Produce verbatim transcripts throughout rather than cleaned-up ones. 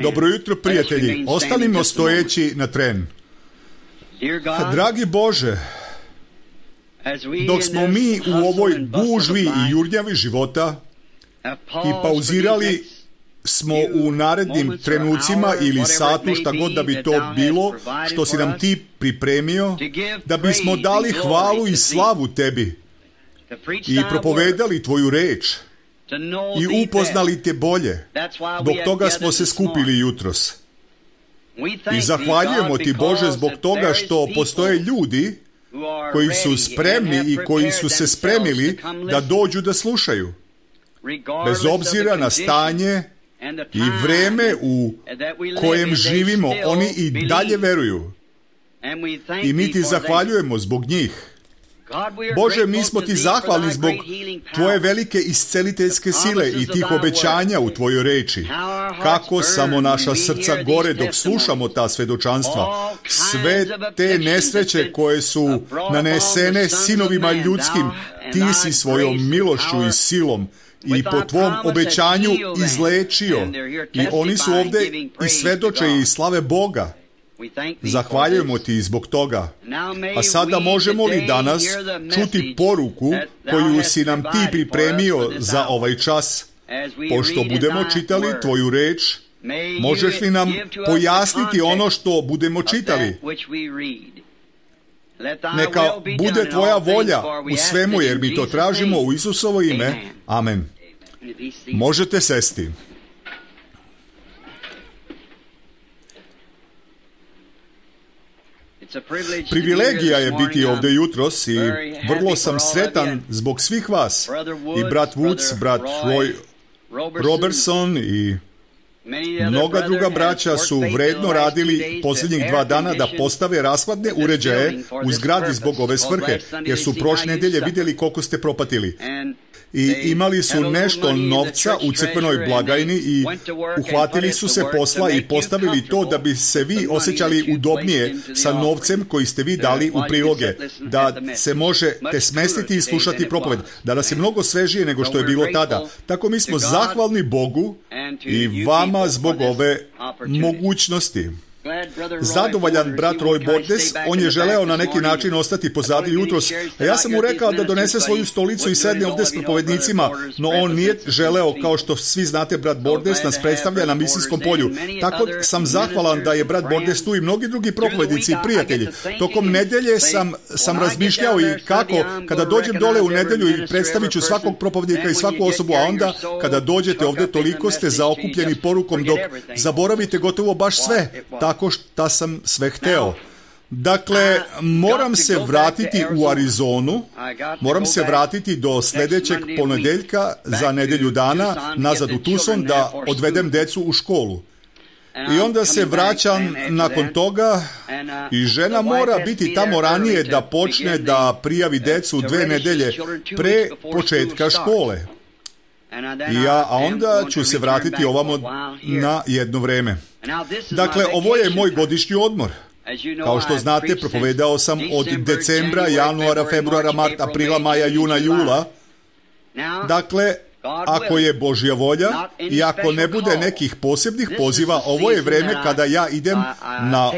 Dobro jutro, prijatelji. Ostanimo stojeći na tren. Dragi Bože, dok smo mi u ovoj gužvi i jurnjavi života i pauzirali smo u narednim trenucima ili satu, šta god da bi to bilo, što si nam ti pripremio, da bismo dali hvalu i slavu tebi i propovedali tvoju reč i upoznali te bolje. Zbog toga smo se skupili jutros. I zahvaljujemo ti, Bože, zbog toga što postoje ljudi koji su spremni i koji su se spremili da dođu da slušaju. Bez obzira na stanje i vreme u kojem živimo, oni i dalje veruju. I mi ti zahvaljujemo zbog njih. Bože, mi smo ti zahvalni zbog tvoje velike isceliteljske sile i tih obećanja u tvojoj reči. Kako samo naša srca gore dok slušamo ta svedočanstva. Sve te nesreće koje su nanesene sinovima ljudskim, ti si svojom milošću i silom i po tvom obećanju izlečio. I oni su ovde i svedoče i slave Boga. Zahvaljujemo ti zbog toga. A sada možemo li danas čuti poruku koju si nam ti pripremio za ovaj čas? Pošto budemo čitali tvoju reč, možeš li nam pojasniti ono što budemo čitali? Neka bude tvoja volja u svemu, jer mi to tražimo u Isusovo ime. Amen. Možete sesti. Privilegija je biti ovdje jutros i vrlo sam sretan zbog svih vas. I brat Woods, brat Roy Robertson i mnoga druga braća su vredno radili posljednjih dva dana da postave rashladne uređaje u zgradi zbog ove svrhe, jer su prošle nedelje vidjeli koliko ste propatili. I imali su nešto novca u crkvenoj blagajni i uhvatili su se posla i postavili to da bi se vi osjećali udobnije sa novcem koji ste vi dali u priloge, da se možete smestiti i slušati propoved, da nas je mnogo svežije nego što je bilo tada. Tako mi smo zahvalni Bogu i vama zbog ove mogućnosti. Zadovoljan brat Roy Bordes, on je želeo na neki način ostati pozadi jutros, a ja sam mu rekao da donese svoju stolicu i sedne ovdje s propovednicima, no on nije želeo, kao što svi znate, brat Bordes nas predstavlja na misijskom polju. Tako sam zahvalan da je brat Bordes tu i mnogi drugi propovednici i prijatelji. Tokom nedelje sam, sam razmišljao i kako, kada dođem dole u nedelju i predstavit ću svakog propovednika i svaku osobu, a onda kada dođete ovdje toliko ste zaokupljeni porukom dok zaboravite gotovo baš sve. Tako što sam sve hteo. Dakle, moram se vratiti u Arizonu, moram se vratiti do sljedećeg ponedeljka za nedelju dana nazad u Tucson da odvedem decu u školu. I onda se vraćam nakon toga i žena mora biti tamo ranije da počne da prijavi decu dve nedelje pre početka škole. I ja, a onda ću se vratiti ovamo na jedno vreme. Dakle, ovo je moj godišnji odmor. Kao što znate, propovedao sam od decembra, januara, februara, marta, aprila, maja, juna, jula. Dakle, ako je Božja volja i ako ne bude nekih posebnih poziva, ovo je vreme kada ja idem na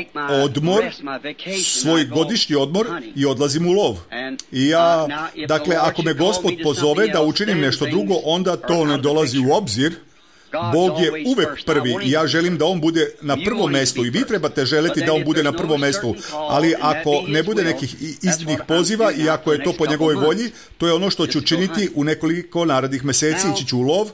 odmor, svoj godišnji odmor i odlazim u lov. I ja, dakle, ako me Gospod pozove da učinim nešto drugo, onda to ne dolazi u obzir. Bog je uvek prvi i ja želim da on bude na prvom mjestu i vi trebate želiti da on bude na prvom mjestu, ali ako ne bude nekih iznimnih poziva i ako je to po njegovoj volji, to je ono što ću činiti u nekoliko narednih mjeseci, ići ću u lov.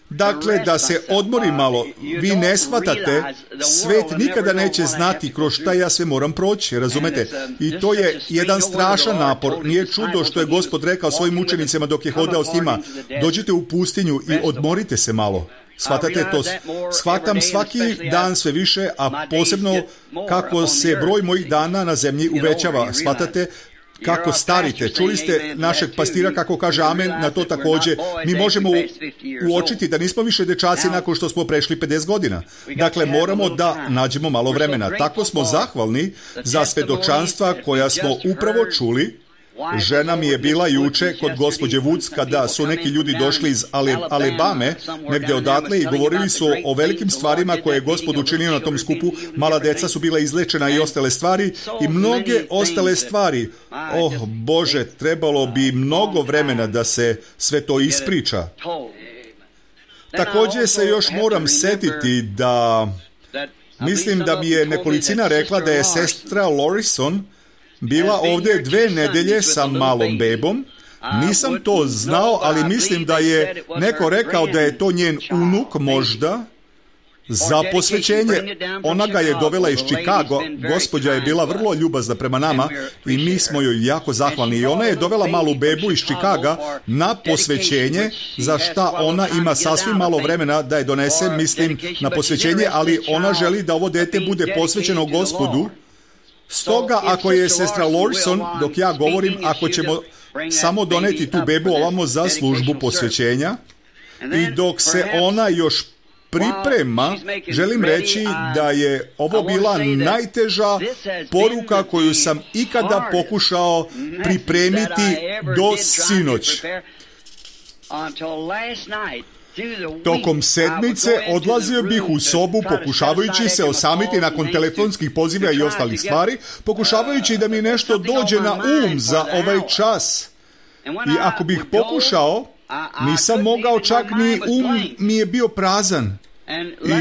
Dakle, da se odmori malo. Vi ne shvatate, svet nikada neće znati kroz šta ja sve moram proći, razumete? I to je jedan strašan napor. Nije čudo što je Gospod rekao svojim učenicima dok je hodao s njima, dođite u pustinju i odmorite se malo. Shvatate to? Shvatam svaki dan sve više, a posebno kako se broj mojih dana na zemlji uvećava. Shvatate kako starite. Čuli ste našeg pastira kako kaže amen na to također. Mi možemo uočiti da nismo više dečaci nakon što smo prešli pedeset godina. Dakle, moramo da nađemo malo vremena. Tako smo zahvalni za svedočanstva koja smo upravo čuli Žena mi je bila juče kod gospođe Woods kada su neki ljudi došli iz Alabame, negdje odatle, i govorili su o velikim stvarima koje je Gospod učinio na tom skupu. Mala deca su bila izlečena i ostale stvari i mnoge ostale stvari. Oh Bože, trebalo bi mnogo vremena da se sve to ispriča. Također se još moram setiti da mislim da mi je nekolicina rekla da je sestra Lorison bila ovdje dve nedelje sa malom bebom. Nisam to znao, ali mislim da je neko rekao da je to njen unuk možda za posvećenje. Ona ga je dovela iz Chicago. Gospođa je bila vrlo ljubazna prema nama i mi smo joj jako zahvalni. I ona je dovela malu bebu iz Chicaga na posvećenje, za šta ona ima sasvim malo vremena da je donese, mislim, na posvećenje, ali ona želi da ovo dete bude posvećeno Gospodu. Stoga, ako je sestra Lorison, dok ja govorim, ako ćemo samo doneti tu bebu ovamo za službu posvećenja, i dok se ona još priprema, želim reći da je ovo bila najteža poruka koju sam ikada pokušao pripremiti do sinoć. Tokom sedmice odlazio bih u sobu pokušavajući se osamiti nakon telefonskih poziva i ostalih stvari, pokušavajući da mi nešto dođe na um za ovaj čas. I ako bih pokušao, nisam mogao, čak ni um mi je bio prazan.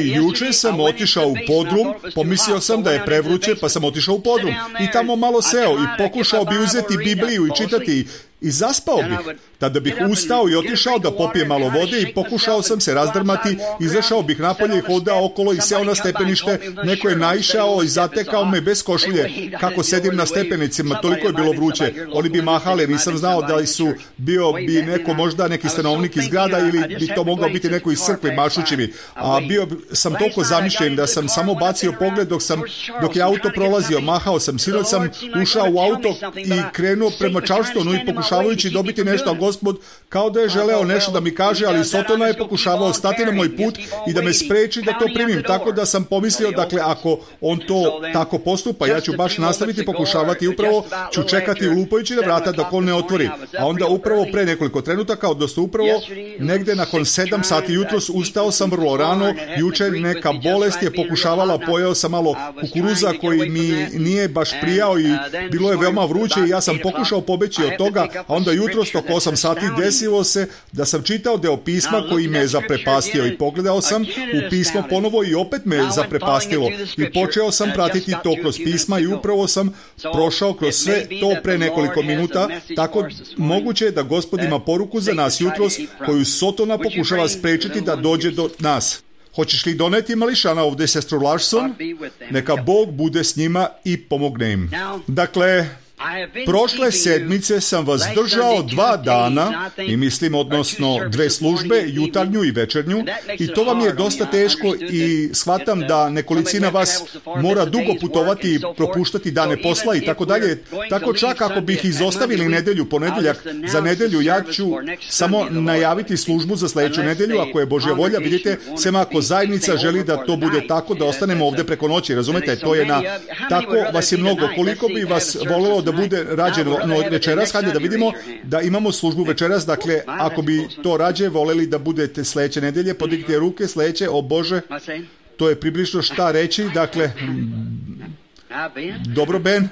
I juče sam otišao u podrum, pomislio sam da je prevruće, pa sam otišao u podrum. I tamo malo seo i pokušao bi uzeti Bibliju i čitati i zaspao bih. Tada bih ustao i otišao da popijem malo vode i pokušao sam se razdrmati, izašao bih napolje i hodao okolo i seo na stepenište. Neko je naišao i zatekao me bez košulje kako sedim na stepenicima, toliko je bilo vruće. Oni bi mahali, nisam znao da li su bio bi neko, možda neki stanovnik iz grada ili bi to mogao biti neko iz crkve mašući mi. A bio sam toliko zamišljen da sam samo bacio pogled dok sam dok je auto prolazio, mahao sam. Sinoć sam ušao u auto i krenuo prema Charlestonu i pokušavajući dobiti nešto, a Gospod kao da je želeo nešto da mi kaže, ali Sotona je pokušavao stati na moj put i da me spreči da to primim, tako da sam pomislio, dakle, ako on to tako postupa, ja ću baš nastaviti pokušavati, upravo ću čekati lupajući na vrata dok on ne otvori. A onda upravo pre nekoliko trenutaka, odnosno upravo negde nakon sedam sati jutros, ustao sam vrlo rano, juče neka bolest je pokušavala, pojeo sam malo kukuruza koji mi nije baš prijao i bilo je veoma vruće i ja sam pokušao pobeći od toga, a onda jutros oko osam sati desilo se da sam čitao deo pisma koji me je zaprepastio i pogledao sam u pismo ponovo i opet me je zaprepastilo i počeo sam pratiti to kroz pisma i upravo sam prošao kroz sve to pre nekoliko minuta, tako moguće je da Gospod ima poruku za nas jutros koju Sotona pokušava sprečiti da dođe do nas. Hoćeš li doneti mališana ovdje, sestru Larson? Neka Bog bude s njima i pomogne im. Dakle, prošle sedmice sam vas držao dva dana i mislim, odnosno dve službe, jutarnju i večernju, i to vam je dosta teško i shvatam da nekolicina vas mora dugo putovati i propuštati dane posla i tako dalje. Tako čak ako bih izostavili nedelju, ponedjeljak za nedelju, ja ću samo najaviti službu za sljedeću nedelju, ako je Božja volja. Vidite, sem ako zajednica želi da to bude tako, da ostanemo ovdje preko noći, razumete, to je na, tako vas je mnogo. Koliko bi vas volelo da bude rađeno no, večeras, hajde da vidimo da imamo službu večeras, dakle, ako bi to rađe voleli da budete sljedeće nedelje, podignite ruke, sljedeće, o Bože, to je približno šta reći, dakle, dobro, Ben.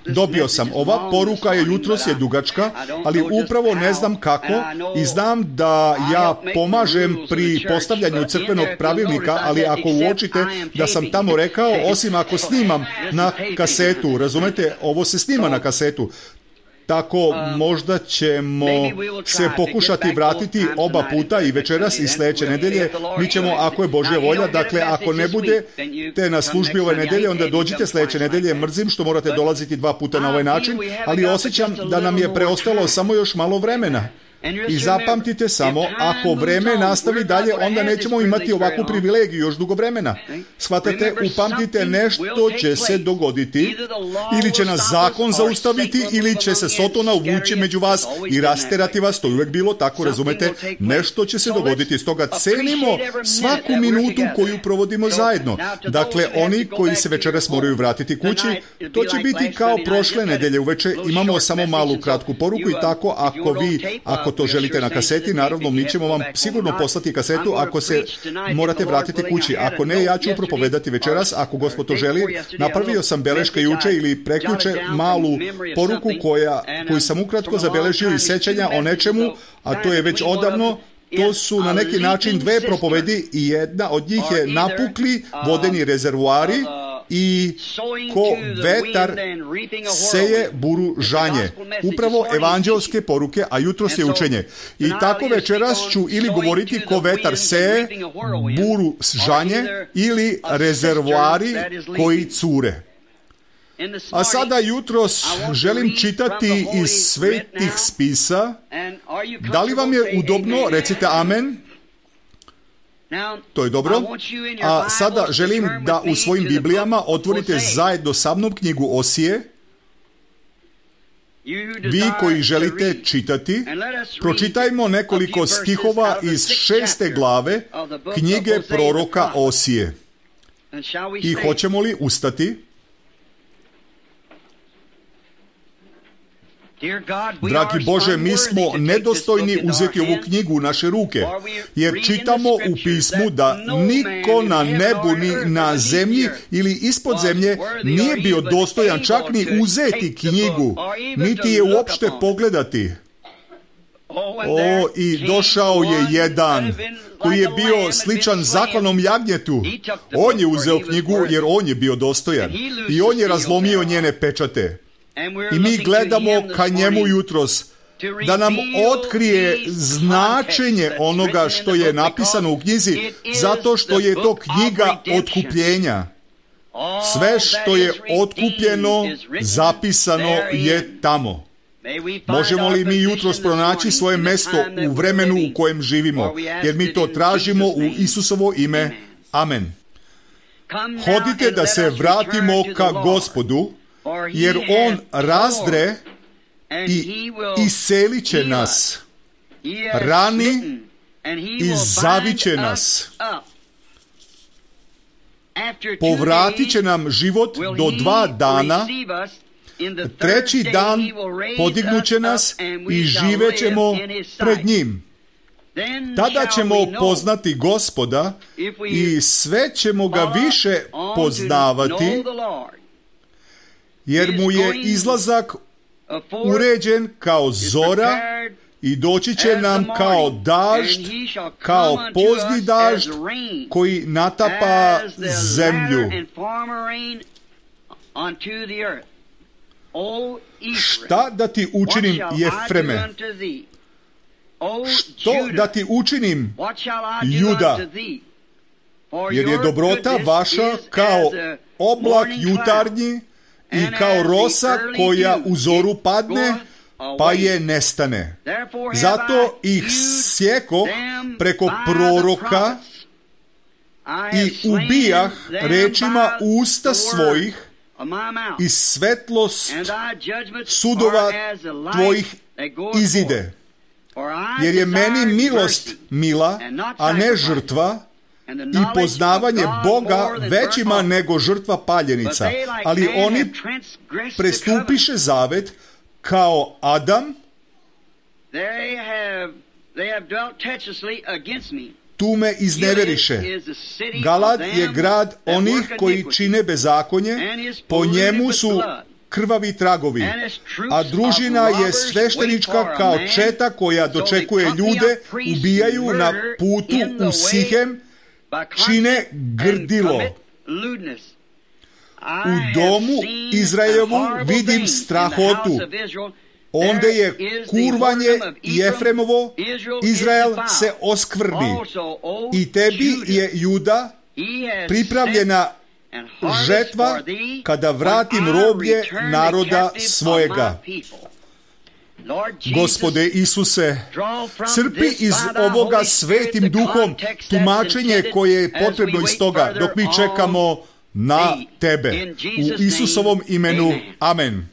Dobio sam. Ova poruka je jutros je dugačka, ali upravo ne znam kako i znam da ja pomažem pri postavljanju crkvenog pravilnika, ali ako uočite da sam tamo rekao, osim ako snimam na kasetu, razumete, ovo se snima na kasetu, tako možda ćemo se pokušati vratiti oba puta i večeras i sljedeće nedelje. Mi ćemo, ako je Božja volja, dakle, ako ne budete na službi ove nedelje, onda dođite sljedeće nedelje. Mrzim što morate dolaziti dva puta na ovaj način, ali osjećam da nam je preostalo samo još malo vremena. I zapamtite samo, ako vreme nastavi dalje, onda nećemo imati ovakvu privilegiju još dugo vremena. Shvatate, upamtite, nešto će se dogoditi, ili će nas zakon zaustaviti, ili će se Sotona uvući među vas i rasterati vas, to je uvijek bilo tako, razumete, nešto će se dogoditi, stoga cenimo svaku minutu koju provodimo zajedno. Dakle, oni koji se večeras moraju vratiti kući, to će biti kao prošle nedelje uveče, imamo samo malu kratku poruku i tako, ako vi, ako to želite na kaseti, naravno mi ćemo vam sigurno poslati kasetu ako se morate vratiti kući. Ako ne, ja ću propovedati večeras, ako Gospod to želi. Napravio sam beleške juče ili prekjuče malu poruku koja, koju sam ukratko zabeležio iz sećanja o nečemu, a to je već odavno. To su na neki način dve propovedi i jedna od njih je napukli vodeni rezervoari i ko vetar seje buru žanje. Upravo evanđelske poruke, a jutros je učenje. I tako večeras ću ili govoriti ko vetar seje buru žanje ili rezervoari koji cure. A sada jutros želim čitati iz svetih spisa. Da li vam je udobno? Recite amen. To je dobro. A sada želim da u svojim Biblijama otvorite zajedno sa mnom knjigu Osije. Vi koji želite čitati, pročitajmo nekoliko stihova iz šeste glave knjige proroka Osije. I hoćemo li ustati? Dragi Bože, mi smo nedostojni uzeti ovu knjigu u naše ruke, jer čitamo u pismu da niko na nebu ni na zemlji ili ispod zemlje nije bio dostojan čak ni uzeti knjigu, niti je uopšte pogledati. O, i došao je jedan koji je bio sličan zaklanom jagnjetu. On je uzeo knjigu jer on je bio dostojan i on je razlomio njene pečate. I mi gledamo ka njemu jutros da nam otkrije značenje onoga što je napisano u knjizi, zato što je to knjiga otkupljenja. Sve što je otkupljeno, zapisano je tamo. Možemo li mi jutros pronaći svoje mesto u vremenu u kojem živimo, jer mi to tražimo u Isusovo ime. Amen. Hodite da se vratimo ka Gospodu, jer on razdre i iselit će nas, rani i zaviće nas. Povratit će nam život do dva dana, treći dan podignut će nas i živećemo pred njim. Tada ćemo poznati Gospoda i sve ćemo ga više poznavati, jer mu je izlazak uređen kao zora i doći će nam kao dažd, kao pozni dažd koji natapa zemlju. Šta da ti učinim, Jefreme? Što da ti učinim, Juda? Jer je dobrota vaša kao oblak jutarnji i kao rosa koja u zoru padne, pa je nestane. Zato ih sjekoh preko proroka i ubijah rečima usta svojih i svetlost sudova tvojih izide. Jer je meni milost mila, a ne žrtva, i poznavanje Boga većima nego žrtva paljenica. Ali oni prestupiše zavet kao Adam, tu me izneveriše. Galad je grad onih koji čine bezakonje, po njemu su krvavi tragovi, a družina je sveštenička kao četa koja dočekuje ljude, ubijaju na putu u Sihem, čine grdilo. U domu Izraelovu vidim strahotu. Onda je kurvanje Jefremovo, Izrael se oskvrni. I tebi je, Juda, pripravljena žetva kada vratim roblje naroda svojega. Gospode Isuse, crpi iz ovoga svetim duhom tumačenje koje je potrebno iz toga dok mi čekamo na Tebe. U Isusovom imenu. Amen.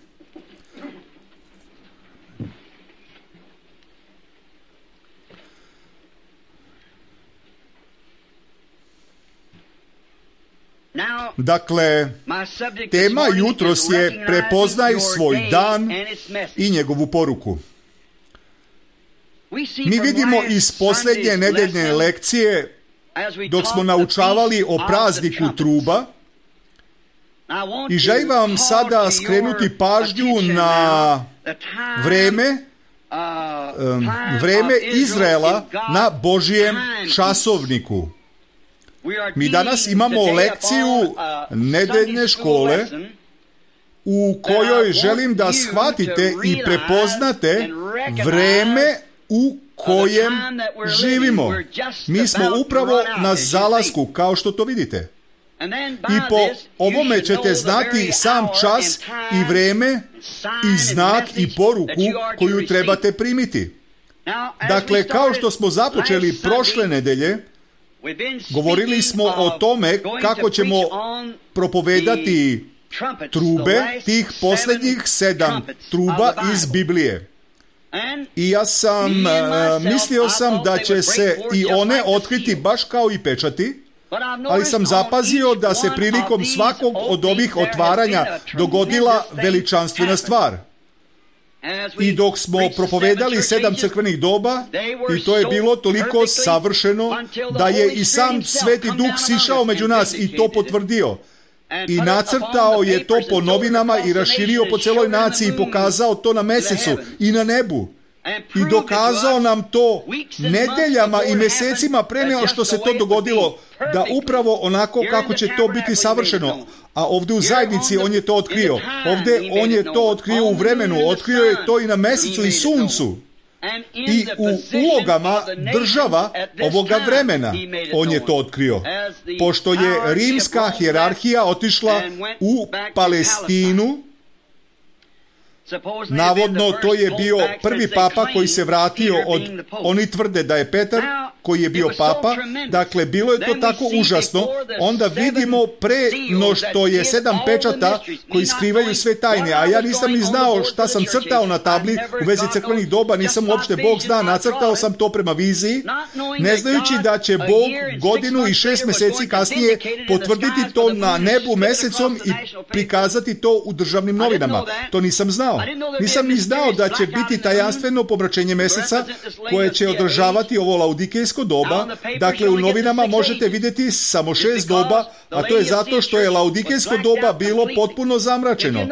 Dakle, tema jutros je prepoznaj svoj dan i njegovu poruku. Mi vidimo iz posljednje nedeljne lekcije, dok smo naučavali o prazniku truba, i želim vam sada skrenuti pažnju na vreme, vreme Izraela na Božijem časovniku. Mi danas imamo lekciju nedeljne škole u kojoj želim da shvatite i prepoznate vreme u kojem živimo. Mi smo upravo na zalasku, kao što to vidite. I po ovome ćete znati sam čas i vreme i znak i poruku koju trebate primiti. Dakle, kao što smo započeli prošle nedelje, govorili smo o tome kako ćemo propovedati trube, tih posljednjih sedam truba iz Biblije. I ja sam, mislio sam da će se i one otkriti baš kao i pečati, ali sam zapazio da se prilikom svakog od ovih otvaranja dogodila veličanstvena stvar. I dok smo propovedali sedam crkvenih doba, i to je bilo toliko savršeno da je i sam Sveti Duh sišao među nas i to potvrdio. I nacrtao je to po novinama i raširio po celoj naciji i pokazao to na mesecu i na nebu. I dokazao nam to nedeljama i mesecima pre nego što se to dogodilo, da upravo onako kako će to biti savršeno. A ovdje u zajednici on je to otkrio. Ovdje on je to otkrio u vremenu, otkrio je to i na mesecu i suncu. I u ulogama država ovoga vremena on je to otkrio. Pošto je rimska hijerarhija otišla u Palestinu, navodno to je bio prvi papa koji se vratio od, oni tvrde da je Petar koji je bio papa, dakle bilo je to tako užasno, onda vidimo pre no što je sedam pečata koji skrivaju sve tajne, a ja nisam ni znao šta sam crtao na tabli u vezi crkvenih doba, nisam uopšte, Bog zna, nacrtao sam to prema viziji, ne znajući da će Bog godinu i šest meseci kasnije potvrditi to na nebu mesecom i prikazati to u državnim novinama. To nisam znao. Nisam ni znao da će biti tajanstveno pomračenje meseca koje će održavati ovo laudikejsko doba. Dakle, u novinama možete vidjeti samo šest doba, a to je zato što je laudikejsko doba bilo potpuno zamračeno.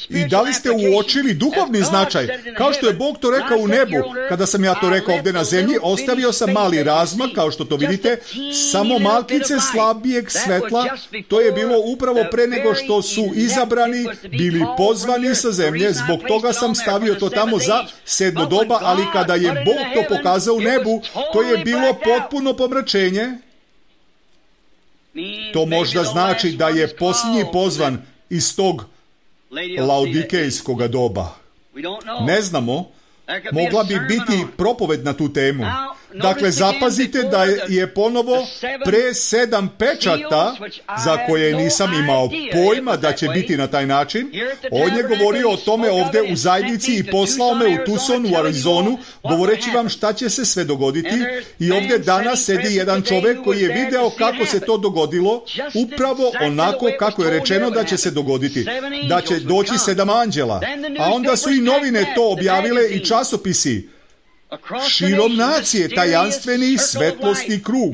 I da li ste uočili duhovni značaj? Kao što je Bog to rekao u nebu, kada sam ja to rekao ovdje na zemlji, ostavio sam mali razmak, kao što to vidite, samo malkice slabijeg svetla. To je bilo upravo pre nego što su izabrani bili pozvani sa zemlje. Zbog toga sam stavio to tamo za sedmo doba, ali kada je Bog to pokazao u nebu, to je bilo potpuno pomračenje. To možda znači da je posljednji pozvan iz tog laudikejskog doba. Ne znamo, mogla bi biti propoved na tu temu. Dakle, zapazite da je ponovo pre sedam pečata, za koje nisam imao pojma da će biti na taj način. On je govorio o tome ovdje u zajednici i poslao me u Tucson, u Arizonu, govoreći vam šta će se sve dogoditi. I ovdje danas sedi jedan čovjek koji je video kako se to dogodilo, upravo onako kako je rečeno da će se dogoditi, da će doći sedam anđela. A onda su i novine to objavile i časopisi. Širom nacije tajanstveni svetlosni krug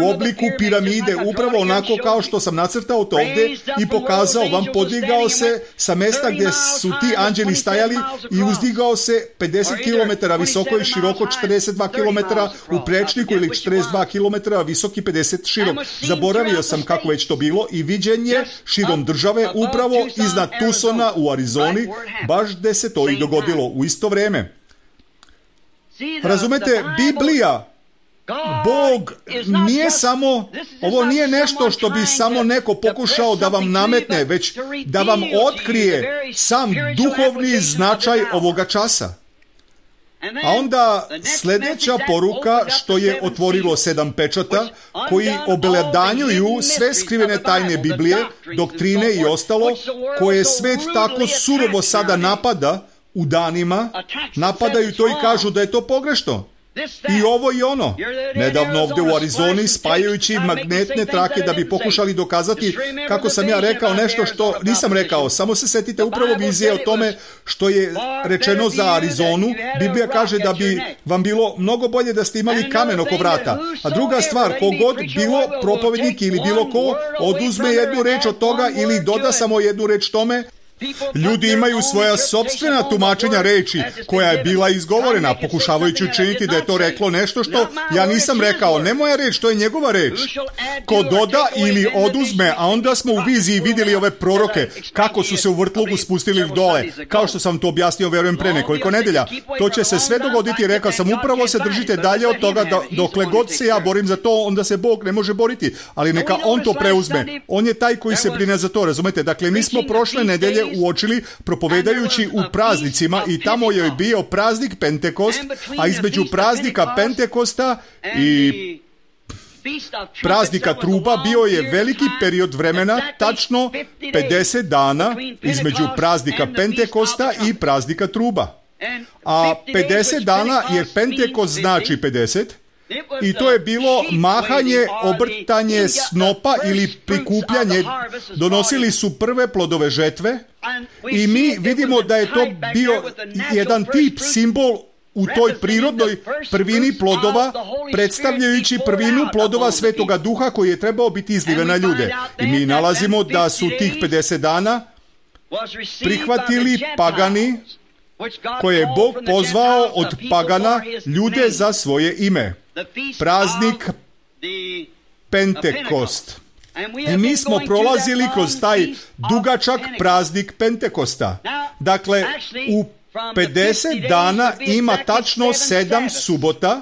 u obliku piramide, upravo onako kao što sam nacrtao to ovdje i pokazao vam, podigao se sa mesta gdje su ti anđeli stajali i uzdigao se pedeset kilometara visoko i široko četrdeset dva kilometra u prečniku ili četrdeset dva kilometra visoki pedeset širok. Zaboravio sam kako već to bilo i viđenje širom države upravo iznad Tucsona u Arizoni, baš gdje se to i dogodilo u isto vrijeme. Razumete, Biblija, Bog nije samo, ovo nije nešto što bi samo neko pokušao da vam nametne, već da vam otkrije sam duhovni značaj ovoga časa. A onda sljedeća poruka što je otvorilo sedam pečata koji obeledanjuju sve skrivene tajne Biblije, doktrine i ostalo koje svet tako surovo sada napada u danima, napadaju to i kažu da je to pogrešno. I ovo i ono. Nedavno ovdje u Arizoni spajajući magnetne trake da bi pokušali dokazati kako sam ja rekao nešto što nisam rekao. Samo se setite upravo vizije o tome što je rečeno za Arizonu. Biblija kaže da bi vam bilo mnogo bolje da ste imali kamen oko vrata. A druga stvar, kogod bilo propovednik ili bilo ko oduzme jednu reč od toga ili doda samo jednu reč tome, ljudi imaju svoja sopstvena tumačenja reči koja je bila izgovorena, pokušavajući učiniti da je to reklo nešto što ja nisam rekao. Ne moja reč, to je njegova reč. Ko doda ili oduzme, a onda smo u viziji vidjeli ove proroke, kako su se u vrtlogu spustili dole. Kao što sam to objasnio, verujem, pre nekoliko nedelja. To će se sve dogoditi, rekao sam, upravo se držite dalje od toga da dokle god se ja borim za to, onda se Bog ne može boriti. Ali neka On to preuzme. On je taj koji se brine za to, razumete? Dakle, mi smo prošle nedelje uočili propovedajući u praznicima i tamo je bio praznik Pentekost, a između praznika Pentekosta i praznika truba bio je veliki period vremena, tačno pedeset dana između praznika Pentekosta i praznika truba. A pedeset dana, jer Pentekost znači pedeset, i to je bilo mahanje, obrtanje snopa ili prikupljanje. Donosili su prve plodove žetve i mi vidimo da je to bio jedan tip, simbol u toj prirodnoj prvini plodova, predstavljajući prvinu plodova Svetoga Duha koji je trebao biti izliven na ljude. I mi nalazimo da su tih pedeset dana prihvatili pagani koje je Bog pozvao od pagana ljude za svoje ime. Praznik Pentekost. I mi smo prolazili kroz taj dugačak praznik Pentekosta. Dakle, u pedeset dana ima tačno sedam subota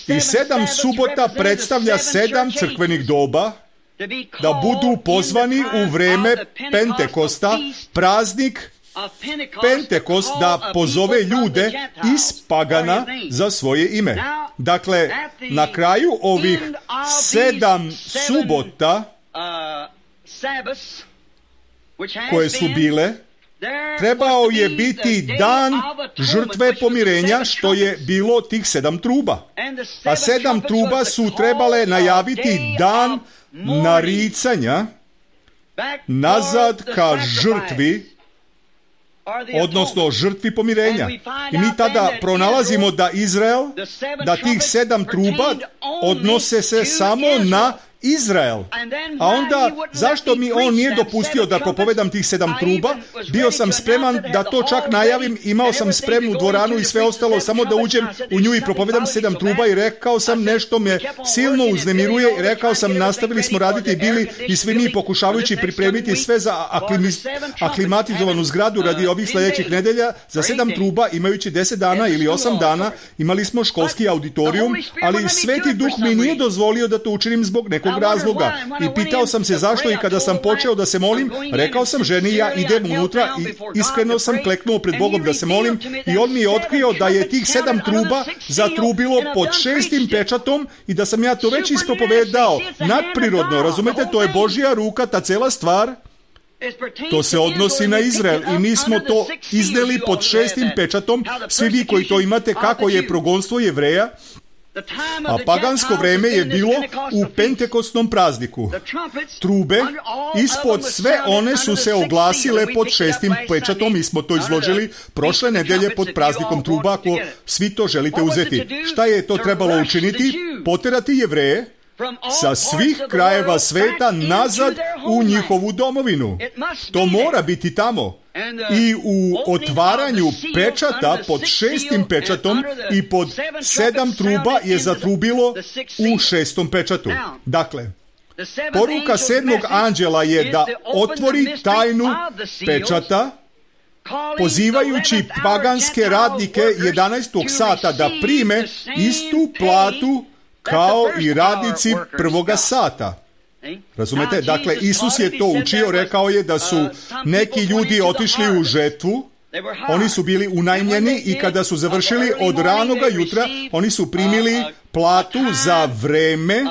i sedam subota predstavlja sedam crkvenih doba da budu pozvani u vreme Pentekosta, praznik Pentekost, da pozove ljude iz pagana za svoje ime. Dakle, na kraju ovih sedam subota koje su bile, trebao je biti dan žrtve pomirenja, što je bilo tih sedam truba. A sedam truba su trebale najaviti dan naricanja nazad ka žrtvi, odnosno žrtvi pomirenja. I mi tada pronalazimo da Izrael, da tih sedam truba odnose se samo na Izrael. A onda, zašto mi on nije dopustio da propovedam tih sedam truba? Bio sam spreman da to čak najavim, imao sam spremnu dvoranu i sve ostalo, samo da uđem u nju i propovedam sedam truba i rekao sam nešto me silno uznemiruje i rekao sam nastavili smo raditi bili i svi mi pokušavajući pripremiti sve za aklimis, aklimatizovanu zgradu radi ovih sljedećih nedelja. Za sedam truba, imajući deset dana ili osam dana, imali smo školski auditorijum, ali Sveti Duh mi nije dozvolio da to učinim zbog nekog razloga. I pitao sam se zašto i kada sam počeo da se molim, rekao sam ženi ja idem unutra i iskreno sam kleknuo pred Bogom da se molim i on mi je otkrio da je tih sedam truba zatrubilo pod šestim pečatom i da sam ja to već ispropovedao. Nadprirodno, razumete, to je Božja ruka, ta cela stvar. To se odnosi na Izrael i mi smo to izneli pod šestim pečatom. Svi vi koji to imate, kako je progonstvo Jevreja. A pagansko vreme je bilo u pentekostnom prazniku. Trube, ispod sve one su se oglasile pod šestim pečatom. Mi smo to izložili prošle nedelje pod praznikom truba, ako svi to želite uzeti. Šta je to trebalo učiniti? Poterati Jevreje sa svih krajeva sveta nazad u njihovu domovinu. To mora biti tamo. I u otvaranju pečata pod šestim pečatom i pod sedam truba je zatrubilo u šestom pečatu. Dakle, poruka sedmog anđela je da otvori tajnu pečata, pozivajući paganske radnike jedanaestog sata da prime istu platu kao i radnici prvoga sata. Razumete? Dakle, Isus je to učio, rekao je da su neki ljudi otišli u žetvu Oni su bili unajmljeni i kada su završili od ranoga jutra, oni su primili platu za vreme,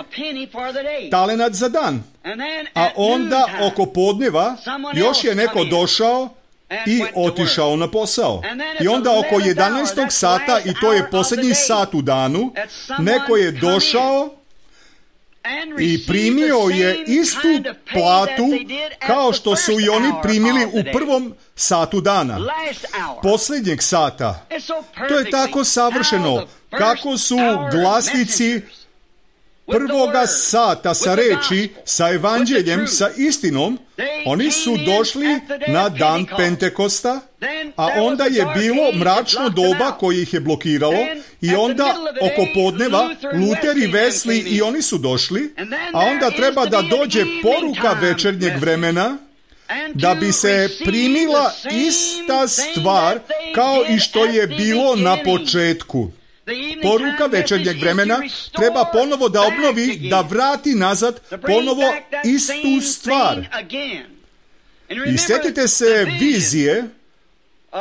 talenat za dan. A onda oko podneva još je neko došao i otišao na posao. I onda oko jedanaestog sata, i to je posljednji sat u danu, neko je došao i primio je istu platu kao što su i oni primili u prvom satu dana, posljednjeg sata. To je tako savršeno, kako su glasnici prvoga sata sa reči, sa evanđeljem, sa istinom, oni su došli na dan Pentekosta, a onda je bilo mračno doba koje ih je blokiralo, i onda oko podneva Luter i Wesley i oni su došli, a onda treba da dođe poruka večernjeg vremena, da bi se primila ista stvar kao i što je bilo na početku. Poruka večernjeg vremena treba ponovo da obnovi, da vrati nazad ponovo istu stvar. I sjetite se vizije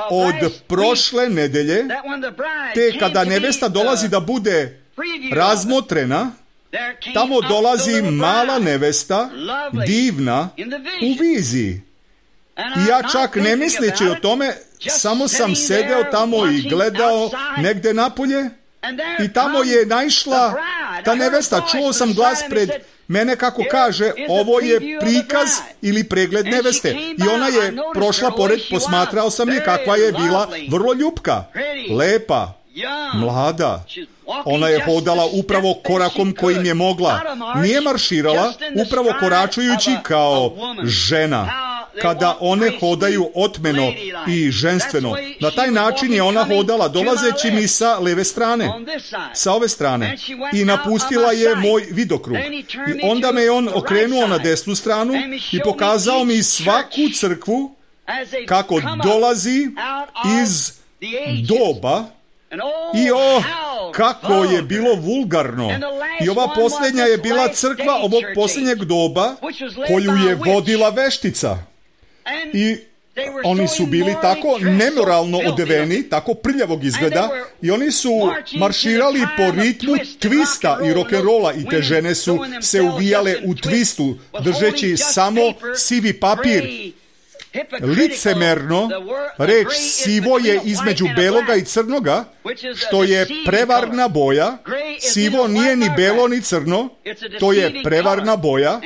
od prošle nedelje, te kada nevesta dolazi da bude razmotrena, tamo dolazi mala nevesta, divna, u viziji. I ja čak ne misleći o tome, samo sam sedeo tamo i gledao negde napolje, i tamo je naišla ta nevesta. Čuo sam glas pred mene kako kaže, ovo je prikaz ili pregled neveste. I ona je prošla pored, posmatrao sam je kakva je bila, vrlo ljupka, lepa, mlada. Ona je hodala upravo korakom kojim je mogla. Nije marširala, upravo koračujući kao žena. Kada one hodaju otmeno i ženstveno. Na taj način je ona hodala, dolazeći mi sa leve strane, sa ove strane. I napustila je moj vidokrug. I onda me je on okrenuo na desnu stranu i pokazao mi svaku crkvu kako dolazi iz doba. I o, kako je bilo vulgarno. I ova posljednja je bila crkva ovog posljednjeg doba koju je vodila veštica. I oni su bili tako nemoralno odeveni, tako prljavog izgleda, i oni su marširali po ritmu twista i rock'n'rolla, i te žene su se uvijale u twistu, držeći samo sivi papir. Licemerno, reč sivo je između beloga i crnoga, što je prevarna boja. Sivo nije ni belo ni crno, to je prevarna boja,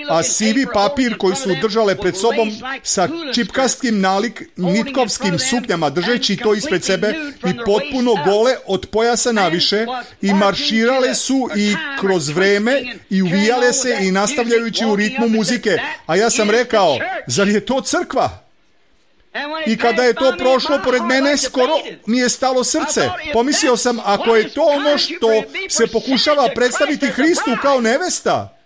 a sivi papir koji su držale pred sobom sa čipkastim nalik nitkovskim suknjama, držeći to ispred sebe i potpuno gole od pojasa naviše, i marširale su i kroz vreme i uvijale se i nastavljajući u ritmu muzike. A ja sam rekao, zar je to crkva? I kada je to prošlo pored mene, skoro mi je stalo srce. Pomislio sam, ako je to ono što se pokušava predstaviti Hristu kao nevesta,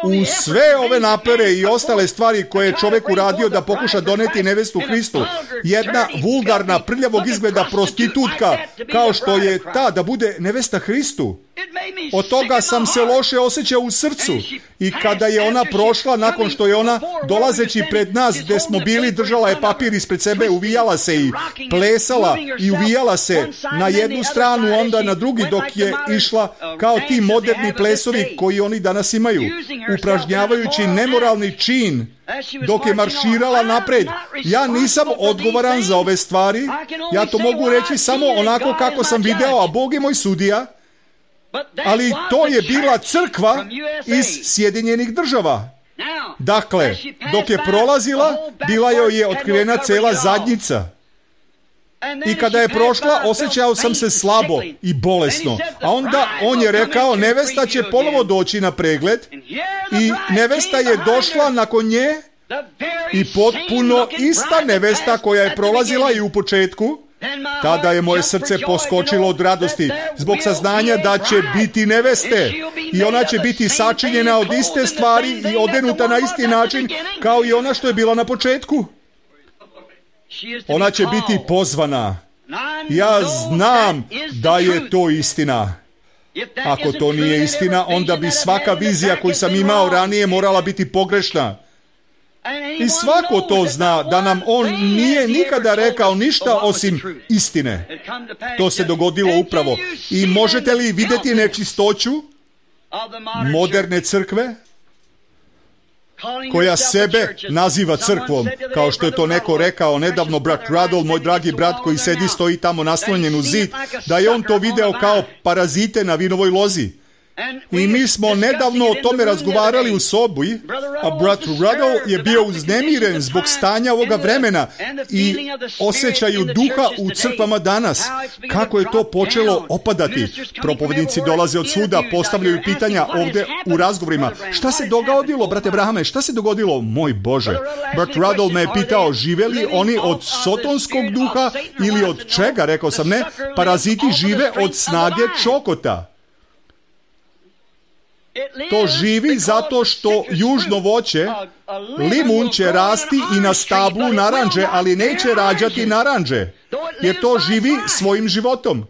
u sve ove napere i ostale stvari koje je čovjek uradio da pokuša doneti nevestu Hristu, jedna vulgarna, prljavog izgleda prostitutka, kao što je ta da bude nevesta Hristu, od toga sam se loše osjećao u srcu. I kada je ona prošla, nakon što je ona, dolazeći pred nas gdje smo bili, držala je papir ispred sebe, uvijala se i plesala i uvijala se na jednu stranu, onda na drugi, dok je išla kao ti moderni plesovi koji oni danas imaju, upražnjavajući nemoralni čin dok je marširala napred. Ja nisam odgovoran za ove stvari, ja to mogu reći samo onako kako sam video, a Bog je moj sudija. Ali to je bila crkva iz Sjedinjenih Država. Dakle, dok je prolazila, bila joj je otkrivena cela zadnjica. I kada je prošla, osjećao sam se slabo i bolesno. A onda on je rekao, nevesta će ponovo doći na pregled, i nevesta je došla nakon nje, i potpuno ista nevesta koja je prolazila i u početku. Tada je moje srce poskočilo od radosti zbog saznanja da će biti neveste, i ona će biti sačinjena od iste stvari i odenuta na isti način kao i ona što je bila na početku. Ona će biti pozvana. Ja znam da je to istina. Ako to nije istina, onda bi svaka vizija koju sam imao ranije morala biti pogrešna. I svako to zna, da nam on nije nikada rekao ništa osim istine. To se dogodilo upravo. I možete li vidjeti nečistoću moderne crkve, koja sebe naziva crkvom, kao što je to neko rekao nedavno, brat Radol, moj dragi brat koji sedi, stoji tamo naslonjen u zid, da je on to video kao parazite na vinovoj lozi. I mi smo nedavno o tome razgovarali u sobi, a brat Radol je bio uznemiren zbog stanja ovoga vremena i osjećaju duha u crkvama danas. Kako je to počelo opadati? Propovednici dolaze od svuda, postavljaju pitanja ovdje u razgovorima. Šta se dogodilo, brate Brahame? Šta se dogodilo? Moj Bože. Brat Radol me je pitao, žive li oni od sotonskog duha ili od čega? Rekao sam ne, paraziti žive od snage čokota. To živi zato što južno voće, limun će rasti i na stablu naranđe, ali neće rađati naranđe, jer to živi svojim životom.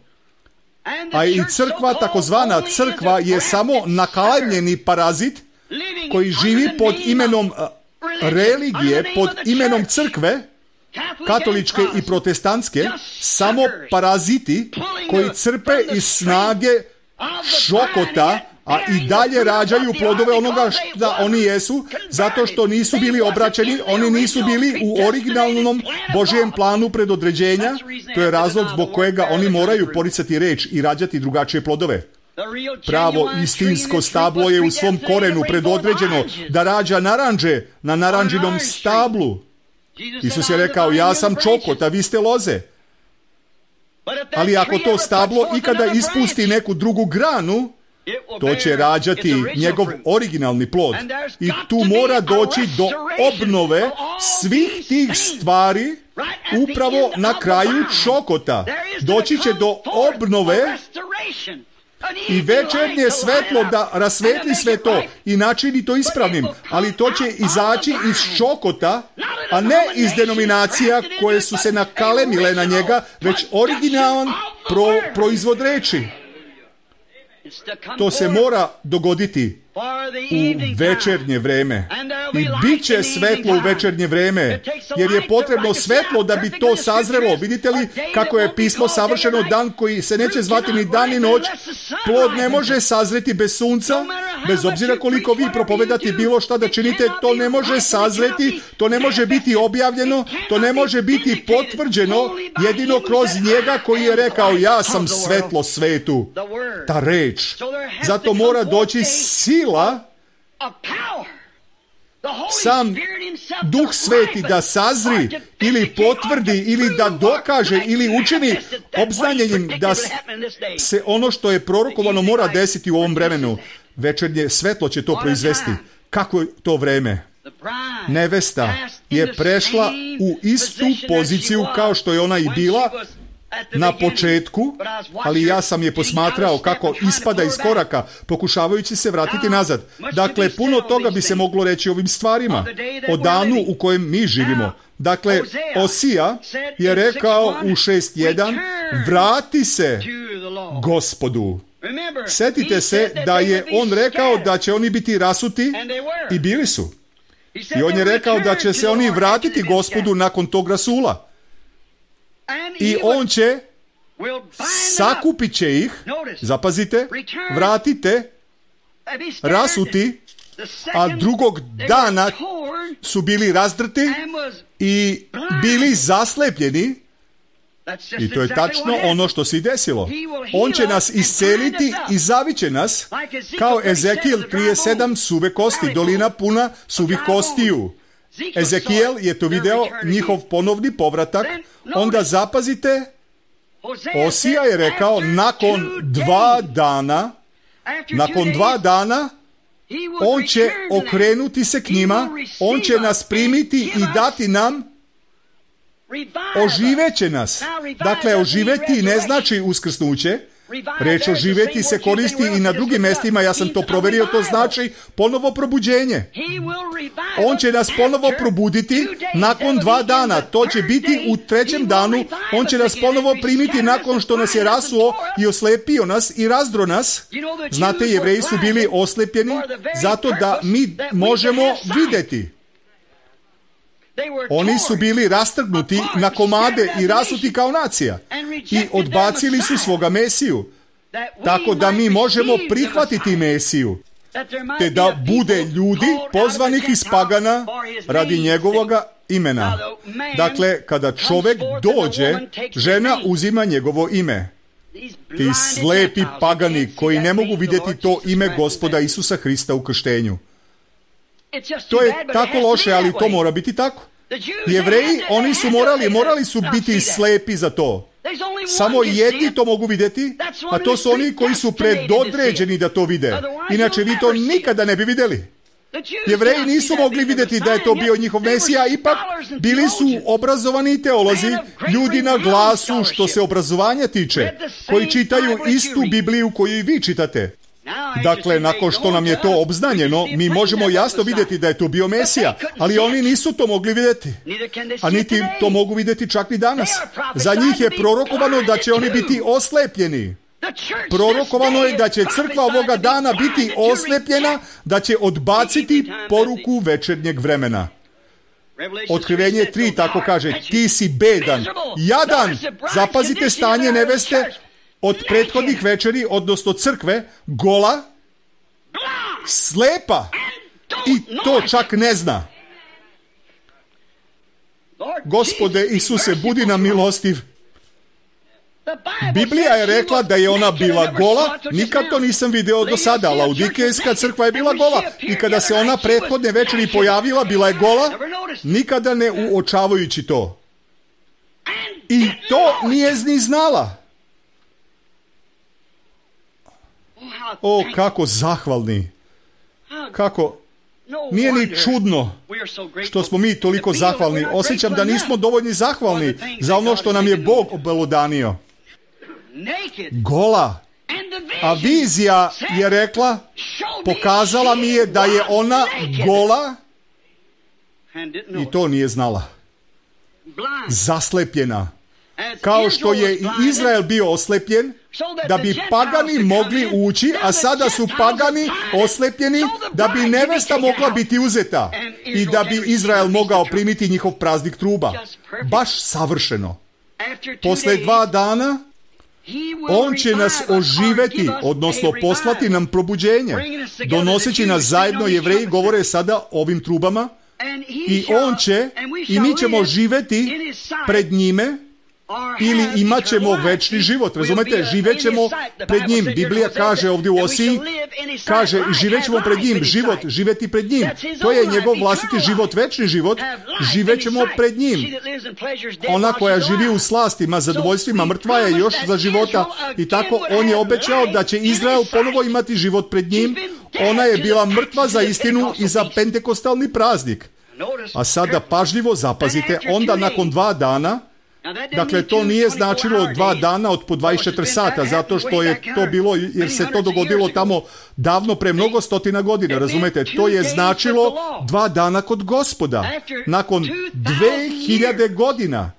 A i crkva, takozvana crkva, je samo nakalemljeni parazit koji živi pod imenom religije, pod imenom crkve, katoličke i protestantske, samo paraziti koji crpe iz snage šokota, a i dalje rađaju plodove onoga što oni jesu, zato što nisu bili obraćeni, oni nisu bili u originalnom Božijem planu predodređenja. To je razlog zbog kojega oni moraju poricati reč i rađati drugačije plodove. Pravo istinsko stablo je u svom korenu predodređeno da rađa naranđe na naranđinom stablu. Isus je rekao, ja sam čokot, a vi ste loze. Ali ako to stablo ikada ispusti neku drugu granu, to će rađati njegov originalni plod. I tu mora doći do obnove svih tih stvari upravo na kraju čokota. Doći će do obnove i večernje svetlo da rasvetli sve to i načini to ispravnim, ali to će izaći iz čokota, a ne iz denominacija koje su se nakalemile na njega, već originalan pro, proizvod reči. To se mora dogoditi u večernje vreme. I bit će svetlo u večernje vreme, jer je potrebno svetlo da bi to sazrelo. Vidite li kako je pismo savršeno, dan koji se neće zvati ni dan ni noć? Plod ne može sazreti bez sunca, bez obzira koliko vi propovedati bilo šta da činite, to ne može sazreti, to ne može biti objavljeno, to ne može biti potvrđeno jedino kroz njega koji je rekao, ja sam svetlo svetu. Ta reč. Zato mora doći sila, sam Duh Sveti da sazri ili potvrdi ili da dokaže ili učini obznanjenjem da se ono što je prorokovano mora desiti u ovom vremenu. Večernje svetlo će to proizvesti. Kako je to vreme? Nevesta je prešla u istu poziciju kao što je ona i bila na početku, ali ja sam je posmatrao kako ispada iz koraka, pokušavajući se vratiti nazad. Dakle, puno toga bi se moglo reći o ovim stvarima, o danu u kojem mi živimo. Dakle, Osija je rekao u šest jedan, vrati se Gospodu. Sjetite se da je on rekao da će oni biti rasuti i bili su. I on je rekao da će se oni vratiti Gospodu nakon tog rasula. I on će, sakupit će ih, zapazite, vratite, rasuti, a drugog dana su bili razdrti i bili zaslepljeni. I to je tačno ono što se i desilo. On će nas isceliti i zaviće nas, kao Ezekijel trideset sedam, suve kosti, dolina puna suvih kostiju. Ezekijel je to video, njihov ponovni povratak. Onda zapazite, Osija je rekao, nakon dva dana, nakon dva dana, on će okrenuti se k njima, on će nas primiti i dati nam, oživeće nas. Dakle, oživeti ne znači uskrsnuće. Reč oživeti se koristi i na drugim mjestima, ja sam to proverio, to znači ponovo probuđenje. On će nas ponovo probuditi nakon dva dana, to će biti u trećem danu, on će nas ponovo primiti nakon što nas je rasuo i oslepio nas i razdro nas. Znate, Jevreji su bili oslepljeni zato da mi možemo vidjeti. Oni su bili rastrgnuti na komade i rasuti kao nacija i odbacili su svoga Mesiju, tako da mi možemo prihvatiti Mesiju, te da bude ljudi pozvanih iz pagana radi njegovoga imena. Dakle, kada čovjek dođe, žena uzima njegovo ime. Ti slepi pagani koji ne mogu vidjeti to ime Gospoda Isusa Hrista u krštenju. To je tako loše, ali to mora biti tako. Jevreji, oni su morali, morali su biti slepi za to. Samo jedni to mogu vidjeti, a to su oni koji su predodređeni da to vide. Inače, vi to nikada ne bi vidjeli. Jevreji nisu mogli vidjeti da je to bio njihov Mesija, ipak bili su obrazovani teolozi, ljudi na glasu što se obrazovanja tiče, koji čitaju istu Bibliju koju i vi čitate. Dakle, nakon što nam je to obznanjeno, mi možemo jasno vidjeti da je to bio Mesija, ali oni nisu to mogli vidjeti. A niti to mogu vidjeti čak i danas. Za njih je prorokovano da će oni biti oslepljeni. Prorokovano je da će crkva ovoga dana biti oslepljena, da će odbaciti poruku večernjeg vremena. Otkrivenje tri tako kaže, ti si bedan, jadan, zapazite stanje neveste od prethodnih večeri, odnosno crkve, gola, slepa i to čak ne zna. Gospode Isuse, budi nam milostiv. Biblija je rekla da je ona bila gola, nikad to nisam video do sada. Laudikejska crkva je bila gola i kada se ona prethodne večeri pojavila, bila je gola, nikada ne uočavajući to. I to nije ni znala. O, kako zahvalni. Kako, nije ni čudno što smo mi toliko zahvalni. Osjećam da nismo dovoljni zahvalni za ono što nam je Bog obelodanio. Gola. A vizija je rekla, pokazala mi je da je ona gola i to nije znala. Zaslepljena. Kao što je i Izrael bio oslepljen, da bi pagani mogli ući, a sada su pagani oslepljeni, da bi nevesta mogla biti uzeta i da bi Izrael mogao primiti njihov praznik truba. Baš savršeno. Posle dva dana, on će nas oživeti, odnosno poslati nam probuđenje, donoseći nas zajedno, Jevreji govore sada ovim trubama, i on će, i mi ćemo živeti pred njime, ili imat ćemo večni život, razumete, živet ćemo pred njim. Biblija kaže ovdje u Osiji, kaže, živet ćemo pred njim, život, živeti pred njim. To je njegov vlastiti život, večni život, živet ćemo pred njim. Ona koja živi u slastima, zadovoljstvima, mrtva je još za života i tako on je obećao da će Izrael ponovo imati život pred njim. Ona je bila mrtva za istinu i za pentekostalni praznik. A sada pažljivo zapazite, onda nakon dva dana, dakle, to nije značilo dva dana od po dvadeset četiri sata, zato što je to bilo, jer se to dogodilo tamo davno pre mnogo stotina godina, razumete? To je značilo dva dana kod Gospoda, nakon dve hiljade godina.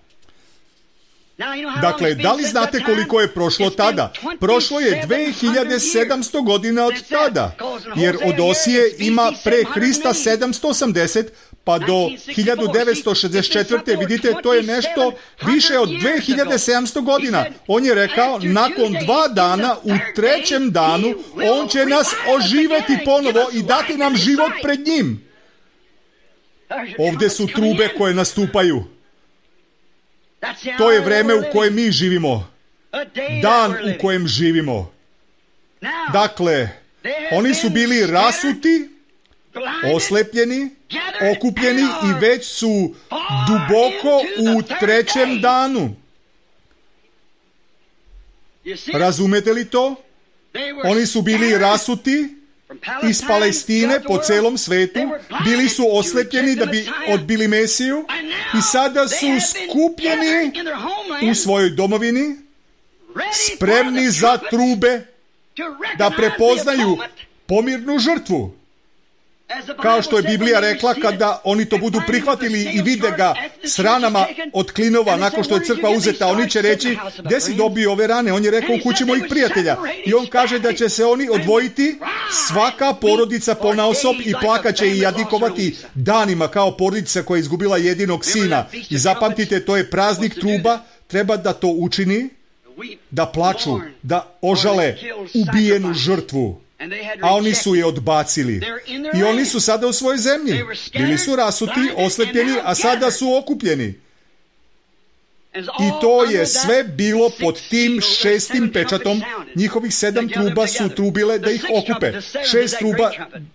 Dakle, da li znate koliko je prošlo tada? Prošlo je dve hiljade sedamsto godina od tada, jer od Osije ima pre Hrista sedamsto osamdeset, pa do hiljadu devetsto šezdeset četvrte. vidite, to je nešto više od dve hiljade sedamsto godina. On je rekao, nakon dva dana, u trećem danu, on će nas oživeti ponovo i dati nam život pred njim. Ovdje su trube koje nastupaju. To je vreme u kojem mi živimo. Dan u kojem živimo. Dakle, oni su bili rasuti, oslepljeni, okupljeni i već su duboko u trećem danu. Razumete li to? Oni su bili rasuti iz Palestine po celom svetu, bili su oslepljeni da bi odbili Mesiju i sada su skupljeni u svojoj domovini, spremni za trube da prepoznaju pomirnu žrtvu. Kao što je Biblija rekla, kada oni to budu prihvatili i vide ga s ranama od klinova nakon što je crkva uzeta, oni će reći, gdje si dobio ove rane? On je rekao, u kući mojih prijatelja. I on kaže da će se oni odvojiti, svaka porodica ponaosob, i plakaće i jadikovati danima kao porodica koja je izgubila jedinog sina. I zapamtite, to je praznik truba, treba da to učini, da plaču, da ožale ubijenu žrtvu. A oni su je odbacili. I oni su sada u svojoj zemlji. Bili su rasuti, oslepljeni, a sada su okupljeni. I to je sve bilo pod tim šestim pečatom. Njihovih sedam truba su trubile da ih okupe. Šest truba,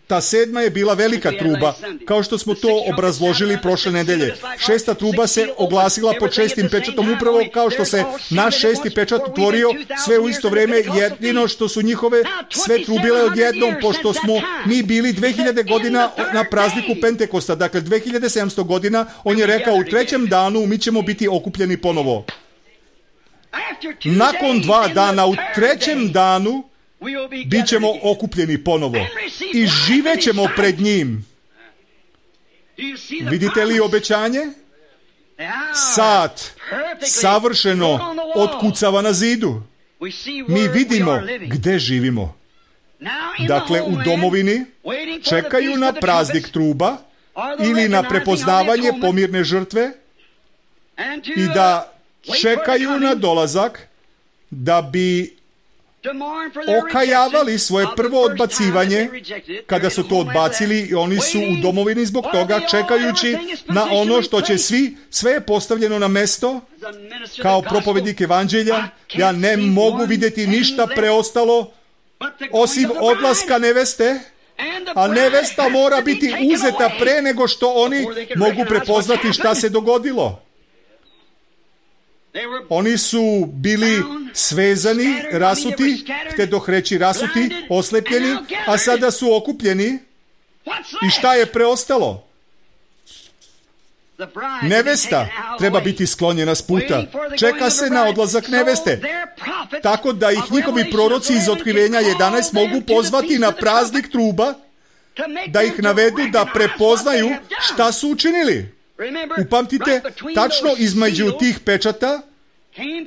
ta sedma je bila velika truba, kao što smo to obrazložili prošle nedelje. Šesta truba se oglasila pod šestim pečatom, upravo kao što se naš šesti pečat otvorio sve u isto vrijeme, jedino što su njihove sve trubile odjednom, pošto smo mi bili dve hiljade godina na prazniku Pentekosta. Dakle, dve hiljade sedamsto godina, on je rekao, u trećem danu mi ćemo biti okupljeni ponovo. Nakon dva dana, u trećem danu, bit ćemo okupljeni ponovo i živećemo pred njim. Vidite li obećanje? Sat savršeno otkucava na zidu. Mi vidimo gdje živimo. Dakle, u domovini čekaju na praznik truba ili na prepoznavanje pomirne žrtve i da čekaju na dolazak da bi okajavali svoje prvo odbacivanje. Kada su to odbacili, i oni su u domovini zbog toga, čekajući na ono što će svi, sve je postavljeno na mesto. Kao propovednik evanđelja, ja ne mogu vidjeti ništa preostalo osim odlaska neveste, a nevesta mora biti uzeta pre nego što oni mogu prepoznati šta se dogodilo. Oni su bili svezani, rasuti, htjedoh reći rasuti, oslepljeni, a sada su okupljeni. I šta je preostalo? Nevesta treba biti sklonjena s puta. Čeka se na odlazak neveste. Tako da ih njihovi proroci iz Otkrivenja jedanaest mogu pozvati na praznik truba, da ih navedu da prepoznaju šta su učinili. Upamtite, tačno između tih pečata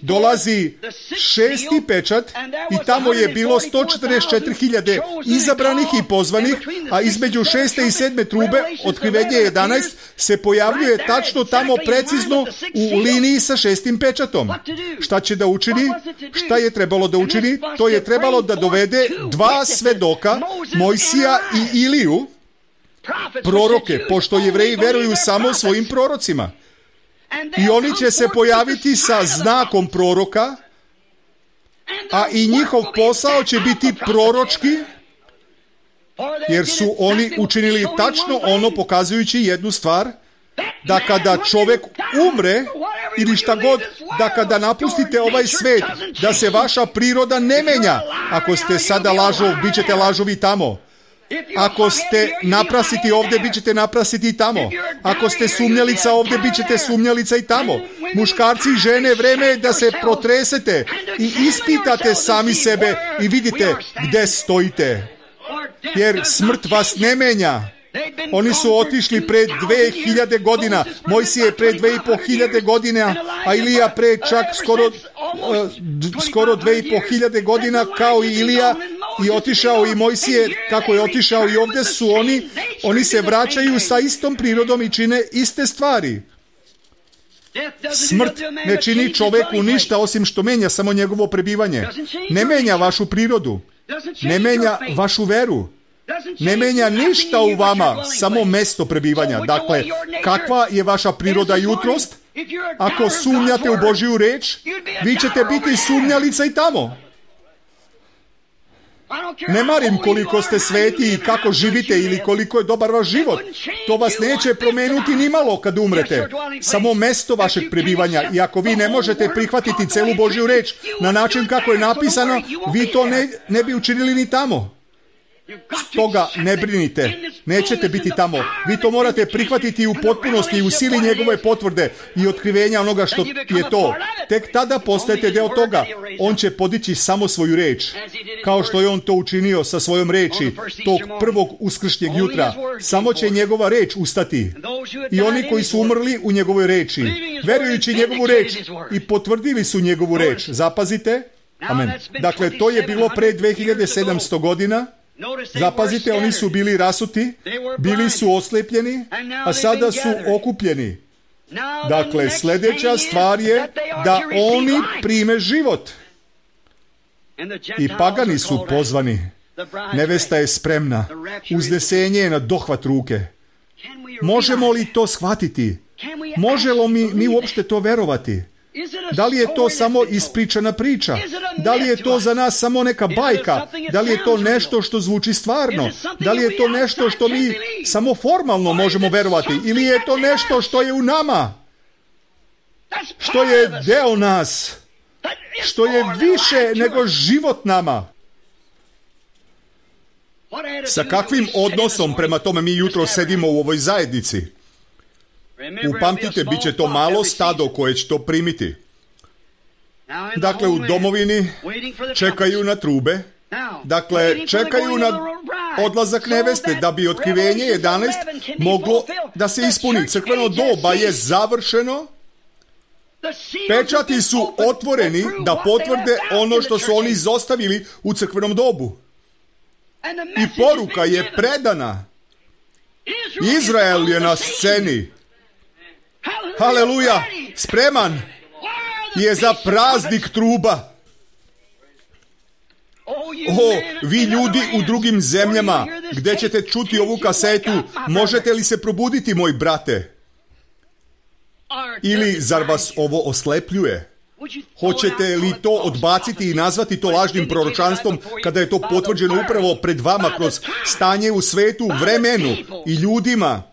dolazi šesti pečat i tamo je bilo sto četrdeset četiri hiljade izabranih i pozvanih, a između šeste i sedme trube, Otkrivenje jedanaest, se pojavljuje tačno tamo precizno u liniji sa šestim pečatom. Šta će da učini? Šta je trebalo da učini? To je trebalo da dovede dva svedoka, Mojsija i Iliju, proroke, pošto Jevreji veruju samo svojim prorocima. I oni će se pojaviti sa znakom proroka, a i njihov posao će biti proročki, jer su oni učinili tačno ono, pokazujući jednu stvar, da kada čovjek umre, ili šta god, da kada napustite ovaj svet, da se vaša priroda ne menja. Ako ste sada lažov, bit ćete lažovi tamo. Ako ste naprasiti ovdje, bit ćete naprasiti tamo. Ako ste sumnjalica ovdje, bit ćete sumnjalica i tamo. Muškarci i žene, vreme je da se protresete i ispitate sami sebe i vidite gdje stojite. Jer smrt vas ne menja. Oni su otišli pre dve hiljade godina, Mojsije pre dve i po hiljade godina, a Ilija pre čak skoro, uh, skoro dve i po hiljade godina, kao i Ilija, i otišao i Mojsije, kako je otišao i ovdje su oni, oni se vraćaju sa istom prirodom i čine iste stvari. Smrt ne čini čoveku ništa osim što menja samo njegovo prebivanje. Ne menja vašu prirodu, ne menja vašu veru. Ne menja ništa u vama, samo mesto prebivanja. Dakle, kakva je vaša priroda jutrost? Ako sumnjate u Božju reč, vi ćete biti sumnjalica i tamo. Ne marim koliko ste sveti i kako živite ili koliko je dobar vaš život. To vas neće promenuti ni malo kad umrete. Samo mesto vašeg prebivanja. I ako vi ne možete prihvatiti celu Božju reč na način kako je napisano, vi to ne, ne bi učinili ni tamo. Stoga ne brinite, nećete biti tamo. Vi to morate prihvatiti u potpunosti i u sili njegove potvrde i otkrivenja onoga što je to. Tek tada postajete deo toga. On će podići samo svoju reč, kao što je on to učinio sa svojom reči tog prvog uskršnjeg jutra. Samo će njegova reč ustati. I oni koji su umrli u njegovoj reči, verujući njegovu reč i potvrdili su njegovu reč. Zapazite? Amen. Dakle, to je bilo pre dve hiljade sedamsto godina. Zapazite, oni su bili rasuti, bili su oslepljeni, a sada su okupljeni. Dakle, sljedeća stvar je da oni prime život. I pagani su pozvani. Nevesta je spremna. Uznesenje je na dohvat ruke. Možemo li to shvatiti? Možemo mi, mi uopšte to verovati? Da li je to samo ispričana priča? Da li je to za nas samo neka bajka? Da li je to nešto što zvuči stvarno? Da li je to nešto što mi samo formalno možemo verovati? Ili je to nešto što je u nama? Što je deo nas? Što je više nego život nama? Sa kakvim odnosom prema tome mi jutro sedimo u ovoj zajednici? Upamtite, bit će to malo stado koje će to primiti. Dakle, u domovini čekaju na trube. Dakle, čekaju na odlazak neveste, da bi otkrivenje jedanaest moglo da se ispuni. Crkveno doba je završeno. Pečati su otvoreni da potvrde ono što su oni izostavili u crkvenom dobu. I poruka je predana. Izrael je na sceni. Haleluja! Spreman je za praznik truba. O, vi ljudi u drugim zemljama, gdje ćete čuti ovu kasetu, možete li se probuditi, moj brate? Ili zar vas ovo oslepljuje? Hoćete li to odbaciti i nazvati to lažnim proročanstvom kada je to potvrđeno upravo pred vama kroz stanje u svetu, vremenu i ljudima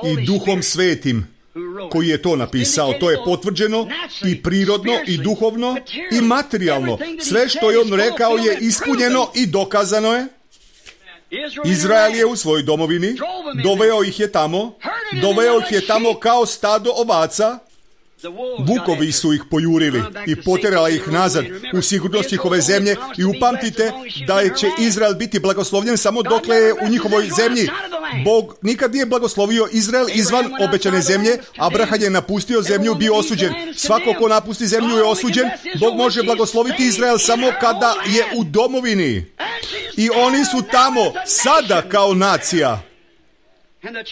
i Duhom Svetim koji je to napisao? To je potvrđeno i prirodno i duhovno i materijalno. Sve što je on rekao je ispunjeno i dokazano je. Izrael je u svojoj domovini, doveo ih je tamo, doveo ih je tamo kao stado ovaca. Vukovi su ih pojurili i poterala ih nazad u sigurnost njihove zemlje i upamtite da će Izrael biti blagoslovljen samo dokle je u njihovoj zemlji. Bog nikad nije blagoslovio Izrael izvan obećane zemlje. Abraham je napustio zemlju, bio osuđen. Svako ko napusti zemlju je osuđen. Bog može blagosloviti Izrael samo kada je u domovini. I oni su tamo sada kao nacija.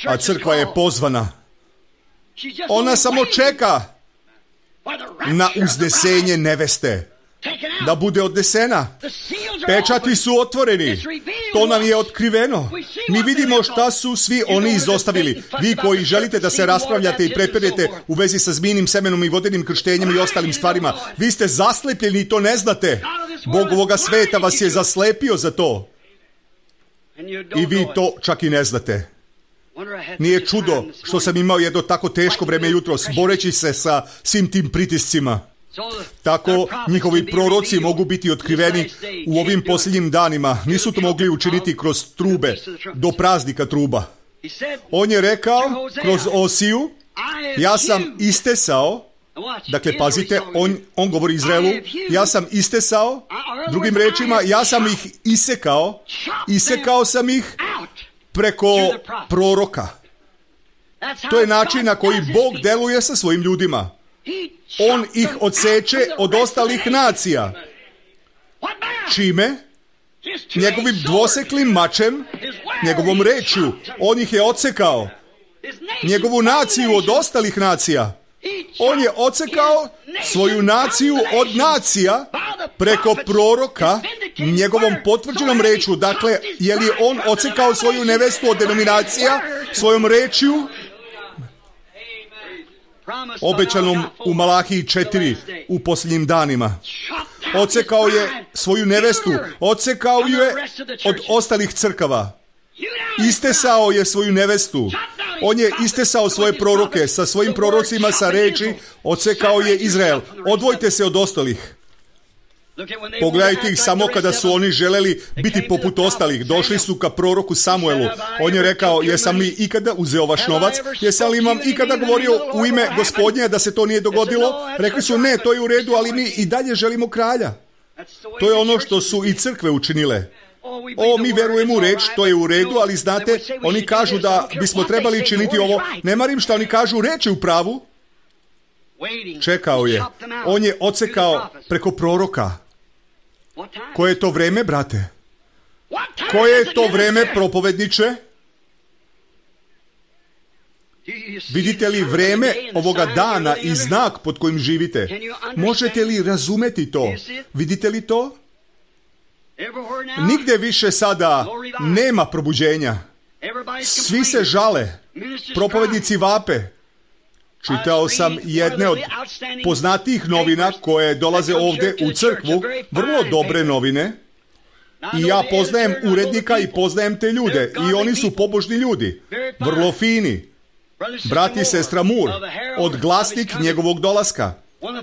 A crkva je pozvana. Ona samo čeka na uznesenje neveste, da bude odnesena. Pečati su otvoreni. To nam je otkriveno. Mi vidimo šta su svi oni izostavili. Vi koji želite da se raspravljate i prepirete u vezi sa zmijnim semenom i vodenim krštenjem i ostalim stvarima, vi ste zaslepljeni i to ne znate. Bog ovoga sveta vas je zaslepio za to. I vi to čak i ne znate. Nije čudo što sam imao jedno tako teško vreme jutros, boreći se sa svim tim pritiscima. Tako njihovi proroci mogu biti otkriveni u ovim posljednjim danima. Nisu to mogli učiniti kroz trube, do praznika truba. On je rekao kroz Osiju, ja sam istesao, dakle pazite, on, on govori Izraelu, ja sam istesao, drugim rečima, ja sam ih isekao, isekao sam ih preko proroka. To je način na koji Bog deluje sa svojim ljudima. On ih odseče od ostalih nacija. Čime? Njegovim dvoseklim mačem, njegovom rečju. On ih je odsekao. Njegovu naciju od ostalih nacija. On je odsekao svoju naciju od nacija preko proroka njegovom potvrđenom rečju. Dakle, je li on odsekao svoju nevestu od denominacija svojom rečju? Obećanom u Malahiji četiri u posljednjim danima. Odsekao je svoju nevestu, odsekao je od ostalih crkava. Istesao je svoju nevestu. On je istesao svoje proroke sa svojim prorocima sa reči, odsekao je Izrael. Odvojte se od ostalih. Pogledajte ih samo kada su oni želeli biti poput ostalih. Došli su ka proroku Samuelu. On je rekao, jesam li ikada uzeo vaš novac? Jesam li vam ikada govorio u ime Gospodnje da se to nije dogodilo? Rekli su, ne, to je u redu, ali mi i dalje želimo kralja. To je ono što su i crkve učinile. O, mi verujemo u reč, to je u redu, ali znate, oni kažu da bismo trebali činiti ovo. Ne marim šta oni kažu, reč je u pravu. Čekao je. On je odsekao preko proroka. Koje je to vreme, brate? Koje je to vreme, propovedniče? Vidite li vreme ovoga dana i znak pod kojim živite? Možete li razumeti to? Vidite li to? Nigde više sada nema probuđenja. Svi se žale. Propovednici vape. Čitao sam jedne od poznatijih novina koje dolaze ovdje u crkvu, vrlo dobre novine. I ja poznajem urednika i poznajem te ljude. I oni su pobožni ljudi. Vrlo fini. Brat i sestra Moore, od Glasnik njegovog dolaska.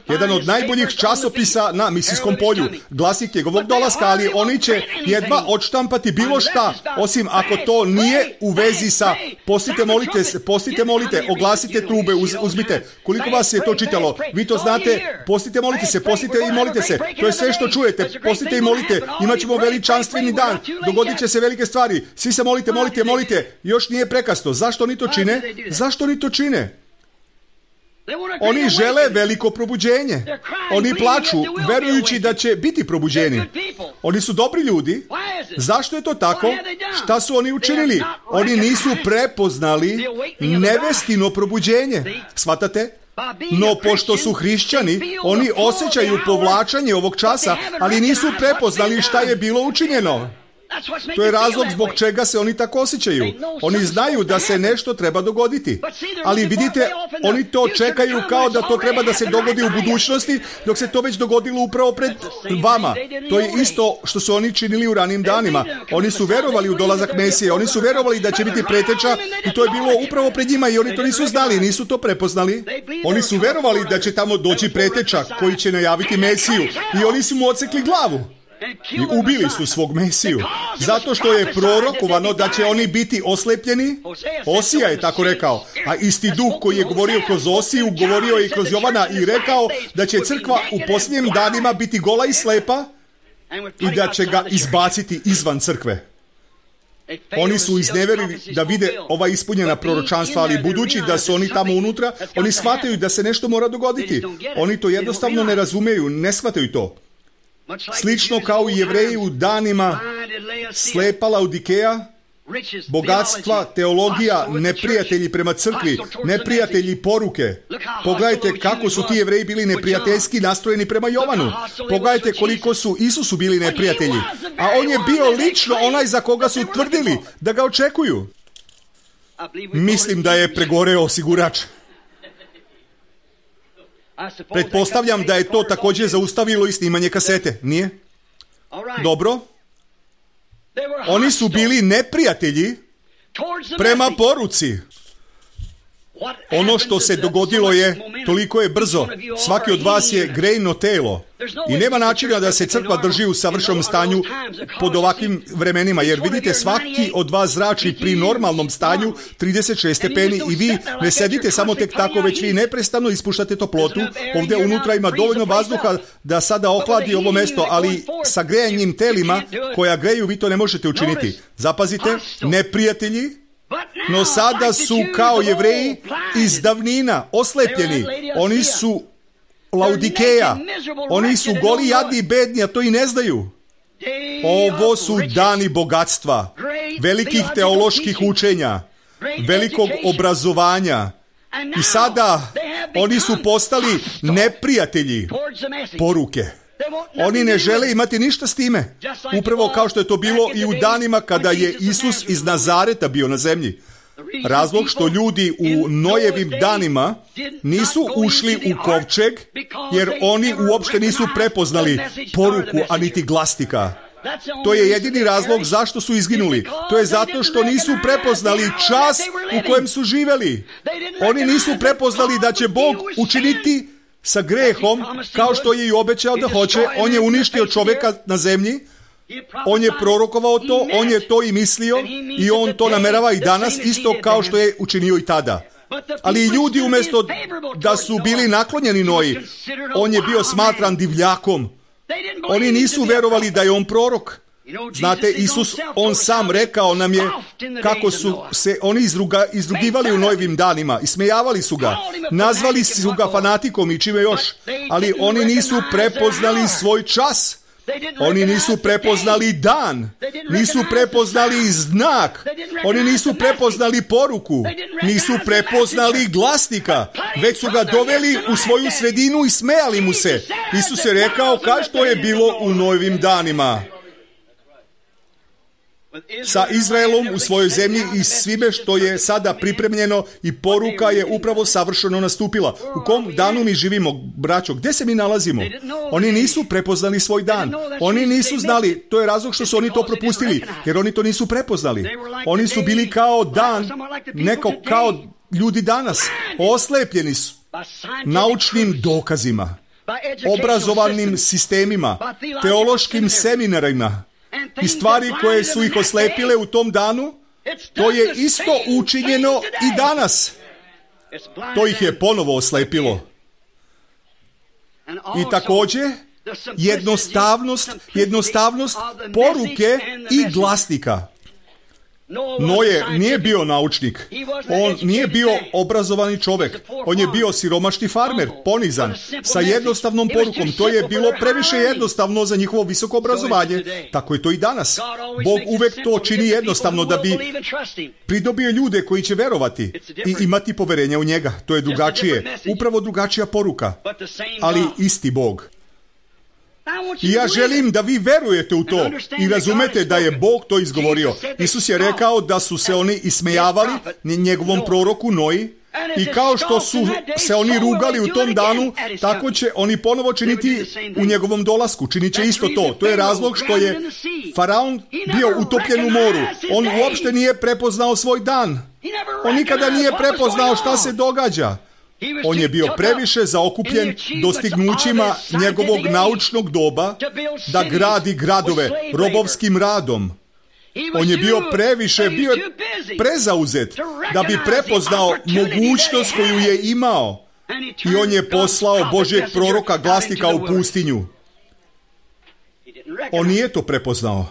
Jedan od najboljih časopisa na misijskom polju. Glasnik njegovog dolaska, ali oni će jedva odštampati bilo šta, osim ako to nije u vezi sa postite, molite, postite, molite, oglasite trube, uz, uzmite. Koliko vas je to čitalo? Vi to znate, postite, molite se, postite i molite se. To je sve što čujete, postite i molite. Imaćemo veličanstveni dan, dogodit će se velike stvari. Svi se molite, molite, molite. Još nije prekasno. Zašto oni to čine? Zašto oni to čine? Oni žele veliko probuđenje. Oni plaču, verujući da će biti probuđeni. Oni su dobri ljudi. Zašto je to tako? Šta su oni učinili? Oni nisu prepoznali nevestino probuđenje. Shvatate? No, pošto su hrišćani, oni osjećaju povlačenje ovog časa, ali nisu prepoznali šta je bilo učinjeno. To je razlog zbog čega se oni tako osjećaju. Oni znaju da se nešto treba dogoditi. Ali vidite, oni to čekaju kao da to treba da se dogodi u budućnosti, dok se to već dogodilo upravo pred vama. To je isto što su oni činili u ranim danima. Oni su verovali u dolazak Mesije, oni su verovali da će biti preteča i to je bilo upravo pred njima i oni to nisu znali, nisu to prepoznali. Oni su verovali da će tamo doći preteča koji će najaviti Mesiju i oni su mu odsekli glavu. I ubili su svog Mesiju. Zato što je prorokovano da će oni biti oslepljeni. Osija je tako rekao. A isti duh koji je govorio kroz Osiju, govorio je i kroz Jovana i rekao da će crkva u posljednjim danima biti gola i slepa i da će ga izbaciti izvan crkve. Oni su izneverili da vide ova ispunjena proročanstva, ali budući da su oni tamo unutra, oni shvataju da se nešto mora dogoditi. Oni to jednostavno ne razumeju, ne shvataju to. Slično kao i Jevreji u danima slepa Laodikeja, bogatstva, teologija, neprijatelji prema crkvi, neprijatelji poruke. Pogledajte kako su ti Jevreji bili neprijateljski nastrojeni prema Jovanu. Pogledajte koliko su Isusu bili neprijatelji. A on je bio lično onaj za koga su tvrdili da ga očekuju. Mislim da je pregoreo osigurač. Pretpostavljam da je to također zaustavilo i snimanje kasete, nije? Dobro. Oni su bili neprijatelji prema poruci. Ono što se dogodilo je, toliko je brzo. Svaki od vas je grejno telo. I nema načina da se crkva drži u savršenom stanju pod ovakvim vremenima. Jer vidite, svaki od vas zrači pri normalnom stanju trideset šest stepeni i vi ne sedite samo tek tako, već vi neprestano ispuštate toplotu. Ovdje unutra ima dovoljno vazduha da sada ohladi ovo mesto, ali sa grejanjem telima koja greju vi to ne možete učiniti. Zapazite, neprijatelji, no sada su kao Jevreji iz davnina oslepljeni. Oni su Laodikeja. Oni su goli, jadni i bedni, a to i ne znaju. Ovo su dani bogatstva, velikih teoloških učenja, velikog obrazovanja. I sada oni su postali neprijatelji poruke. Oni ne žele imati ništa s time. Upravo kao što je to bilo i u danima kada je Isus iz Nazareta bio na zemlji. Razlog što ljudi u Nojevim danima nisu ušli u kovčeg, jer oni uopšte nisu prepoznali poruku, a niti glasnika. To je jedini razlog zašto su izginuli. To je zato što nisu prepoznali čas u kojem su živeli. Oni nisu prepoznali da će Bog učiniti sa grehom, kao što je i obećao da hoće. On je uništio čovjeka na zemlji, on je prorokovao to, on je to i mislio i on to namerava i danas, isto kao što je učinio i tada. Ali ljudi umjesto da su bili naklonjeni Noji, on je bio smatran divljakom. Oni nisu verovali da je on prorok. Znate, Isus, on sam rekao nam je kako su se oni izruga, izrugivali u Nojevim danima, ismejavali su ga, nazvali su ga fanatikom i čime još, ali oni nisu prepoznali svoj čas. Oni nisu prepoznali dan, nisu prepoznali znak, oni nisu prepoznali poruku, nisu prepoznali glasnika, već su ga doveli u svoju sredinu i smejali mu se. Isus je rekao kao što je bilo u Nojevim danima. Sa Izraelom u svojoj zemlji i svime što je sada pripremljeno i poruka je upravo savršeno nastupila. U kom danu mi živimo, braćo? Gdje se mi nalazimo? Oni nisu prepoznali svoj dan. Oni nisu znali, to je razlog što su oni to propustili, jer oni to nisu prepoznali. Oni su bili kao dan, neko kao ljudi danas. Oslepljeni su naučnim dokazima, obrazovanim sistemima, teološkim seminarima i stvari koje su ih oslepile u tom danu. To je isto učinjeno i danas. To ih je ponovo oslepilo. I također jednostavnost, jednostavnost poruke i glasnika. Noje nije bio naučnik, on nije bio obrazovani čovjek, on je bio siromašni farmer, ponizan, sa jednostavnom porukom. To je bilo previše jednostavno za njihovo visoko obrazovanje. Tako je to i danas. Bog uvek to čini jednostavno da bi pridobio ljude koji će verovati i imati poverenja u njega. To je drugačije, upravo drugačija poruka, ali isti Bog. I ja želim da vi verujete u to i razumete da je Bog to izgovorio. Isus je rekao da su se oni ismejavali njegovom proroku Noji i kao što su se oni rugali u tom danu, tako će oni ponovo činiti u njegovom dolasku. Činit će isto to. To je razlog što je Faraon bio utopljen u moru. On uopšte nije prepoznao svoj dan. On nikada nije prepoznao šta se događa. On je bio previše zaokupljen dostignućima njegovog naučnog doba da gradi gradove robovskim radom. On je bio previše, bio je prezauzet da bi prepoznao mogućnost koju je imao. I on je poslao Božjeg proroka glasnika u pustinju. On nije to prepoznao.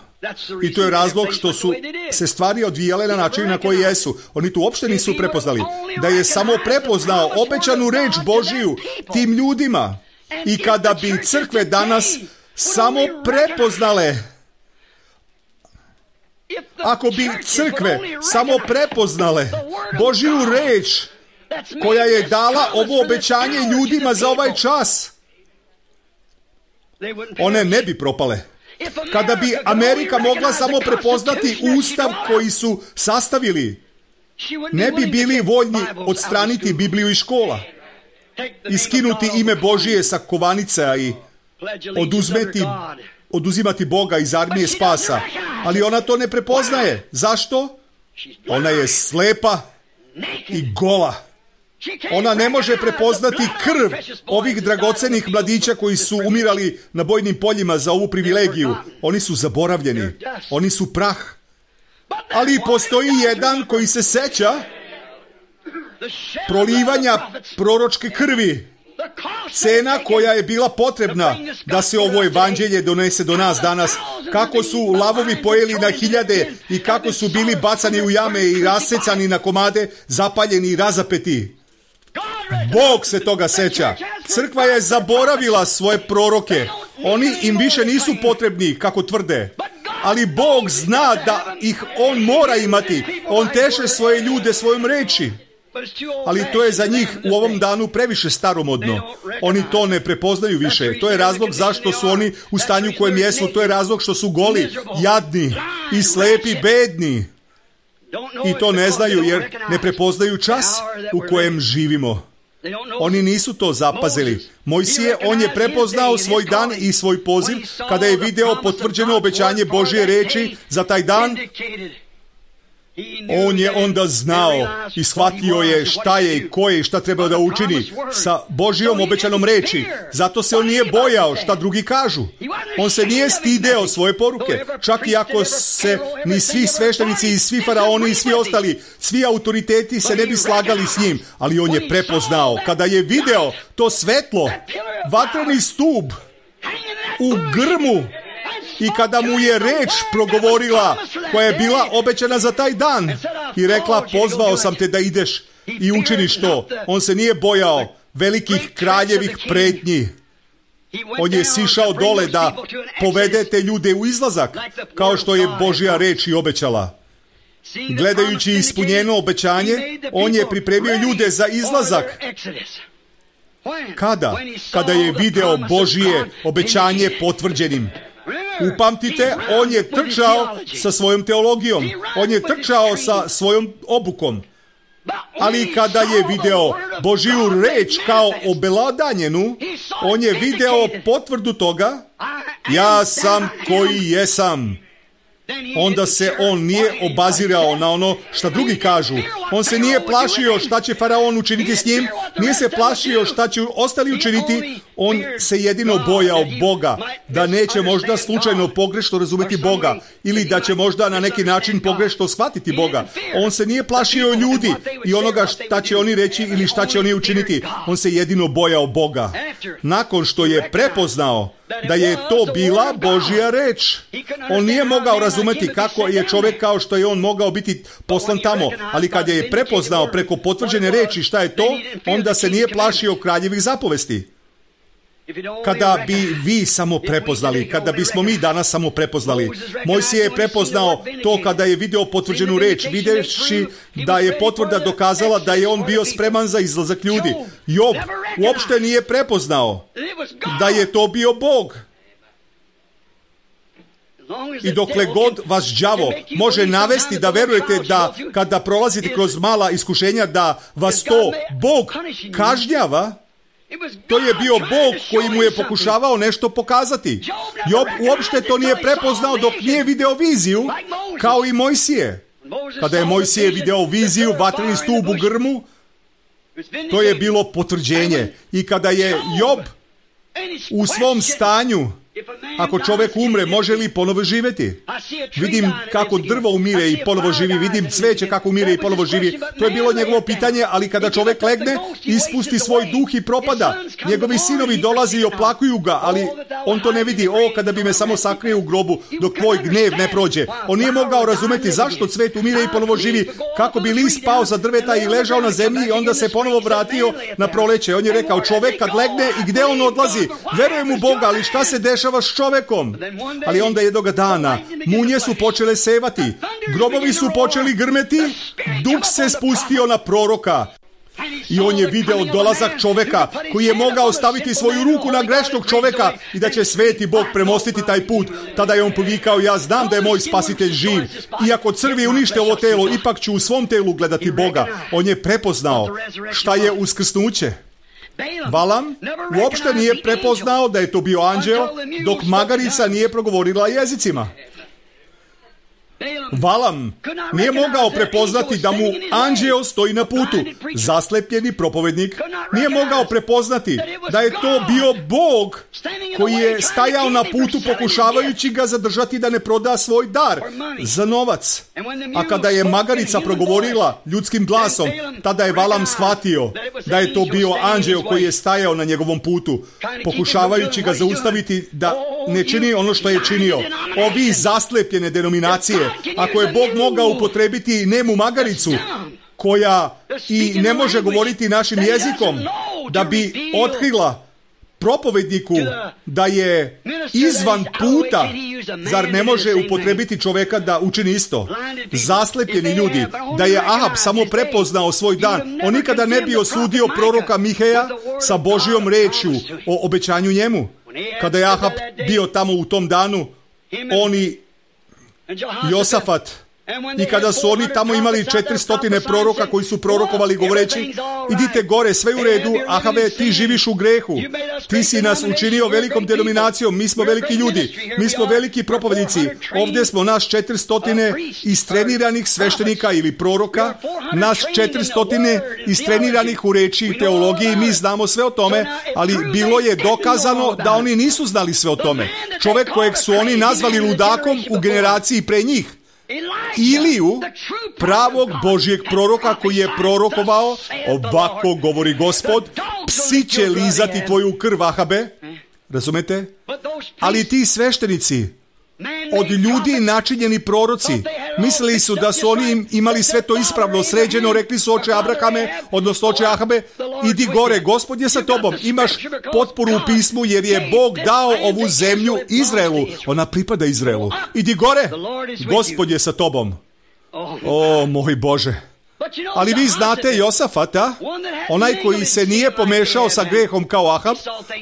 I to je razlog što su se stvari odvijale na način na koji jesu. Oni tu uopšte nisu prepoznali. Da je samo prepoznao obećanu reč Božiju tim ljudima. I kada bi crkve danas samo prepoznale, ako bi crkve samo prepoznale Božju reč koja je dala ovo obećanje ljudima za ovaj čas, one ne bi propale. Kada bi Amerika mogla samo prepoznati ustav koji su sastavili, ne bi bili voljni odstraniti Bibliju iz škola, iskinuti ime Božije sa kovanica i oduzmeti, oduzimati Boga iz armije spasa. Ali ona to ne prepoznaje. Zašto? Ona je slepa i gola. Ona ne može prepoznati krv ovih dragocenih mladića koji su umirali na bojnim poljima za ovu privilegiju. Oni su zaboravljeni. Oni su prah. Ali postoji jedan koji se seća prolivanja proročke krvi. Cena koja je bila potrebna da se ovo evanđelje donese do nas danas. Kako su lavovi pojeli na hiljade i kako su bili bacani u jame i rasecani na komade, zapaljeni i razapeti. Bog se toga seća. Crkva je zaboravila svoje proroke. Oni im više nisu potrebni, kako tvrde. Ali Bog zna da ih On mora imati. On teše svoje ljude svojom reči. Ali to je za njih u ovom danu previše staromodno. Oni to ne prepoznaju više. To je razlog zašto su oni u stanju u kojem jesu. To je razlog što su goli, jadni i slepi, bedni. I to ne znaju jer ne prepoznaju čas u kojem živimo. Oni nisu to zapazili. Mojsije, on je prepoznao svoj dan i svoj poziv kada je video potvrđeno obećanje Božje reči za taj dan. On je onda znao i shvatio je šta je i ko je i šta treba da učini sa Božjom obećanom reči. Zato se on nije bojao šta drugi kažu. On se nije stideo svoje poruke. Čak i ako se ni svi sveštenici i svi faraoni i svi ostali, svi autoriteti se ne bi slagali s njim. Ali on je prepoznao. Kada je video to svetlo, vatreni stub u grmu, i kada mu je reč progovorila koja je bila obećana za taj dan i rekla, pozvao sam te da ideš i učiniš to. On se nije bojao velikih kraljevih pretnji. On je sišao dole da povede te ljude u izlazak, kao što je Božja reč i obećala. Gledajući ispunjeno obećanje, on je pripremio ljude za izlazak. Kada? Kada je video Božje obećanje potvrđenim. Upamtite, on je trčao sa svojom teologijom. On je trčao sa svojom obukom. Ali kada je video Božju reč kao obelodanjenu, on je video potvrdu toga, ja sam koji jesam. Onda se on nije obazirao na ono šta drugi kažu. On se nije plašio šta će faraon učiniti s njim, nije se plašio šta će ostali učiniti. On se jedino bojao Boga, da neće možda slučajno pogrešno razumeti Boga ili da će možda na neki način pogrešno shvatiti Boga. On se nije plašio ljudi i onoga šta će oni reći ili šta će oni učiniti. On se jedino bojao Boga. Nakon što je prepoznao da je to bila Božja reč, on nije mogao razumeti kako je čovjek kao što je on mogao biti poslan tamo, ali kad je prepoznao preko potvrđene reči šta je to, onda se nije plašio kraljevih zapovesti. Kada bi vi samo prepoznali, kada bismo mi danas samo prepoznali, Mojsije je prepoznao to kada je video potvrđenu reč, vidjevši da je potvrda dokazala da je on bio spreman za izlazak ljudi. Job uopšte nije prepoznao da je to bio Bog. I dokle god vas đavo može navesti da verujete da kada prolazite kroz mala iskušenja da vas to Bog kažnjava, to je bio Bog koji mu je pokušavao nešto pokazati. Job uopšte to nije prepoznao dok nije video viziju, kao i Mojsije. Kada je Mojsije video viziju, vatreni stup u grmu, to je bilo potvrđenje. I kada je Job u svom stanju, ako čovjek umre, može li ponovo živjeti? Vidim kako drvo umire i ponovo živi, vidim cveće kako umire i ponovo živi. To je bilo njegovo pitanje, ali kada čovjek legne, ispusti svoj duh i propada. Njegovi sinovi dolazi i oplakuju ga, ali on to ne vidi. O, kada bi me samo sakrio u grobu, dok tvoj gnev ne prođe. On nije mogao razumeti zašto cvet umire i ponovo živi. Kako bi list pao za drveta i ležao na zemlji i onda se ponovo vratio na proleće. On je rekao, čovjek kad legne i gde on odlazi? Verujem u Boga, ali šta se dešava s čovekom? Ali onda jednoga dana munje su počele sevati, grobovi su počeli grmeti, duh se spustio na proroka i on je video dolazak čoveka koji je mogao staviti svoju ruku na grešnog čoveka i da će sveti Bog premostiti taj put. Tada je on povikao, ja znam da je moj spasitelj živ. Iako crvi unište ovo telo, ipak ću u svom telu gledati Boga. On je prepoznao šta je uskrsnuće. Valam uopšte nije prepoznao da je to bio anđeo dok magarica nije progovorila jezicima. Valam nije mogao prepoznati da mu anđeo stoji na putu. Zaslepljeni propovednik nije mogao prepoznati da je to bio Bog koji je stajao na putu pokušavajući ga zadržati da ne proda svoj dar za novac. A kada je magarica progovorila ljudskim glasom, tada je Valam shvatio da je to bio anđeo koji je stajao na njegovom putu pokušavajući ga zaustaviti da ne čini ono što je činio. Ovi zaslepljene denominacije, ako je Bog mogao upotrebiti nemu magaricu koja i ne može govoriti našim jezikom da bi otkrila propovedniku da je izvan puta, zar ne može upotrebiti čoveka da učini isto? Zaslepljeni ljudi, da je Ahab samo prepoznao svoj dan, on nikada ne bi osudio proroka Miheja sa Božjom rečju o obećanju njemu. Kada je Ahab bio tamo u tom danu, oni Josafat I kada su oni tamo imali četiristo proroka koji su prorokovali govoreći, idite gore, sve u redu, Ahabe, ti živiš u grehu, ti si nas učinio velikom denominacijom, mi smo veliki ljudi, mi smo veliki propovjednici, ovdje smo naš četiristo istreniranih sveštenika ili proroka, naš četiristo istreniranih u reči i teologiji, mi znamo sve o tome, ali bilo je dokazano da oni nisu znali sve o tome. Čovjek kojeg su oni nazvali ludakom u generaciji pre njih, Iliju, pravog Božjeg proroka koji je prorokovao, ovako govori Gospod, psi će lizati tvoju krv, Ahabe, razumete? Ali ti sveštenici, od ljudi načinjeni proroci, mislili su da su oni imali sve to ispravno sređeno, rekli su oče Abrahame, odnosno oče Ahabe, idi gore, Gospod je sa tobom, imaš potporu u pismu jer je Bog dao ovu zemlju Izraelu, ona pripada Izraelu, idi gore, Gospod je sa tobom. O moj Bože. Ali vi znate Josafata, onaj koji se nije pomešao sa grehom kao Ahab,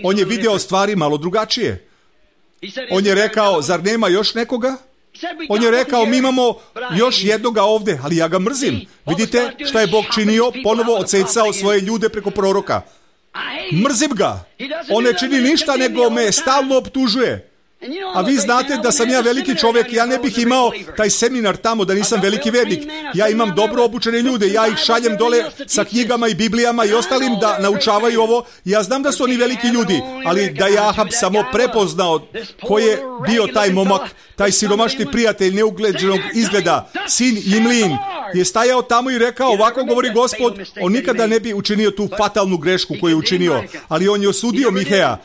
on je video stvari malo drugačije. On je rekao, zar nema još nekoga? On je rekao, mi imamo još jednoga ovdje, ali ja ga mrzim. Vidite šta je Bog činio? Ponovo odsecao svoje ljude preko proroka. Mrzim ga. On ne čini ništa, nego me stalno optužuje. A vi znate da sam ja veliki čovjek, ja ne bih imao taj seminar tamo da nisam veliki vernik. Ja imam dobro obučene ljude, ja ih šaljem dole sa knjigama i Biblijama i ostalim da naučavaju ovo. Ja znam da su oni veliki ljudi, ali da je Ahab samo prepoznao ko je bio taj momak, taj siromašni prijatelj neugleđenog izgleda, sin Imlin, je stajao tamo i rekao, ovako govori Gospod, on nikada ne bi učinio tu fatalnu grešku koju je učinio, ali on je osudio Miheja.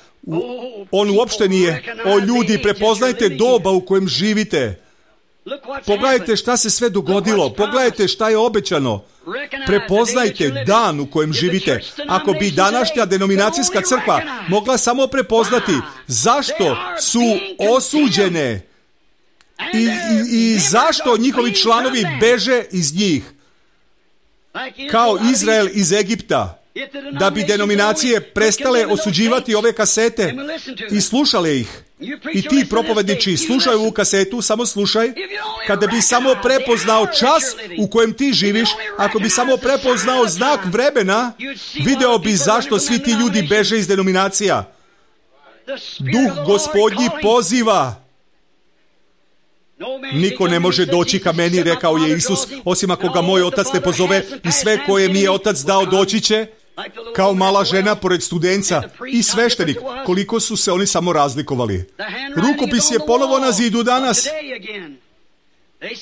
On uopšte nije. O ljudi, prepoznajte doba u kojem živite. Pogledajte šta se sve dogodilo. Pogledajte šta je obećano. Prepoznajte dan u kojem živite. Ako bi današnja denominacijska crkva mogla samo prepoznati zašto su osuđene i, i, i zašto njihovi članovi beže iz njih, kao Izrael iz Egipta, da bi denominacije prestale osuđivati ove kasete i slušale ih. I ti propovjedniči, slušaj ovu kasetu, samo slušaj. Kada bi samo prepoznao čas u kojem ti živiš, ako bi samo prepoznao znak vremena, video bi zašto svi ti ljudi beže iz denominacija. Duh Gospodnji poziva. Niko ne može doći ka meni, rekao je Isus, osim ako ga moj otac ne pozove, i sve koje mi je otac dao doći će, kao mala žena pored studenca i sveštenik, koliko su se oni samo razlikovali. Rukopis je ponovo na zidu danas.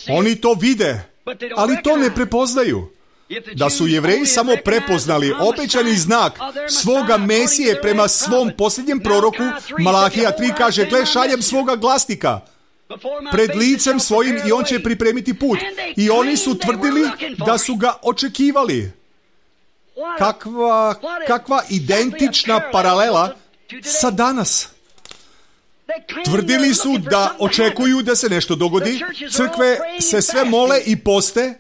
Oni to vide, ali to ne prepoznaju. Da su Jevreji samo prepoznali obećani znak svoga Mesije prema svom posljednjem proroku, Malahija tri kaže, gle, šaljem svoga glasnika pred licem svojim i on će pripremiti put. I oni su tvrdili da su ga očekivali. Kakva, kakva identična paralela sa danas. Tvrdili su da očekuju da se nešto dogodi. Crkve se sve mole i poste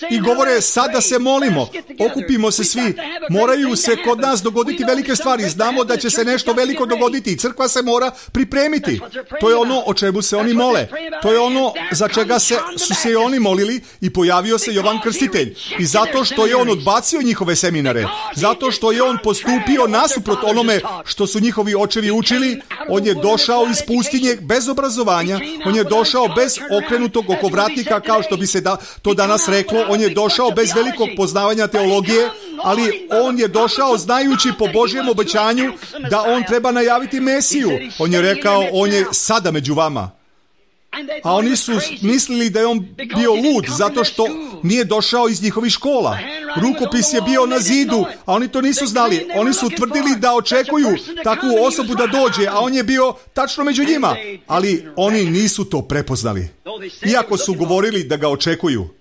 i govore, sada se molimo, okupimo se svi, moraju se kod nas dogoditi velike stvari, znamo da će se nešto veliko dogoditi i crkva se mora pripremiti. To je ono o čemu se oni mole. To je ono za čega se, su se i oni molili i pojavio se Jovan Krstitelj. I zato što je on odbacio njihove seminare, zato što je on postupio nasuprot onome što su njihovi očevi učili, on je došao iz pustinje bez obrazovanja, on je došao bez okrenutog okovratnika, kao što bi se da, to danas reklo. On je došao bez velikog poznavanja teologije, ali on je došao znajući po Božjem obećanju da on treba najaviti Mesiju. On je rekao, on je sada među vama. A oni su mislili da je on bio lud zato što nije došao iz njihovih škola. Rukopis je bio na zidu, a oni to nisu znali. Oni su tvrdili da očekuju takvu osobu da dođe, a on je bio tačno među njima. Ali oni nisu to prepoznali. Iako su govorili da ga očekuju.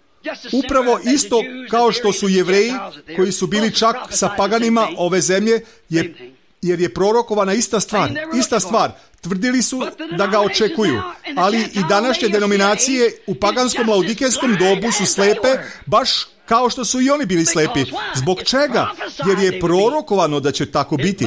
Upravo isto kao što su Jevreji, koji su bili čak sa paganima ove zemlje, je, jer je prorokovana ista stvar. Ista stvar. Tvrdili su da ga očekuju. Ali i današnje denominacije u paganskom laudikejskom dobu su slepe, baš kao što su i oni bili slepi. Zbog čega? Jer je prorokovano da će tako biti.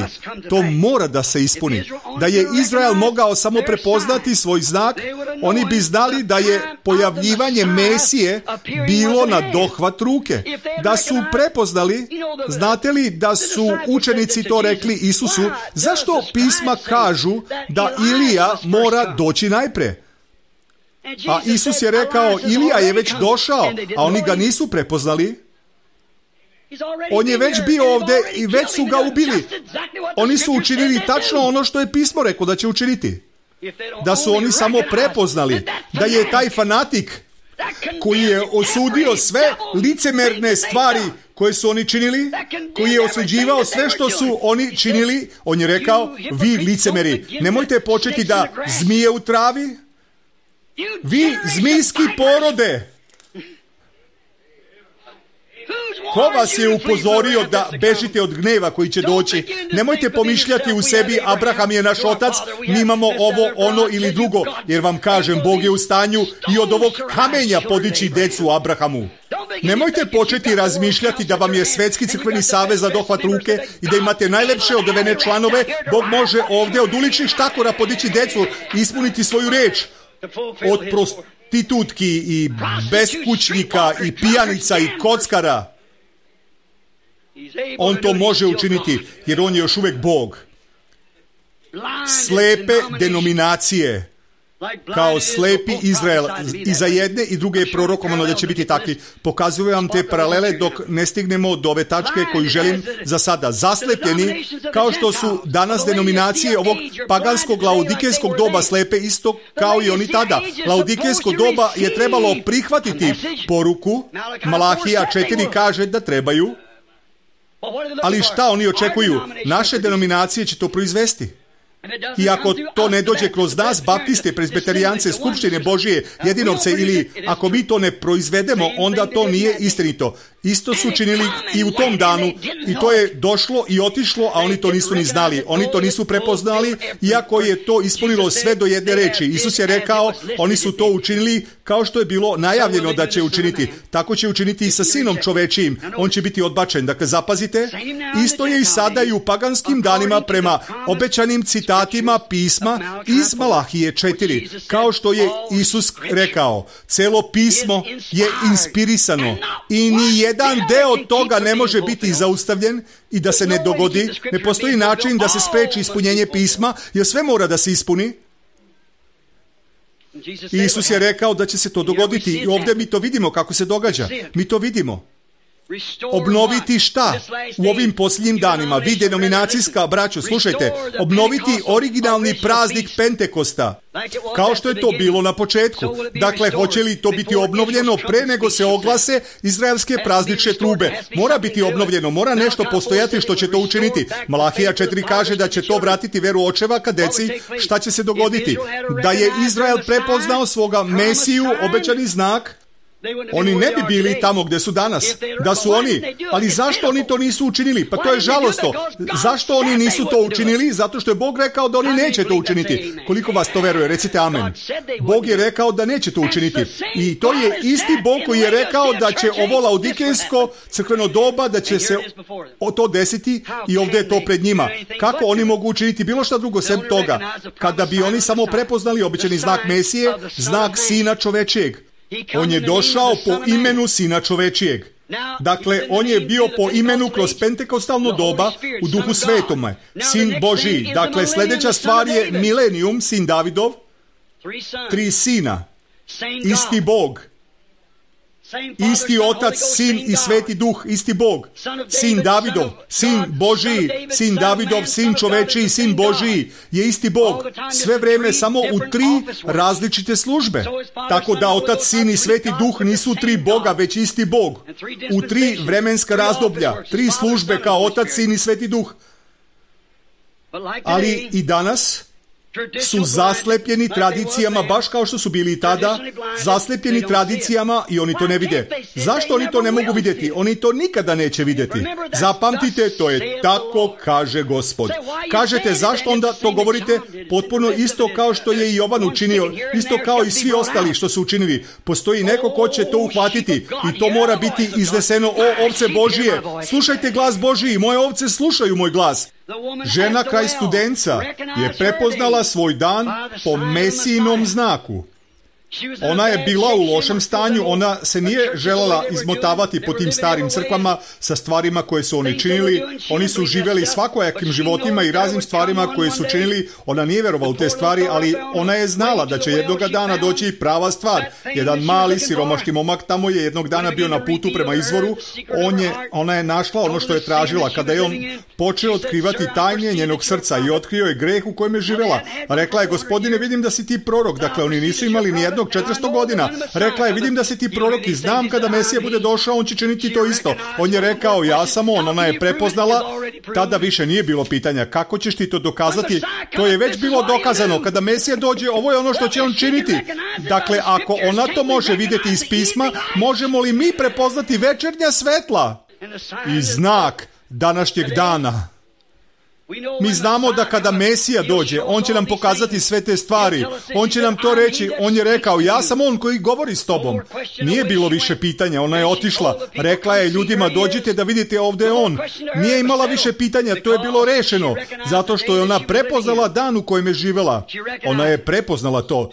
To mora da se ispuni. Da je Izrael mogao samo prepoznati svoj znak, oni bi znali da je pojavljivanje Mesije bilo na dohvat ruke. Da su prepoznali, znate li da su učenici to rekli Isusu, zašto pisma kažu da Ilija mora doći najpre? A Isus je rekao, Ilija je već došao, a oni ga nisu prepoznali. On je već bio ovdje i već su ga ubili. Oni su učinili tačno ono što je pismo rekao da će učiniti. Da su oni samo prepoznali da je taj fanatik koji je osudio sve licemerne stvari koje su oni činili, koji je osuđivao sve što su oni činili, on je rekao, vi licemeri, nemojte početi da zmije u travi, vi zmijski porode. Ko vas je upozorio da bežite od gneva koji će doći? Nemojte pomišljati u sebi, Abraham je naš otac, mi imamo ovo, ono ili drugo, jer vam kažem, Bog je u stanju i od ovog kamenja podići decu Abrahamu. Nemojte početi razmišljati da vam je Svetski crkveni savez za dohvat ruke i da imate najlepše odevene članove. Bog može ovdje od uličnih štakora podići decu i ispuniti svoju reč. Od prostitutki i beskućnika i pijanica i kockara. On to može učiniti jer on je još uvijek Bog. Slepe denominacije kao slepi Izrael, i za jedne i druge je prorokovano da će biti takvi. Pokazujem vam te paralele dok ne stignemo do ove tačke koju želim za sada. Zaslepljeni, kao što su danas denominacije ovog paganskog laodikejskog doba slepe, isto kao i oni tada. Laodikejsko doba je trebalo prihvatiti poruku. Malahija četiri kaže da trebaju. Ali šta oni očekuju? Naše denominacije će to proizvesti. I ako to ne dođe kroz nas, baptiste, prezbiterijance, skupštine Božije, jedinovce, ili ako mi to ne proizvedemo, onda to nije istinito. Isto su činili i u tom danu i to je došlo i otišlo, a oni to nisu ni znali. Oni to nisu prepoznali, iako je to ispunilo sve do jedne reči. Isus je rekao, oni su to učinili kao što je bilo najavljeno da će učiniti. Tako će učiniti i sa sinom čovečijim. On će biti odbačen. Dakle, zapazite, isto je i sada i u paganskim danima prema obećanim citatima pisma iz Malahije četiri. Kao što je Isus rekao, celo pismo je inspirisano i ni jedan deo toga ne može biti zaustavljen i da se ne dogodi. Ne postoji način da se spreči ispunjenje pisma, jer sve mora da se ispuni. Isus je rekao da će se to dogoditi i ovdje mi to vidimo kako se događa. Mi to vidimo. Obnoviti šta? U ovim posljednjim danima, vi denominacijska braćo, slušajte, obnoviti originalni praznik Pentekosta, kao što je to bilo na početku. Dakle, hoće li to biti obnovljeno pre nego se oglase izraelske praznične trube? Mora biti obnovljeno, mora nešto postojati što će to učiniti. Malahija četiri kaže da će to vratiti veru očeva ka deci. Šta će se dogoditi? Da je Izrael prepoznao svoga Mesiju, obećani znak, oni ne bi bili tamo gdje su danas. Da su oni, ali zašto oni to nisu učinili? Pa to je žalosno. Zašto oni nisu to učinili? Zato što je Bog rekao da oni neće to učiniti. Koliko vas to veruje? Recite amen. Bog je rekao da neće to učiniti. I to je isti Bog koji je rekao da će ovo laodikejsko crkveno doba, da će se to desiti i ovdje je to pred njima. Kako oni mogu učiniti bilo šta drugo sem toga? Kada bi oni samo prepoznali obećani znak Mesije, znak Sina čovečijeg. On je došao po imenu Sina čovečijeg. Dakle, on je bio po imenu kroz pentekostalno doba u Duhu Svetome. Sin Božiji. Dakle, sljedeća stvar je milenijum, sin Davidov. Tri sina. Isti Bog. Isti Otac, Sin i Sveti Duh, isti Bog. Sin Davidov, Sin Božiji, Sin Davidov, Sin čovečiji, Sin Božiji je isti Bog. Sve vrijeme samo u tri različite službe. Tako da Otac, Sin i Sveti Duh nisu tri Boga, već isti Bog. U tri vremenska razdoblja, tri službe kao Otac, Sin i Sveti Duh. Ali i danas su zaslepljeni tradicijama, baš kao što su bili tada, zaslepljeni tradicijama i oni to ne vide. Zašto oni to ne mogu vidjeti? Oni to nikada neće vidjeti. Zapamtite, to je tako kaže Gospod. Kažete, zašto onda to govorite? Potpuno isto kao što je i Jovan učinio, isto kao i svi ostali što su učinili. Postoji neko ko će to uhvatiti i to mora biti izneseno. O, ovce Božije, slušajte glas Božiji, moje ovce slušaju moj glas. Žena kraj Studenca je prepoznala svoj dan po Mesijinom znaku. Ona je bila u lošem stanju, ona se nije željela izmotavati po tim starim crkvama sa stvarima koje su oni činili. Oni su živjeli svakojakim životima i raznim stvarima koje su činili. Ona nije vjerovala u te stvari, ali ona je znala da će jednoga dana doći prava stvar. Jedan mali siromašni momak tamo je jednog dana bio na putu prema izvoru. On je, ona je našla ono što je tražila. Kada je on počeo otkrivati tajnje njenog srca i otkrio je greh u kojem je živjela. Rekla je, Gospodine, vidim da si ti prorok. Dakle, oni nisu imali nijedno četiristo godina. Rekla je, vidim da si ti prorok i znam kada Mesija bude došao, on će činiti to isto. On je rekao, ja sam on, ona je prepoznala. Tada više nije bilo pitanja, kako ćeš ti to dokazati? To je već bilo dokazano. Kada Mesija dođe, ovo je ono što će on činiti. Dakle, ako ona to može vidjeti iz pisma, možemo li mi prepoznati večernja svetla i znak današnjeg dana? Mi znamo da kada Mesija dođe, on će nam pokazati sve te stvari. On će nam to reći. On je rekao, ja sam on koji govori s tobom. Nije bilo više pitanja. Ona je otišla. Rekla je ljudima, dođite da vidite, ovdje je on. Nije imala više pitanja. To je bilo rešeno. Zato što je ona prepoznala dan u kojem je živjela. Ona je prepoznala to.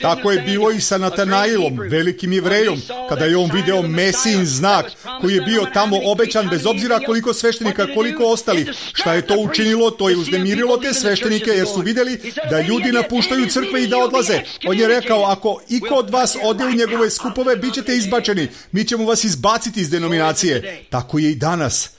Tako je bilo i sa Natanailom, velikim Jevrejom, kada je on video Mesijin znak koji je bio tamo obećan, bez obzira koliko sveštenika, koliko ostalih. Šta je to učinilo? To je uznemirilo te sveštenike jer su vidjeli da ljudi napuštaju crkve i da odlaze. On je rekao, ako iko od vas ode u njegove skupove, bit ćete izbačeni. Mi ćemo vas izbaciti iz denominacije. Tako je i danas.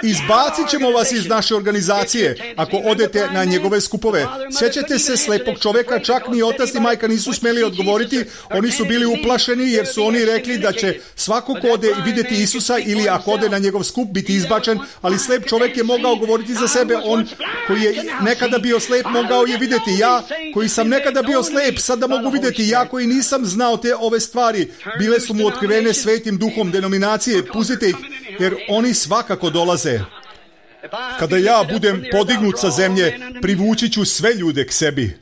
Izbacit ćemo vas iz naše organizacije ako odete na njegove skupove. Sjećate se slepog čovjeka, čak ni otac ni majka nisu smjeli odgovoriti. Oni su bili uplašeni jer su oni rekli da će svako ko ode vidjeti Isusa ili ako ode na njegov skup biti izbačen, ali slep čovjek je mogao govoriti za sebe. On koji je nekada bio slep mogao je vidjeti. Ja koji sam nekada bio slep sada mogu vidjeti. Ja koji nisam znao te ove stvari, bile su mu otkrivene svetim duhom denominacije. Pustite ih jer oni svakako dolaze. Kada ja budem podignut sa zemlje, privući ću sve ljude k sebi.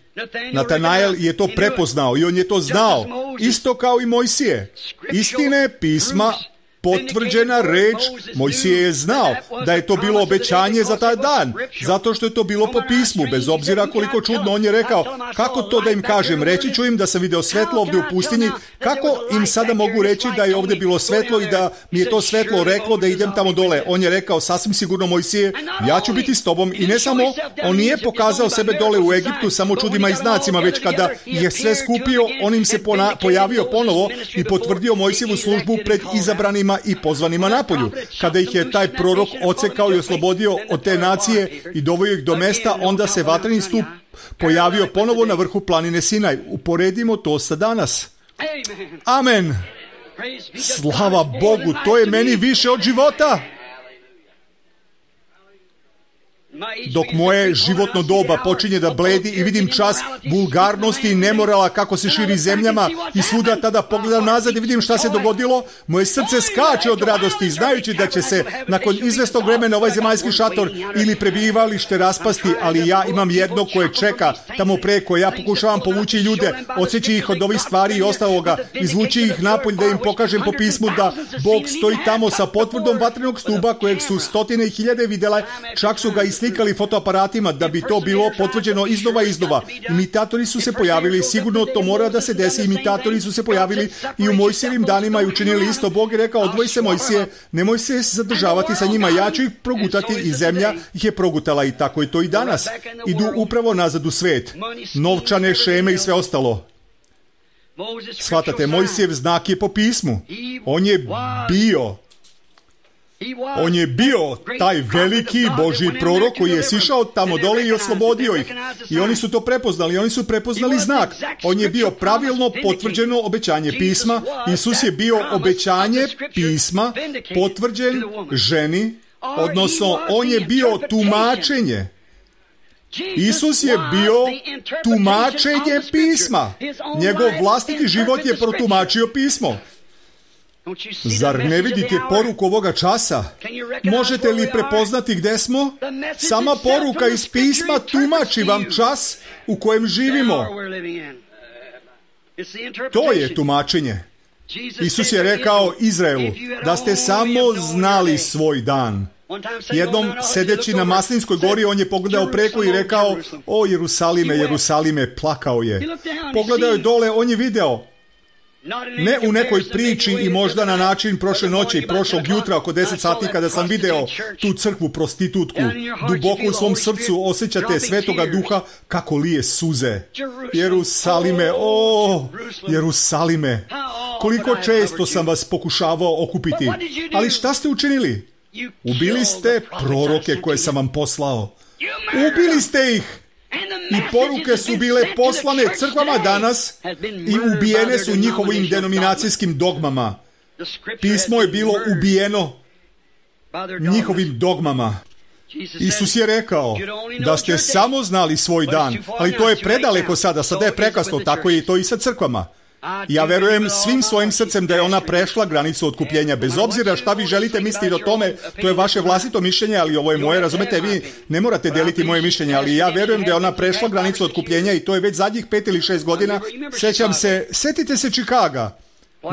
Natanael je to prepoznao i on je to znao, isto kao i Mojsije. Istine pisma, potvrđena reč, Mojsije je znao da je to bilo obećanje za taj dan, zato što je to bilo po pismu, bez obzira koliko čudno. On je rekao, kako to da im kažem, reći ću im da sam video svetlo ovdje u pustinji, kako im sada mogu reći da je ovdje bilo svetlo i da mi je to svetlo reklo da idem tamo dole. On je rekao, sasvim sigurno Mojsije, ja ću biti s tobom. I ne samo, on nije pokazao sebe dole u Egiptu samo čudima i znacima, već kada je sve skupio, on im se pona- pojavio ponovo i potvrdio Mojsijevu službu pred izabranima i pozvanima napolju. Kada ih je taj prorok ocekao i oslobodio od te nacije i doveo ih do mesta, onda se vatreni stup pojavio ponovo na vrhu planine Sinaj. Uporedimo to sa danas. Amen. Slava Bogu, to je meni više od života. Dok moje životno doba počinje da bledi i vidim čas vulgarnosti i nemorala kako se širi zemljama i svuda, tada pogledam nazad i vidim šta se dogodilo, moje srce skače od radosti znajući da će se nakon izvestog vremena ovaj zemaljski šator ili prebivalište raspasti, ali ja imam jedno koje čeka tamo preko. Ja pokušavam povući ljude, odsjeći ih od ovih stvari i ostaloga, izvući ih napolj da im pokažem po pismu da Bog stoji tamo sa potvrdom vatrenog stuba kojeg su stotine i hiljade vidjela, čak su ga i slikali fotoaparatima da bi to bilo potvrđeno iznova i iznova. Imitatori su se pojavili, sigurno to mora da se desi. Imitatori su se pojavili i u Mojsijevim danima i učinili isto. Bog je rekao, odvoji se Mojsije, nemoj se zadržavati sa njima, ja ću ih progutati i zemlja ih je progutala i tako je to i danas. Idu upravo nazad u svet. Novčane šeme i sve ostalo. Shvatate, Mojsijev znak je po pismu. On je bio On je bio taj veliki Božji prorok koji je sišao tamo dole i oslobodio ih. I oni su to prepoznali. Oni su prepoznali znak. On je bio pravilno potvrđeno obećanje pisma. Isus je bio obećanje pisma potvrđen ženi, odnosno on je bio tumačenje Isus je bio tumačenje pisma. Njegov vlastiti život je protumačio pismo. Zar ne vidite poruku ovoga časa? Možete li prepoznati gde smo? Sama poruka iz pisma tumači vam čas u kojem živimo. To je tumačenje. Isus je rekao Izraelu da ste samo znali svoj dan. Jednom sedeći na Maslinskoj gori, on je pogledao preko i rekao: o Jerusalime, Jerusalime, plakao je. Pogledao je dole, on je video. Ne u nekoj priči i možda na način prošle noći, prošlog jutra oko deset sati kada sam video tu crkvu prostitutku. Duboko u svom srcu osjećate Svetoga Duha kako lije suze. Jerusalime, o Jerusalime, koliko često sam vas pokušavao okupiti. Ali šta ste učinili? Ubili ste proroke koje sam vam poslao. Ubili ste ih. I poruke su bile poslane crkvama danas i ubijene su njihovim denominacijskim dogmama. Pismo je bilo ubijeno njihovim dogmama. Isus je rekao da ste samo znali svoj dan, ali to je predaleko sada, sada je prekasno, tako je i to i sa crkvama. Ja verujem svim svojim srcem da je ona prešla granicu otkupljenja. Bez obzira šta vi želite misliti o tome, to je vaše vlastito mišljenje, ali ovo je moje, razumete, vi ne morate deliti moje mišljenje, ali ja verujem da je ona prešla granicu otkupljenja i to je već zadnjih pet ili šest godina. Sećam se, setite se Čikaga.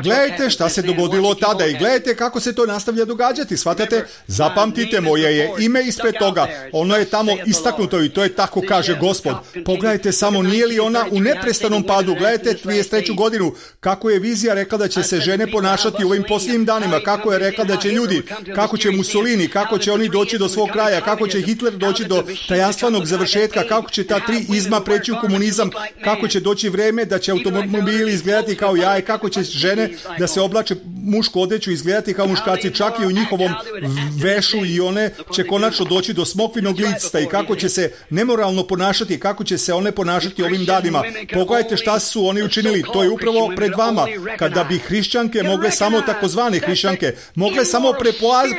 Gledajte šta se dogodilo tada i gledajte kako se to nastavlja događati. Shvatate? Zapamtite, moje je ime ispred toga. Ono je tamo istaknuto i to je tako kaže Gospod. Pogledajte samo, nije li ona u neprestanom padu? Gledajte trideset treću godinu. Kako je vizija rekla da će se žene ponašati u ovim posljednjim danima. Kako je rekla da će ljudi, kako će Mussolini, kako će oni doći do svog kraja, kako će Hitler doći do tajanstvenog završetka, kako će ta tri izma preći u komunizam, kako će doći vreme da će automobili izgledati kao jaje, kako će žene da se oblače mušku odeću i izgledati kao muškarci, čak i u njihovom vešu, i one će konačno doći do smokvinog licta i kako će se nemoralno ponašati, kako će se one ponašati ovim danima. Pogledajte šta su oni učinili, to je upravo pred vama. Kada bi hrišćanke mogle samo, takozvane hrišćanke, mogle samo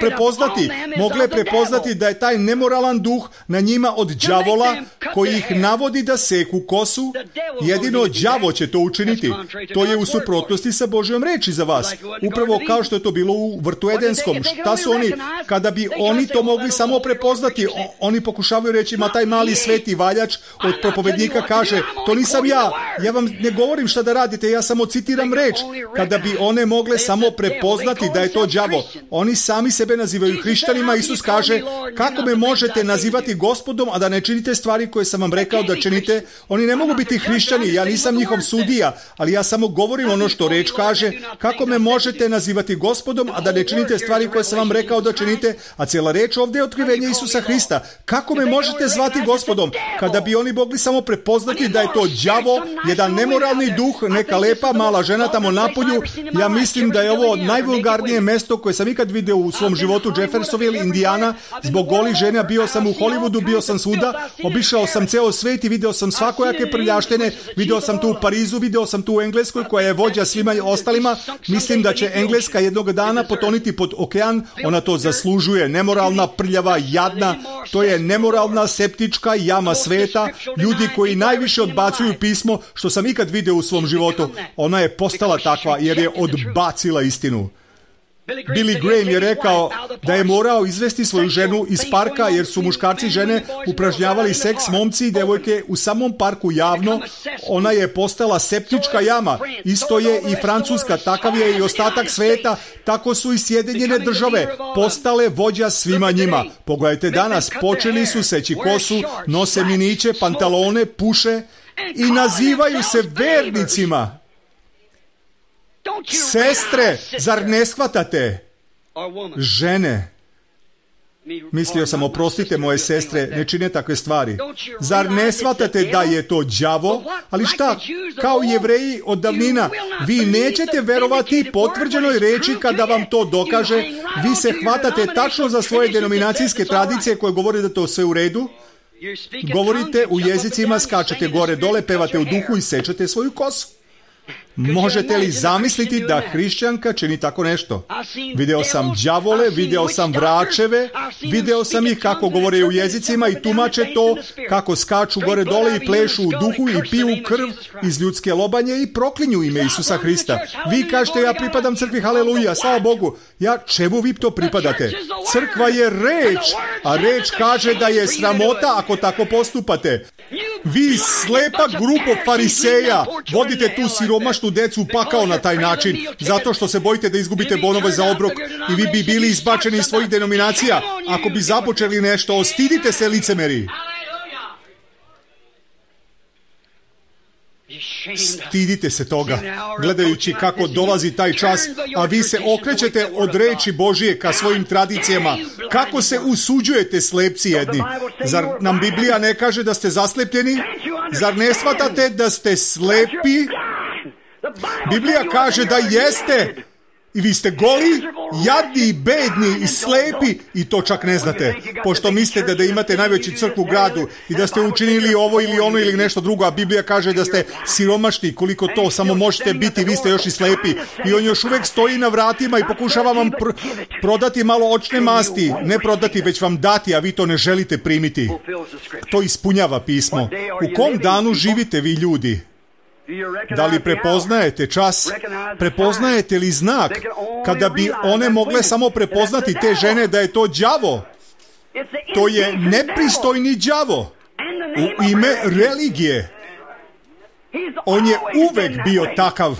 prepoznati, mogle prepoznati da je taj nemoralan duh na njima od đavola koji ih navodi da seku kosu, jedino đavo će to učiniti. To je u suprotnosti sa Božjom reči za vas. Upravo kao što je to bilo u vrtu Edenskom. Šta su oni, kada bi oni to mogli samo prepoznati, oni pokušavaju reći, ma taj mali sveti valjač od propovednika kaže, to nisam ja, ja vam ne govorim šta da radite, ja samo citiram reč. Kada bi one mogle samo prepoznati da je to đavo, oni sami sebe nazivaju hrišćanima. Isus kaže, kako me možete nazivati Gospodom, a da ne činite stvari koje sam vam rekao da činite? Oni ne mogu biti hrišćani, ja nisam njihov sudija, ali ja samo govorim ono što reč kaže. Kako me možete nazivati Gospodom, a da ne činite stvari koje sam vam rekao da činite? A cijela reč ovdje je otkrivenje Isusa Hrista. Kako me možete zvati Gospodom? Kada bi oni mogli samo prepoznati da je to đavo, jedan nemoralni duh, neka lepa mala žena tamo napolju. Ja mislim da je ovo najvulgarnije mesto koje sam ikad vidio u svom životu, Jeffersonville, Indiana. Zbog golih žena bio sam u Hollywoodu, bio sam svuda, obišao sam ceo svet i video sam svakojake prljaštine. Video sam tu u Parizu, video sam tu u Engleskoj koja je vođa svima ostalima. Mislim da će Engleska jednog dana potoniti pod okean, ona to zaslužuje. Nemoralna, prljava, jadna, to je nemoralna septička jama sveta, ljudi koji najviše odbacuju pismo što sam ikad vidio u svom životu. Ona je postala takva jer je odbacila istinu. Billy Graham je rekao da je morao izvesti svoju ženu iz parka jer su muškarci i žene upražnjavali seks, momci i devojke u samom parku javno. Ona je postala septička jama. Isto je i Francuska, takav je i ostatak sveta, tako su i Sjedinjene države postale vođa svima njima. Pogledajte danas, počeli su seći kosu, nose miniće, pantalone, puše i nazivaju se vernicima. Sestre, zar ne shvatate? Žene, mislio sam, oprostite moje sestre, ne čine takve stvari. Zar ne shvatate da je to đavo? Ali šta, kao Jevreji od davnina, vi nećete verovati potvrđenoj reči kada vam to dokaže. Vi se hvatate tačno za svoje denominacijske tradicije koje govore da to sve u redu. Govorite u jezicima, skačete gore dole, pevate u duhu i sečete svoju kosu. Možete li zamisliti da hrišćanka čini tako nešto? Video sam đavole, video sam vračeve, video sam ih kako govore u jezicima i tumače to, kako skaču gore dole i plešu u duhu i piju krv iz ljudske lobanje i proklinju ime Isusa Hrista. Vi kažete, ja pripadam crkvi, haleluja, slava Bogu. Ja, čemu vi to pripadate? Crkva je reč, a reč kaže da je sramota ako tako postupate. Vi, slepa grupa fariseja, vodite tu siromašnu decu u pakao na taj način, zato što se bojite da izgubite bonove za obrok i vi bi bili izbačeni iz svojih denominacija. Ako bi započeli nešto, ostidite se, licemeri. Stidite se toga, gledajući kako dolazi taj čas, a vi se okrećete od reči Božije ka svojim tradicijama. Kako se usuđujete, slepci jedni? Zar nam Biblija ne kaže da ste zaslepljeni? Zar ne shvatate da ste slepi? Biblija kaže da jeste. I vi ste goli, jadni, bedni i slepi i to čak ne znate. Pošto mislite da imate najveću crkvu u gradu i da ste učinili ovo ili ono ili nešto drugo, a Biblija kaže da ste siromašni, koliko to samo možete biti, vi ste još i slepi. I on još uvijek stoji na vratima i pokušava vam pr- prodati malo očne masti. Ne prodati, već vam dati, a vi to ne želite primiti. To ispunjava pismo. U kom danu živite vi, ljudi? Da li prepoznajete čas? Prepoznajete li znak? Kada bi one mogle samo prepoznati te žene da je to đavo. To je nepristojni đavo. U ime religije. On je uvek bio takav.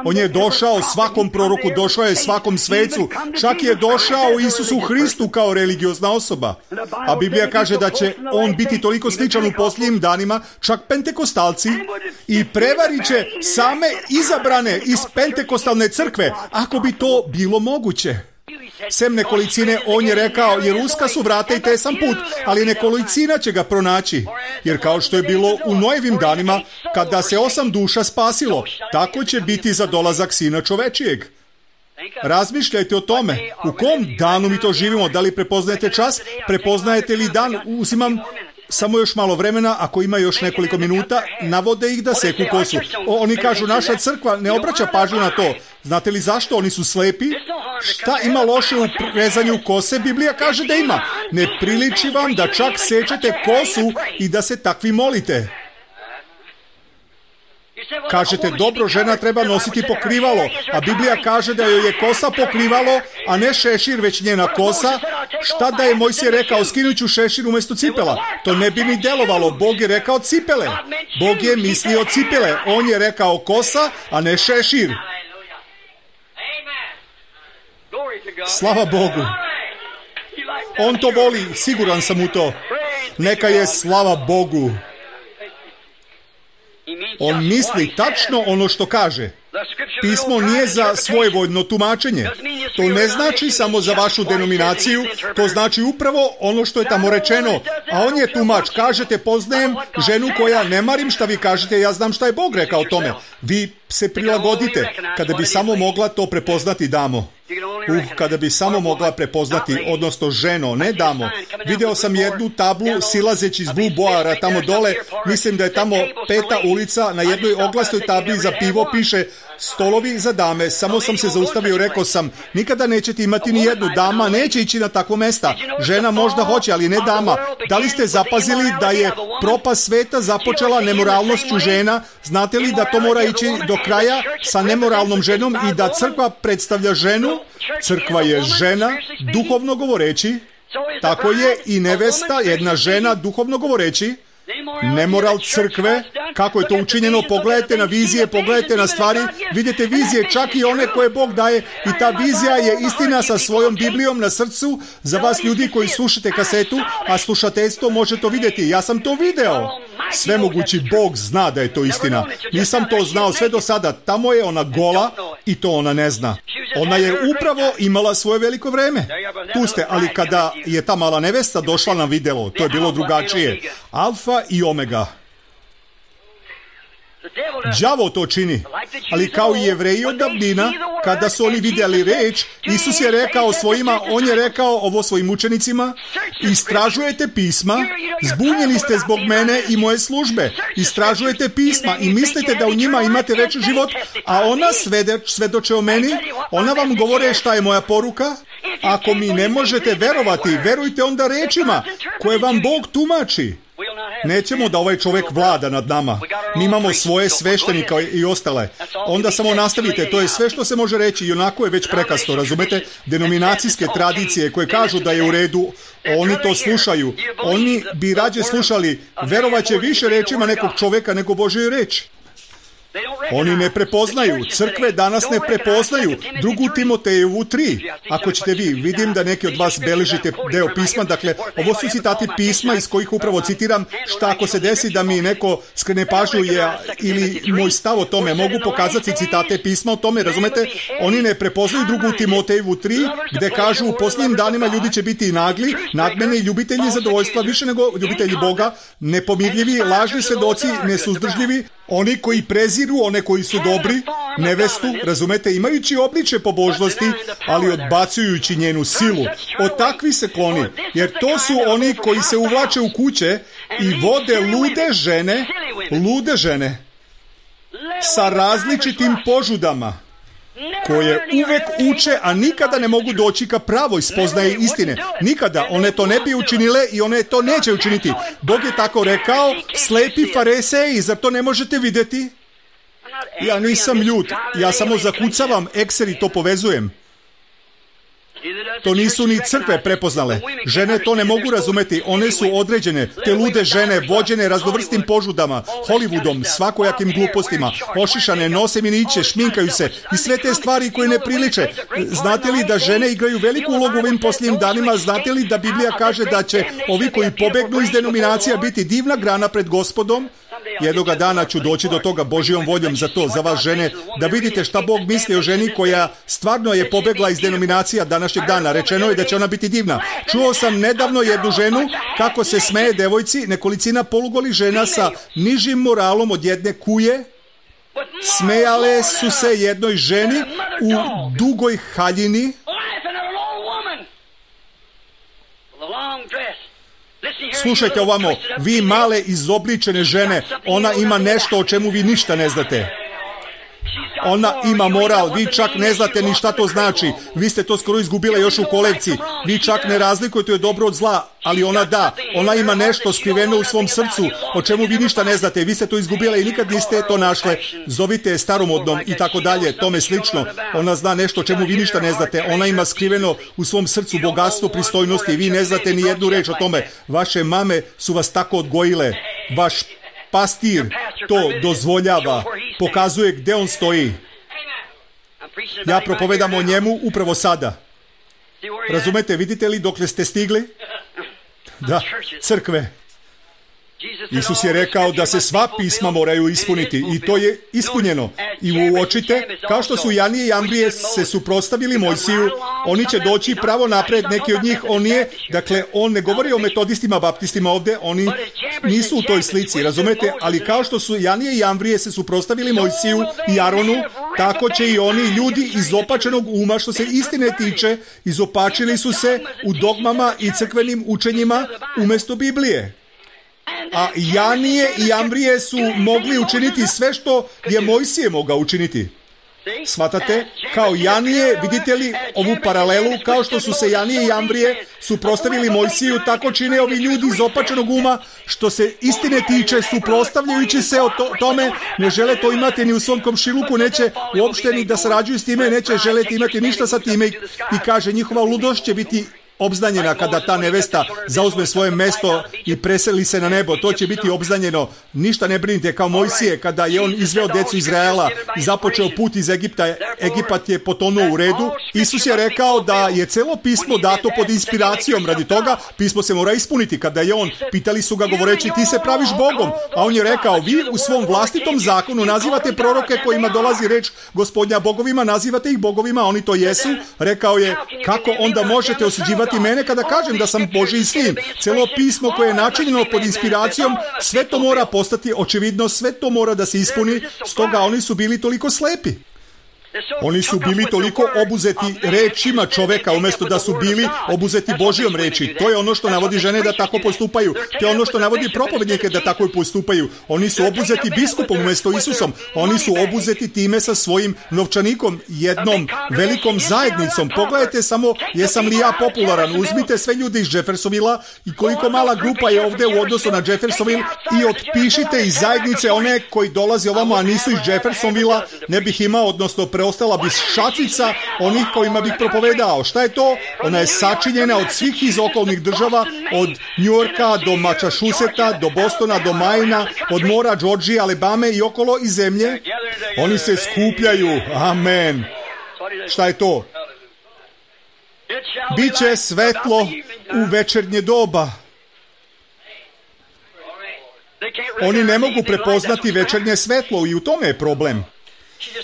On je došao svakom proroku, došao je svakom svecu, čak je došao Isusu Hristu kao religiozna osoba. A Biblija kaže da će on biti toliko sličan u posljednjim danima, čak pentekostalci, i prevarit će same izabrane iz pentekostalne crkve, ako bi to bilo moguće. Sem nekolicine, on je rekao, jer uska su vrata i tesan put, ali nekolicina će ga pronaći. Jer kao što je bilo u Noevim danima, kada se osam duša spasilo, tako će biti za dolazak Sina čovečijeg. Razmišljajte o tome. U kom danu mi to živimo? Da li prepoznajete čas? Prepoznajete li dan? Uzimam samo još malo vremena, ako ima još nekoliko minuta, navode ih da seku kosu. O, oni kažu, naša crkva ne obraća pažnju na to. Znate li zašto? Oni su slepi. Šta ima loše u rezanju kose? Biblija kaže da ima. Ne priliči vam da čak sečete kosu i da se takvi molite. Kažete, dobro, žena treba nositi pokrivalo, a Biblija kaže da joj je kosa pokrivalo, a ne šešir, već njena kosa. Šta da je Mojsije rekao, skinut ću šešir umjesto cipela? To ne bi ni delovalo, Bog je rekao cipele. Bog je mislio cipele, on je rekao kosa, a ne šešir. Slava Bogu. On to voli, siguran sam u to. Neka je slava Bogu. On misli tačno ono što kaže. Pismo nije za svojevoljno tumačenje. To ne znači samo za vašu denominaciju, to znači upravo ono što je tamo rečeno. A on je tumač. Kažete, poznajem ženu koja, ne marim šta vi kažete, ja znam šta je Bog rekao o tome. Vi se prilagodite. Kada bi samo mogla to prepoznati, damo. Uh, kada bi samo mogla prepoznati, odnosno ženo, ne damo. Video sam jednu tablu silazeći iz Blue Boara tamo dole, mislim da je tamo peta ulica, na jednoj oglasnoj tabli za pivo piše stolovi za dame. Samo sam se zaustavio, rekao sam, nikada nećete imati ni jednu, dama neće ići na takvo mesta. Žena možda hoće, ali ne dama. Da li ste zapazili da je propast sveta započela nemoralnošću žena? Znate li da to mora ići do kraja sa nemoralnom ženom i da crkva predstavlja ženu? Crkva je žena, duhovno govoreći. Tako je i nevesta, jedna žena, duhovno govoreći. Nemoral crkve, kako je to učinjeno, pogledajte na vizije, pogledajte na stvari, vidite vizije, čak i one koje Bog daje, i ta vizija je istina sa svojom Biblijom na srcu. Za vas ljudi koji slušate kasetu, a slušateljstvo može to vidjeti. Ja sam to video. Svemogući Bog zna da je to istina. Nisam to znao sve do sada. Tamo je ona gola i to ona ne zna. Ona je upravo imala svoje veliko vreme. Tu ste, ali kada je ta mala nevesta došla na video, to je bilo drugačije. Alfa i omega. Đavo to čini, ali kao i Jevreji od davnina, kada su oni vidjeli reč, Isus je rekao svojima, on je rekao ovo svojim učenicima, istražujete pisma, zbunjeni ste zbog mene i moje službe. Istražujete pisma i mislite da u njima imate veći život, a ona svedoč, svedoče o meni, ona vam govore šta je moja poruka. Ako mi ne možete verovati, verujte onda rečima koje vam Bog tumači. Nećemo da ovaj čovjek vlada nad nama. Mi imamo svoje sveštenike i ostale. Onda samo nastavite, to je sve što se može reći i onako je već prekasno, razumete? Denominacijske tradicije koje kažu da je u redu, oni to slušaju. Oni bi rađe slušali, verovat će više rečima nekog čovjeka nego Božoj reči. Oni ne prepoznaju, crkve danas ne prepoznaju drugu Timotejevu tri. Ako ćete vi, vidim da neki od vas beležite deo pisma, dakle, ovo su citati pisma iz kojih upravo citiram, šta ako se desi da mi neko skrene pažnju je, ili moj stav o tome, mogu pokazati citate pisma o tome, razumete? Oni ne prepoznaju drugu Timotejevu tri, gde kažu u posljednjim danima ljudi će biti nagli, nadmeni, ljubitelji zadovoljstva, više nego ljubitelji Boga, nepomirljivi, lažni svedoci, nesuzdržljivi, oni koji preziru one koji su dobri, nevestu, razumete, imajući obličje pobožnosti, ali odbacujući njenu silu. Od takvi se kloni, jer to su oni koji se uvlače u kuće i vode lude žene, lude žene, sa različitim požudama, koje uvek uče, a nikada ne mogu doći ka pravoj spoznaji istine. Nikada. One to ne bi učinile i one to neće učiniti. Bog je tako rekao, slepi fariseji, zar to ne možete vidjeti? Ja nisam ljut, ja samo zakucavam, ekser i to povezujem. To nisu ni crkve prepoznale. Žene to ne mogu razumeti, one su određene, te lude žene, vođene raznovrstim požudama, Hollywoodom, svakojakim glupostima, ošišane, nose miniće, šminkaju se i sve te stvari koje ne priliče. Znate li da žene igraju veliku ulogu u ovim posljednjim danima? Znate li da Biblija kaže da će ovi koji pobegnu iz denominacija biti divna grana pred Gospodom? Jednoga dana ću doći do toga Božjom voljom za to, za vas žene, da vidite šta Bog misli o ženi koja stvarno je pobegla iz denominacija današnjeg dana. Rečeno je da će ona biti divna. Čuo sam nedavno jednu ženu kako se smeje devojci, nekolicina polugolih žena sa nižim moralom od jedne kuje. Smejale su se jednoj ženi u dugoj haljini. Slušajte ovamo, vi male izobličene žene, ona ima nešto o čemu vi ništa ne znate. Ona ima moral, vi čak ne znate ni šta to znači. Vi ste to skoro izgubile još u kolekciji. Vi čak ne razlikujete je dobro od zla, ali ona da. Ona ima nešto skriveno u svom srcu, o čemu vi ništa ne znate. Vi ste to izgubile i nikad niste to našle. Zovite je staromodnom i tako dalje, tome slično. Ona zna nešto o čemu vi ništa ne znate. Ona ima skriveno u svom srcu bogatstvo, pristojnosti i vi ne znate ni jednu reč o tome. Vaše mame su vas tako odgojile. Vaš pastir to dozvoljava, pokazuje gde on stoji. Ja propovedam o njemu upravo sada. Razumete, vidite li dokle ste stigli? Da, crkve. Isus je rekao da se sva pisma moraju ispuniti i to je ispunjeno. I uočite, kao što su Janije i Ambrije se suprotstavili Mojsiju, oni će doći pravo napred, neki od njih, on je, dakle, on ne govori o metodistima, baptistima ovdje, oni nisu u toj slici, razumete, ali kao što su Janije i Ambrije se suprotstavili Mojsiju i Aronu, tako će i oni ljudi izopačenog uma, što se istine tiče, izopačili su se u dogmama i crkvenim učenjima umjesto Biblije. A Janije i Ambrije su mogli učiniti sve što je Mojsije mogao učiniti. Shvatate? Kao Janije, vidite li ovu paralelu, kao što su se Janije i Ambrije suprotstavili Mojsiju, tako čine ovi ljudi iz opačenog uma, što se istine tiče, suprotstavljajući se o to, tome, ne žele to imati ni u svom komšiluku, neće uopšte ni da sarađuju s time, neće želeti imati ništa sa time i, i kaže njihova ludost će biti obznanjena kada ta nevesta zauzme svoje mesto i preseli se na nebo. To će biti obznanjeno. Ništa ne brinite, kao Mojsije kada je on izveo decu Izraela i započeo put iz Egipta. Egipat je potonuo u redu. Isus je rekao da je celo pismo dato pod inspiracijom. Radi toga pismo se mora ispuniti. Kada je on, pitali su ga govoreći ti se praviš Bogom, a on je rekao vi u svom vlastitom zakonu nazivate proroke kojima dolazi reč Gospodnja bogovima, nazivate ih bogovima, oni to jesu. Rekao je kako onda možete osuđivati mene kada kažem da sam Božji sin. Celo pismo koje je načinjeno pod inspiracijom, sve to mora postati očividno, sve to mora da se ispuni, stoga oni su bili toliko slepi. Oni su bili toliko obuzeti rečima čoveka umjesto da su bili obuzeti Božjom reči. To je ono što navodi žene da tako postupaju. To je ono što navodi propovednike da tako postupaju. Oni su obuzeti biskupom umjesto Isusom. Oni su obuzeti time sa svojim novčanikom, jednom velikom zajednicom. Pogledajte samo, jesam li ja popularan? Uzmite sve ljude iz Jeffersonvilla i koliko mala grupa je ovdje u odnosu na Jeffersonville i otpišite iz zajednice one koji dolaze ovamo, a nisu iz Jeffersonvilla, ne bih imao, odnosno preostala bi šačica onih kojima bih propovedao. Šta je to? Ona je sačinjena od svih iz okolnih država, od New Yorka do Massachusetts, do Bostona, do Maina, od mora Georgije, Alabame i okolo i zemlje. Oni se skupljaju. Amen. Šta je to? Biće svetlo u večernje doba. Oni ne mogu prepoznati večernje svetlo i u tome je problem.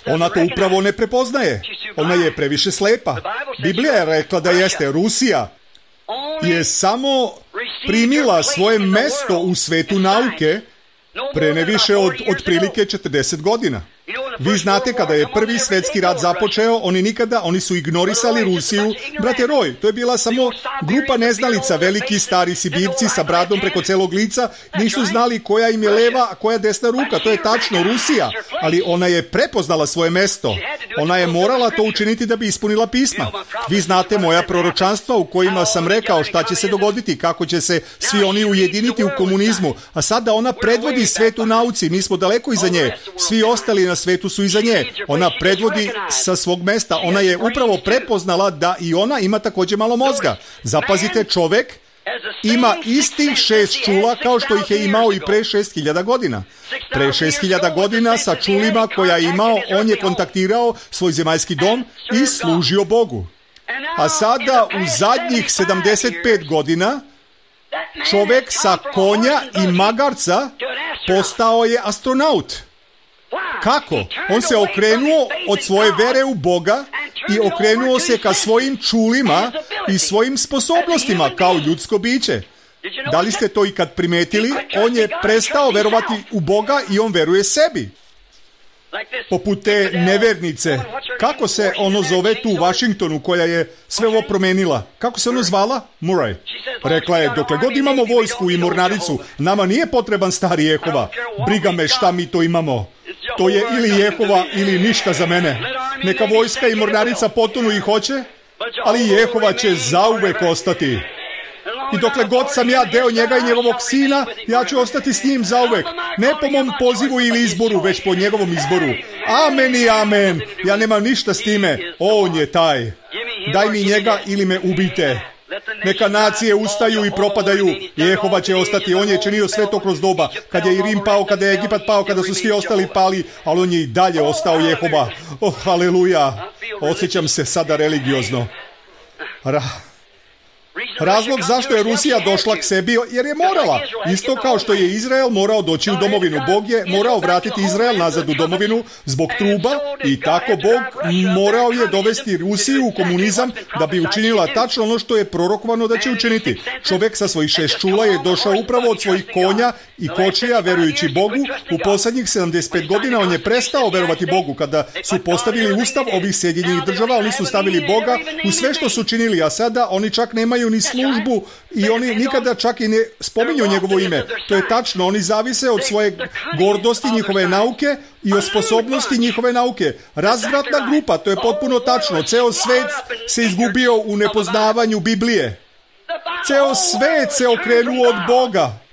Ona to upravo ne prepoznaje. Ona je previše slepa. Biblija je rekla da jeste. Rusija je samo primila svoje mesto u svetu nauke pre ne više od otprilike četrdeset godina. Vi znate, kada je prvi svjetski rat započeo, oni nikada, oni su ignorisali Rusiju. Brate Roy, to je bila samo grupa neznalica, veliki stari Sibirci sa bradom preko celog lica, nisu znali koja im je leva, a koja desna ruka. To je tačno Rusija, ali ona je prepoznala svoje mesto. Ona je morala to učiniti da bi ispunila pisma. Vi znate moja proročanstva u kojima sam rekao šta će se dogoditi, kako će se svi oni ujediniti u komunizmu, a sada ona predvodi svet u nauci, mi smo daleko iza nje, svi ostali na svetu su iza nje. Ona predvodi sa svog mesta. Ona je upravo prepoznala da i ona ima također malo mozga. Zapazite, čovek ima istih šest čula kao što ih je imao i pre šest hiljada godina. Pre šest hiljada godina sa čulima koja je imao, on je kontaktirao svoj zemaljski dom i služio Bogu. A sada u zadnjih sedamdeset pet godina čovek sa konja i magarca postao je astronaut. Kako? On se okrenuo od svoje vere u Boga i okrenuo se ka svojim čulima i svojim sposobnostima kao ljudsko biće. Da li ste to ikad primetili? On je prestao verovati u Boga i on veruje sebi. Poput te nevernice. Kako se ono zove tu u Washingtonu koja je sve ovo promenila? Kako se ono zvala? Murray. Rekla je, dokle god imamo vojsku i mornaricu, nama nije potreban stari Jehova. Briga me šta mi to imamo. To je ili Jehova ili ništa za mene. Neka vojska i mornarica potonu i hoće, ali Jehova će zauvek ostati. I dokle god sam ja deo njega i njegovog sina, ja ću ostati s njim zauvek. Ne po mom pozivu ili izboru, već po njegovom izboru. Amen i amen. Ja nemam ništa s time. On je taj. Daj mi njega ili me ubijte. Neka nacije ustaju i propadaju. Jehova će ostati. On je činio sve to kroz doba. Kad je i Rim pao, kada je Egipat pao, kada su svi ostali pali, ali on je i dalje ostao Jehova. Oh, haleluja. Osjećam se sada religiozno. Ra... Razlog zašto je Rusija došla k sebi, jer je morala. Isto kao što je Izrael morao doći u domovinu. Bog je morao vratiti Izrael nazad u domovinu zbog truba i tako Bog morao je dovesti Rusiju u komunizam da bi učinila tačno ono što je prorokovano da će učiniti. Čovjek sa svojih šest čula je došao upravo od svojih konja i kočija verujući Bogu. U posljednjih sedamdeset pet godina on je prestao verovati Bogu. Kada su postavili ustav ovih Sjedinjenih država, oni su stavili Boga u sve što su činili, a sada oni čak nemaju ni službu i oni nikada čak i ne spominju njegovo ime. To je tačno, oni zavise od svoje gordosti njihove nauke i od sposobnosti njihove nauke. Razvratna grupa, to je potpuno tačno. Ceo svet se izgubio u nepoznavanju Biblije. Ceo svet se okrenuo od Boga.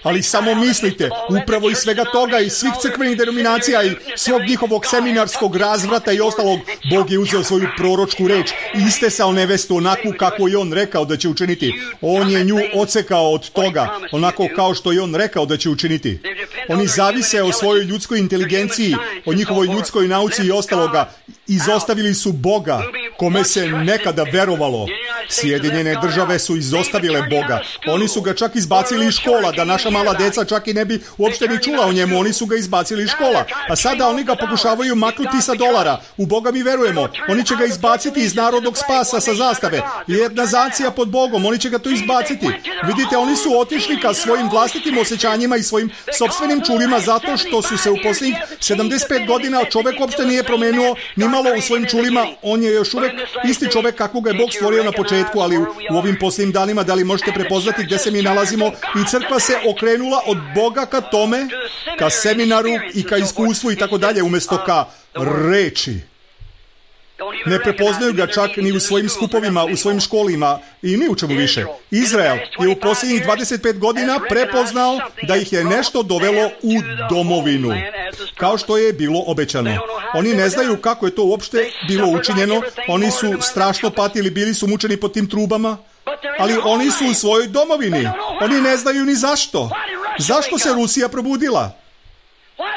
Ali samo mislite, upravo iz svega toga, iz svih crkvenih denominacija i svog njihovog seminarskog razvrata i ostalog, Bog je uzeo svoju proročku reč i istesao nevestu onakvu kako je on rekao da će učiniti. On je nju odsekao od toga, onako kao što je on rekao da će učiniti. Oni zavise o svojoj ljudskoj inteligenciji, o njihovoj ljudskoj nauci i ostaloga. Izostavili su Boga. kome se nekada verovalo. Sjedinjene države su izostavile Boga. Oni su ga čak izbacili iz škola, da naša mala deca čak i ne bi uopšte ni čula o njemu. Oni su ga izbacili iz škola. A sada oni ga pokušavaju maknuti sa dolara. U Boga mi verujemo. Oni će ga izbaciti iz narodnog spasa sa zastave. Jedna nacija pod Bogom. Oni će ga to izbaciti. Vidite, oni su otišli ka svojim vlastitim osjećanjima i svojim sopstvenim čulima zato što su se u posljednjih sedamdeset pet godina čovjek uopšte nije promenuo ni malo u svojim čulima. On je još uvijek isti čovjek kakvog je Bog stvorio na početku, ali u, u ovim posljednjim danima, da li možete prepoznati gdje se mi nalazimo, i crkva se okrenula od Boga ka tome, ka seminaru i ka iskustvu i tako dalje, umjesto ka reči. Ne prepoznaju ga čak ni u svojim skupovima, u svojim školima i ni u čemu više. Izrael je u posljednjih dvadeset pet godina prepoznao da ih je nešto dovelo u domovinu, kao što je bilo obećano. Oni ne znaju kako je to uopšte bilo učinjeno. Oni su strašno patili, bili su mučeni pod tim trubama, ali oni su u svojoj domovini. Oni ne znaju ni zašto. Zašto se Rusija probudila?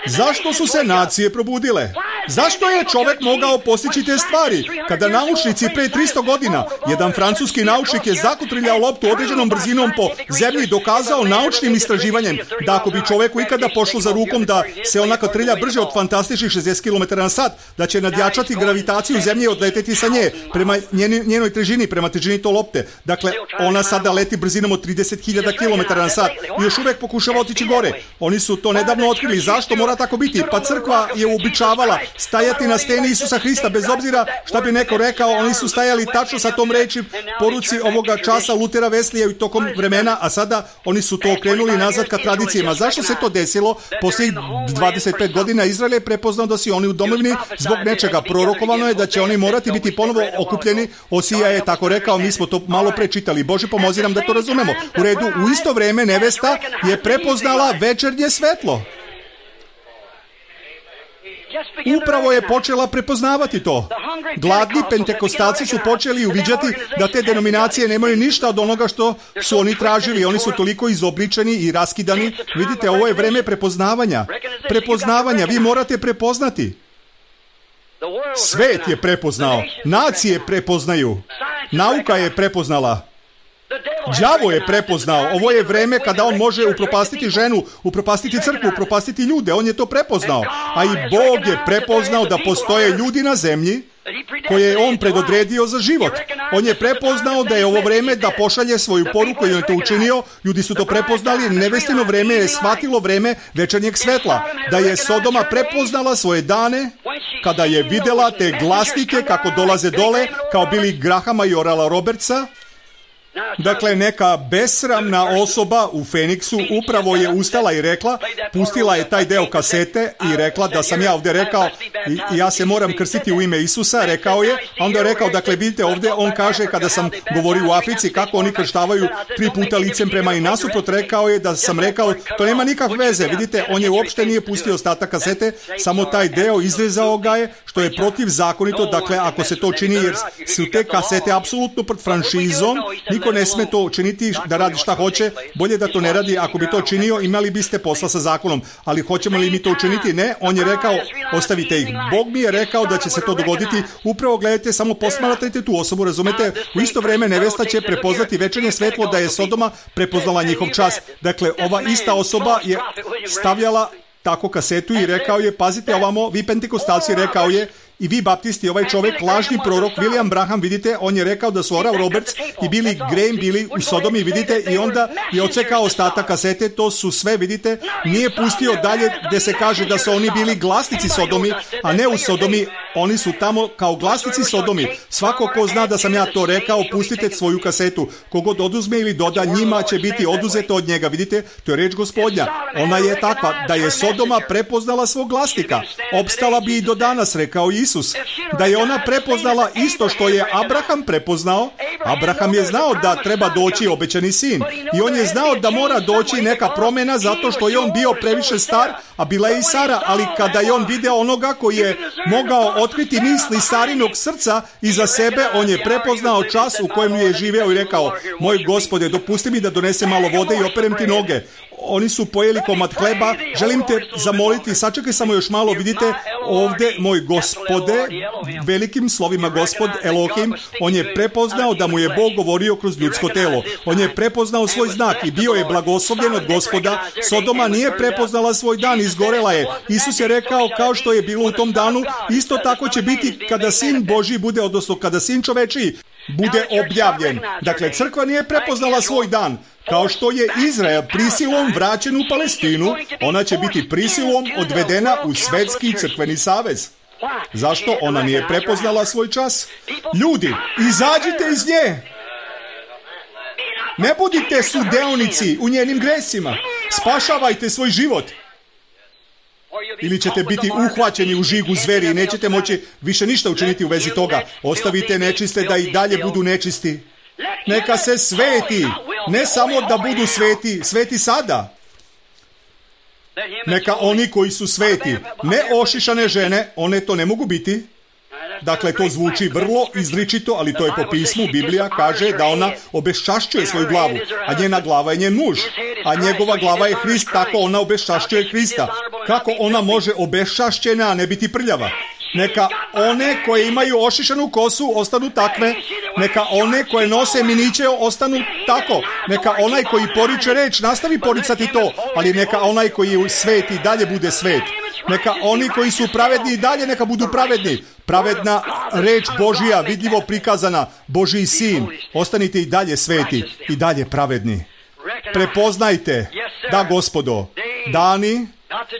Zašto su se nacije probudile? Zašto je čovjek mogao postići te stvari? Kada naučnici pre tristo godina, jedan francuski naučnik je zakotrljao loptu određenom brzinom po zemlji, dokazao naučnim istraživanjem da ako bi čovjeku ikada pošlo za rukom da se ona kotrlja brže od fantastičnih šezdeset kilometara na sat, da će nadjačati gravitaciju zemlje i odleteti sa nje prema njenoj, njenoj težini, prema težini to lopte. Dakle, ona sada leti brzinom od trideset hiljada kilometara na sat i još uvijek pokušava otići gore. Oni su to nedavno otkrili. Zašto mora tako biti? Pa crkva je uobičavala stajati na steni Isusa Hrista, bez obzira šta bi neko rekao. Oni su stajali tačno sa tom reči poruci ovoga časa Lutera, Weslija i tokom vremena, a sada oni su to okrenuli nazad ka tradicijama. Zašto se to desilo? Poslije dvadeset pet godina Izrael je prepoznao da su oni u domovini zbog nečega. Prorokovano je da će oni morati biti ponovo okupljeni. Osija je tako rekao, mi smo to malo prečitali. Bože, pomozi nam da to razumemo. U redu, u isto vrijeme nevesta je prepoznala večernje svetlo. Upravo je počela prepoznavati to. Gladni pentekostalci su počeli uviđati da te denominacije nemaju ništa od onoga što su oni tražili. Oni su toliko izobličeni i raskidani. Vidite, ovo je vreme prepoznavanja. Prepoznavanja, vi morate prepoznati. Svet je prepoznao. Nacije prepoznaju. Nauka je prepoznala. Đavo je prepoznao. Ovo je vreme kada on može upropastiti ženu, upropastiti crkvu, upropastiti ljude. On je to prepoznao. A i Bog je prepoznao da postoje ljudi na zemlji koje je on predodredio za život. On je prepoznao da je ovo vreme da pošalje svoju poruku i on je to učinio. Ljudi su to prepoznali. Nevestino vreme je shvatilo vreme večernjeg svetla. Da je Sodoma prepoznala svoje dane kada je videla te glasnike kako dolaze dole, kao Billy Grahama i Orala Robertsa. Dakle, neka besramna osoba u Feniksu upravo je ustala i rekla, pustila je taj deo kasete i rekla da sam ja ovdje rekao i ja se moram krstiti u ime Isusa, rekao je, a onda je rekao, dakle vidite ovdje, on kaže kada sam govorio u Africi kako oni krštavaju tri puta licem prema i nasuprot, rekao je da sam rekao, to nema nikakve veze, vidite, on je uopšte nije pustio ostatak kasete, samo taj deo izrezao ga je, što je protivzakonito, dakle ako se to čini jer su te kasete apsolutno pred franšizom, niko ne sme to učiniti da radi šta hoće, bolje da to ne radi. Ako bi to činio, imali biste posla sa zakonom, ali hoćemo li mi to učiniti? Ne, on je rekao, ostavite ih. Bog mi je rekao da će se to dogoditi, upravo gledajte, samo posmatrajte tu osobu, razumete? U isto vrijeme nevesta će prepoznati večernje svetlo da je Sodoma prepoznala njihov čas. Dakle, ova ista osoba je stavljala tako kasetu i rekao je, pazite ovamo, vi pentekostalci, rekao je, i vi baptisti, ovaj čovjek, lažni prorok William Branham, vidite, on je rekao da su Oral Roberts i Billy Graham bili u Sodomi, vidite, i onda je odsekao ostatak kasete, to su sve, vidite, nije pustio dalje gdje se kaže da su oni bili glasnici Sodomi, a ne u Sodomi, oni su tamo kao glasnici Sodomi. Svako ko zna da sam ja to rekao, pustite svoju kasetu. Kogod oduzme ili doda, njima će biti oduzeto od njega, vidite, to je reč Gospodnja. Ona je takva, da je Sodoma prepoznala svog glasnika, opstala bi i do danas, rekao Isus. Da je ona prepoznala isto što je Abraham prepoznao. Abraham je znao da treba doći obećani sin i on je znao da mora doći neka promjena zato što je on bio previše star, a bila je i Sara, ali kada je on video onoga koji je mogao otkriti misli Sarinog srca iza sebe, on je prepoznao čas u kojem je živeo i rekao, moj Gospode, dopusti mi da donesem malo vode i operem ti noge. Oni su pojeli komad hleba, želim te zamoliti, sačekaj samo još malo, vidite, ovdje moj Gospode, velikim slovima Gospod Elohim, on je prepoznao da mu je Bog govorio kroz ljudsko telo. On je prepoznao svoj znak i bio je blagoslovljen od Gospoda. Sodoma nije prepoznala svoj dan, izgorela je. Isus je rekao, kao što je bilo u tom danu, isto tako će biti kada Sin Božji bude, odnosno kada Sin čovečiji bude objavljen. Dakle, crkva nije prepoznala svoj dan. Kao što je Izrael prisilom vraćen u Palestinu, ona će biti prisilom odvedena u Svetski crkveni savez. Zašto ona nije prepoznala svoj čas? Ljudi, izađite iz nje! Ne budite sudeonici u njenim gresima. Spašavajte svoj život. Ili ćete biti uhvaćeni u žigu zveri i nećete moći više ništa učiniti u vezi toga. Ostavite nečiste da i dalje budu nečisti. Neka se sveti. Ne samo da budu sveti, sveti sada. Neka oni koji su sveti, ne ošišane žene, one to ne mogu biti. Dakle, to zvuči vrlo izričito, ali to je po pismu. Biblija kaže da ona obeščašćuje svoju glavu, a njena glava je njen muž. A njegova glava je Hrist, tako ona obeščašćuje Hrista. Kako ona može obeščašćena, a ne biti prljava? Neka one koje imaju ošišanu kosu ostanu takve. Neka one koje nose miniće ostanu tako. Neka onaj koji poriče reč nastavi poricati to, ali neka onaj koji je svet i dalje bude svet. Neka oni koji su pravedni i dalje neka budu pravedni. Pravedna reč Božija, vidljivo prikazana, Božji sin. Ostanite i dalje sveti, i dalje pravedni. Prepoznajte, da Gospodo, dani,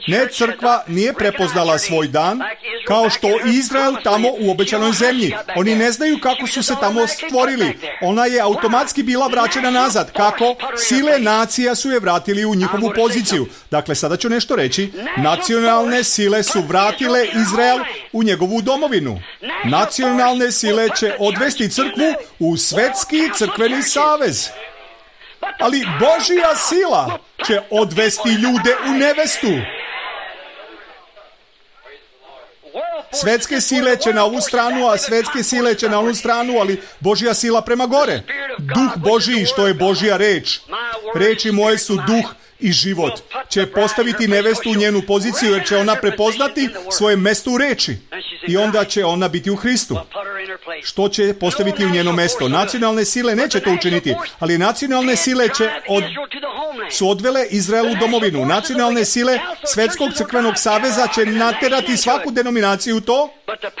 ne, crkva nije prepoznala svoj dan, kao što Izrael tamo u obećanoj zemlji. Oni ne znaju kako su se tamo stvorili. Ona je automatski bila vraćena nazad. Kako? Sile nacija su je vratili u njihovu poziciju. Dakle, sada ću nešto reći. Nacionalne sile su vratile Izrael u njegovu domovinu. Nacionalne sile će odvesti crkvu u Svetski crkveni savez. Ali Božja sila će odvesti ljude u nevestu. Svetske sile će na ovu stranu, a svetske sile će na onu stranu, ali Božja sila prema gore. Duh Božji, što je Božja reč. Reči moje su duh i život. Će postaviti nevestu u njenu poziciju, jer će ona prepoznati svoje mesto u reči. I onda će ona biti u Hristu. Što će postaviti u njeno mesto? Nacionalne sile neće to učiniti, ali nacionalne sile će od... su odvele Izrael u domovinu. Nacionalne sile Svetskog crkvenog saveza će naterati svaku denominaciju u to,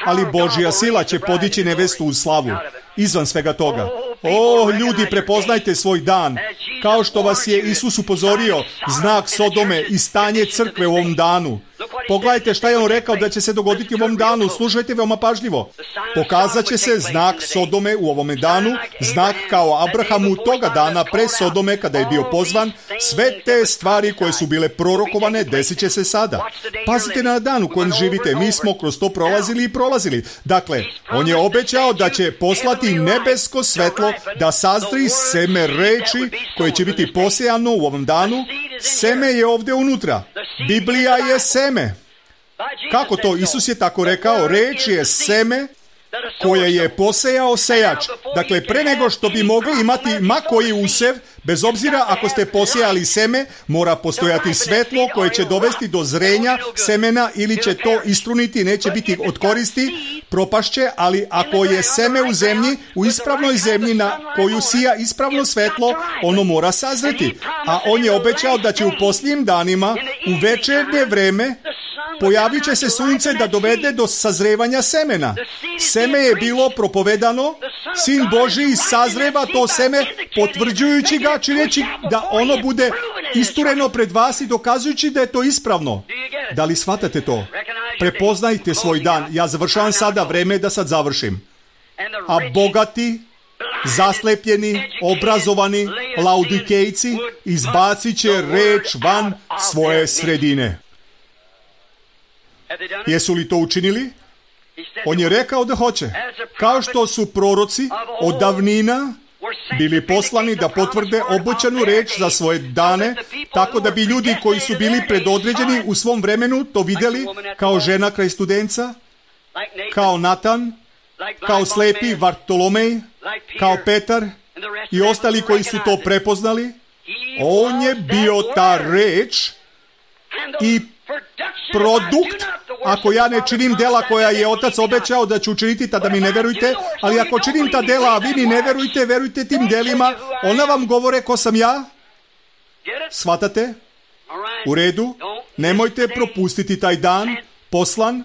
ali Božja sila će podići nevestu u slavu. Izvan svega toga. O, ljudi, prepoznajte svoj dan. Kao što vas je Isus upozorio, znak Sodome i stanje crkve u ovom danu. Pogledajte šta je on rekao da će se dogoditi u ovom danu. Slušajte veoma pažljivo. Pokazat će se znak Sodome u ovome danu, znak kao Abrahamu toga dana pre Sodome kada je bio pozvan. Sve te stvari koje su bile prorokovane desit će se sada. Pazite na dan u kojem živite. Mi smo kroz to prolazili i prolazili. Dakle, on je obećao da će poslati nebesko svetlo da sazri seme reči koje će biti posejano u ovom danu. Seme je ovdje unutra. Biblija je seme. Kako to? Isus je tako rekao. Reč je seme koje je posejao sejač. Dakle, pre nego što bi mogli imati ma koji usev, bez obzira ako ste posejali seme, mora postojati svetlo koje će dovesti do zrenja semena ili će to istruniti, neće biti od koristi, propašće, ali ako je seme u zemlji, u ispravnoj zemlji na koju sija ispravno svetlo, ono mora sazreti. A on je obećao da će u posljednjim danima, u večernje vreme, pojavit će se sunce da dovede do sazrevanja semena. Seme je bilo propovedano, Sin Božji sazreva to seme, potvrđujući ga, čineći da ono bude istureno pred vas i dokazujući da je to ispravno. Da li shvatate to? Prepoznajte svoj dan. Ja završavam sada, vreme da sad završim. A bogati, zaslepljeni, obrazovani, laudikejci izbacit će reč van svoje sredine. Jesu li to učinili? On je rekao da hoće. Kao što su proroci od davnina bili poslani da potvrde obećanu reč za svoje dane, tako da bi ljudi koji su bili predodređeni u svom vremenu to vidjeli, kao žena kraj Studenca, kao Natan, kao slepi Vartolomej, kao Petar i ostali koji su to prepoznali. On je bio ta reč i produkt ako ja ne činim dela koja je Otac obećao da ću učiniti, tada mi ne verujte, ali ako činim ta dela, a vi mi ne verujte, verujte tim delima, ona vam govore ko sam ja. Shvatate? U redu? Nemojte propustiti taj dan, poslan.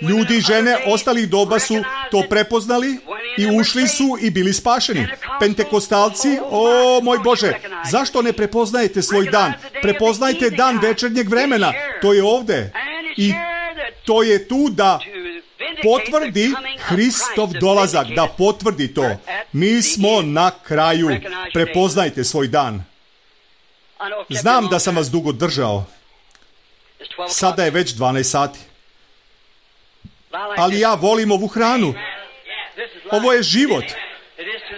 Ljudi i žene ostalih doba su to prepoznali i ušli su i bili spašeni. Pentekostalci, o moj Bože, zašto ne prepoznajete svoj dan? Prepoznajte dan večernjeg vremena. To je ovde. I to je tu da potvrdi Hristov dolazak, da potvrdi to. Mi smo na kraju. Prepoznajte svoj dan. Znam da sam vas dugo držao. Sada je već dvanaest sati. Ali ja volim ovu hranu. Ovo je život.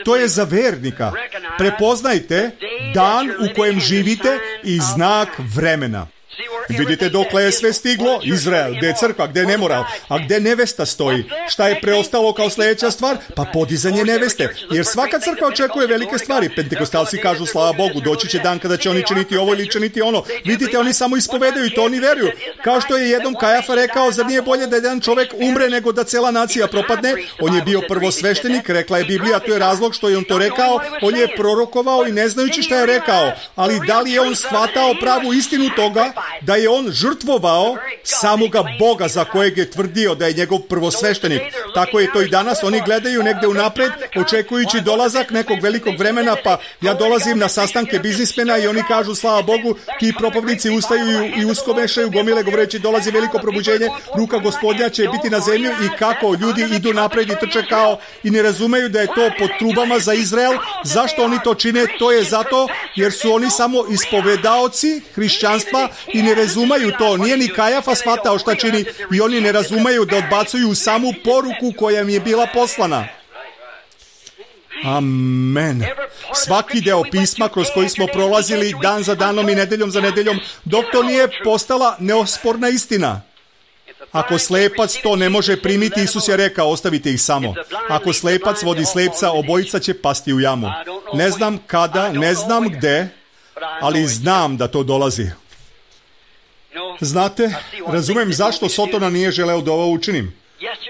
To je za vernika. Prepoznajte dan u kojem živite i znak vremena. Vidite dokle je sve stiglo? Izrael, gde je crkva, gde je nemoral, a gde nevesta stoji? Šta je preostalo kao sljedeća stvar? Pa podizanje neveste. Jer svaka crkva očekuje velike stvari. Pentekostalci kažu, slava Bogu, doći će dan kada će oni činiti ovo ili činiti ono. Vidite, oni samo ispovedaju i to oni veruju. Kao što je jednom Kajafa rekao, zar nije bolje da jedan čovjek umre nego da cela nacija propadne? On je bio prvosveštenik, rekla je Biblija, to je razlog što je on to rekao. On je prorokovao i ne znajući šta je rekao. Ali da li je on shvatao pravu istinu toga da je on žrtvovao samoga Boga za kojeg je tvrdio da je njegov prvosveštenik. Tako je to i danas. Oni gledaju negde unapred, očekujući dolazak nekog velikog vremena, pa ja dolazim na sastanke biznismena i oni kažu, slava Bogu, ti propovnici ustaju i uskomešaju gomile govoreći, dolazi veliko probuđenje, ruka Gospodnja će biti na zemlju, i kako ljudi idu napred i trče kao i ne razumeju da je to pod trubama za Izrael. Zašto oni to čine? To je zato jer su oni samo ispovedaoci hrišćanstva i ne razumeju to. Nije ni Kajafa shvatao šta čini i oni ne razumeju da odbacuju samu poruku koja im je bila poslana. Amen. Svaki deo pisma kroz koji smo prolazili dan za danom i nedeljom za nedeljom, dok to nije postala neosporna istina. Ako slepac to ne može primiti, Isus je rekao, ostavite ih samo. Ako slepac vodi slepca, obojica će pasti u jamu. Ne znam kada, ne znam gde, ali znam da to dolazi. Znate, razumem zašto Sotona nije želeo da ovo učinim.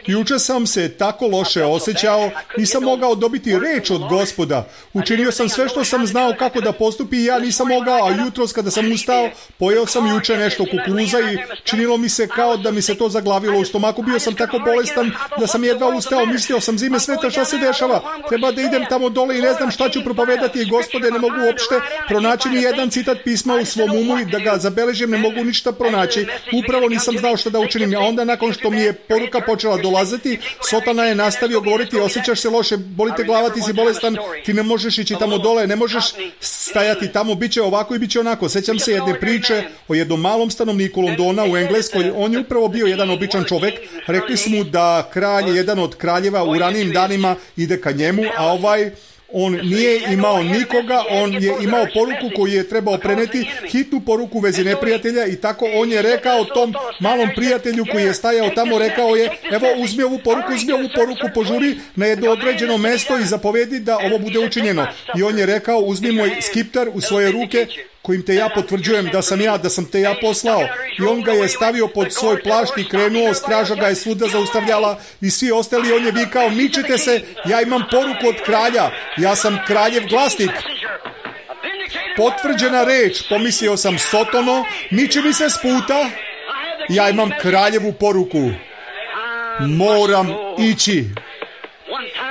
Juče sam se tako loše osjećao, nisam mogao dobiti reč od Gospoda. Učinio sam sve što sam znao kako da postupi i ja nisam mogao, a jutros kada sam ustao, pojeo sam juče nešto kukuruza i činilo mi se kao da mi se to zaglavilo u stomaku. Bio sam tako bolestan da sam jedva ustao, mislio sam, zime sveta, šta se dešava? Treba da idem tamo dole i ne znam šta ću propovedati. Gospode, ne mogu uopšte pronaći ni jedan citat pisma u svom umu i da ga zabeležim, ne mogu ništa pronaći. Upravo nisam znao šta da učinim, a onda nakon što mi je poruka počela dolaziti, Sotona je nastavio govoriti, osjećaš se loše, bolite glava, ti si bolestan, ti ne možeš ići tamo dole, ne možeš stajati tamo, bit će ovako i bit će onako. Sećam se jedne priče o jednom malom stanovniku Londona u Engleskoj. On je upravo bio jedan običan čovek. Rekli su mu da kralj, jedan od kraljeva u ranijim danima, ide ka njemu, a ovaj on nije imao nikoga, on je imao poruku koju je trebao preneti, hitnu poruku u vezi neprijatelja, i tako on je rekao tom malom prijatelju koji je stajao tamo, rekao je, evo uzmi ovu poruku, uzmi ovu poruku, požuri na jedno određeno mesto i zapovedi da ovo bude učinjeno. I on je rekao, uzmi moj skiptar u svoje ruke, kojim te ja potvrđujem da sam ja, da sam te ja poslao. I on ga je stavio pod svoj plašt i krenuo, straža ga je svuda zaustavljala i svi ostali, on je vikao, mičite se, ja imam poruku od kralja, ja sam kraljev glasnik. Potvrđena reč, pomislio sam, Sotono, miči mi se s puta, ja imam kraljevu poruku. Moram ići.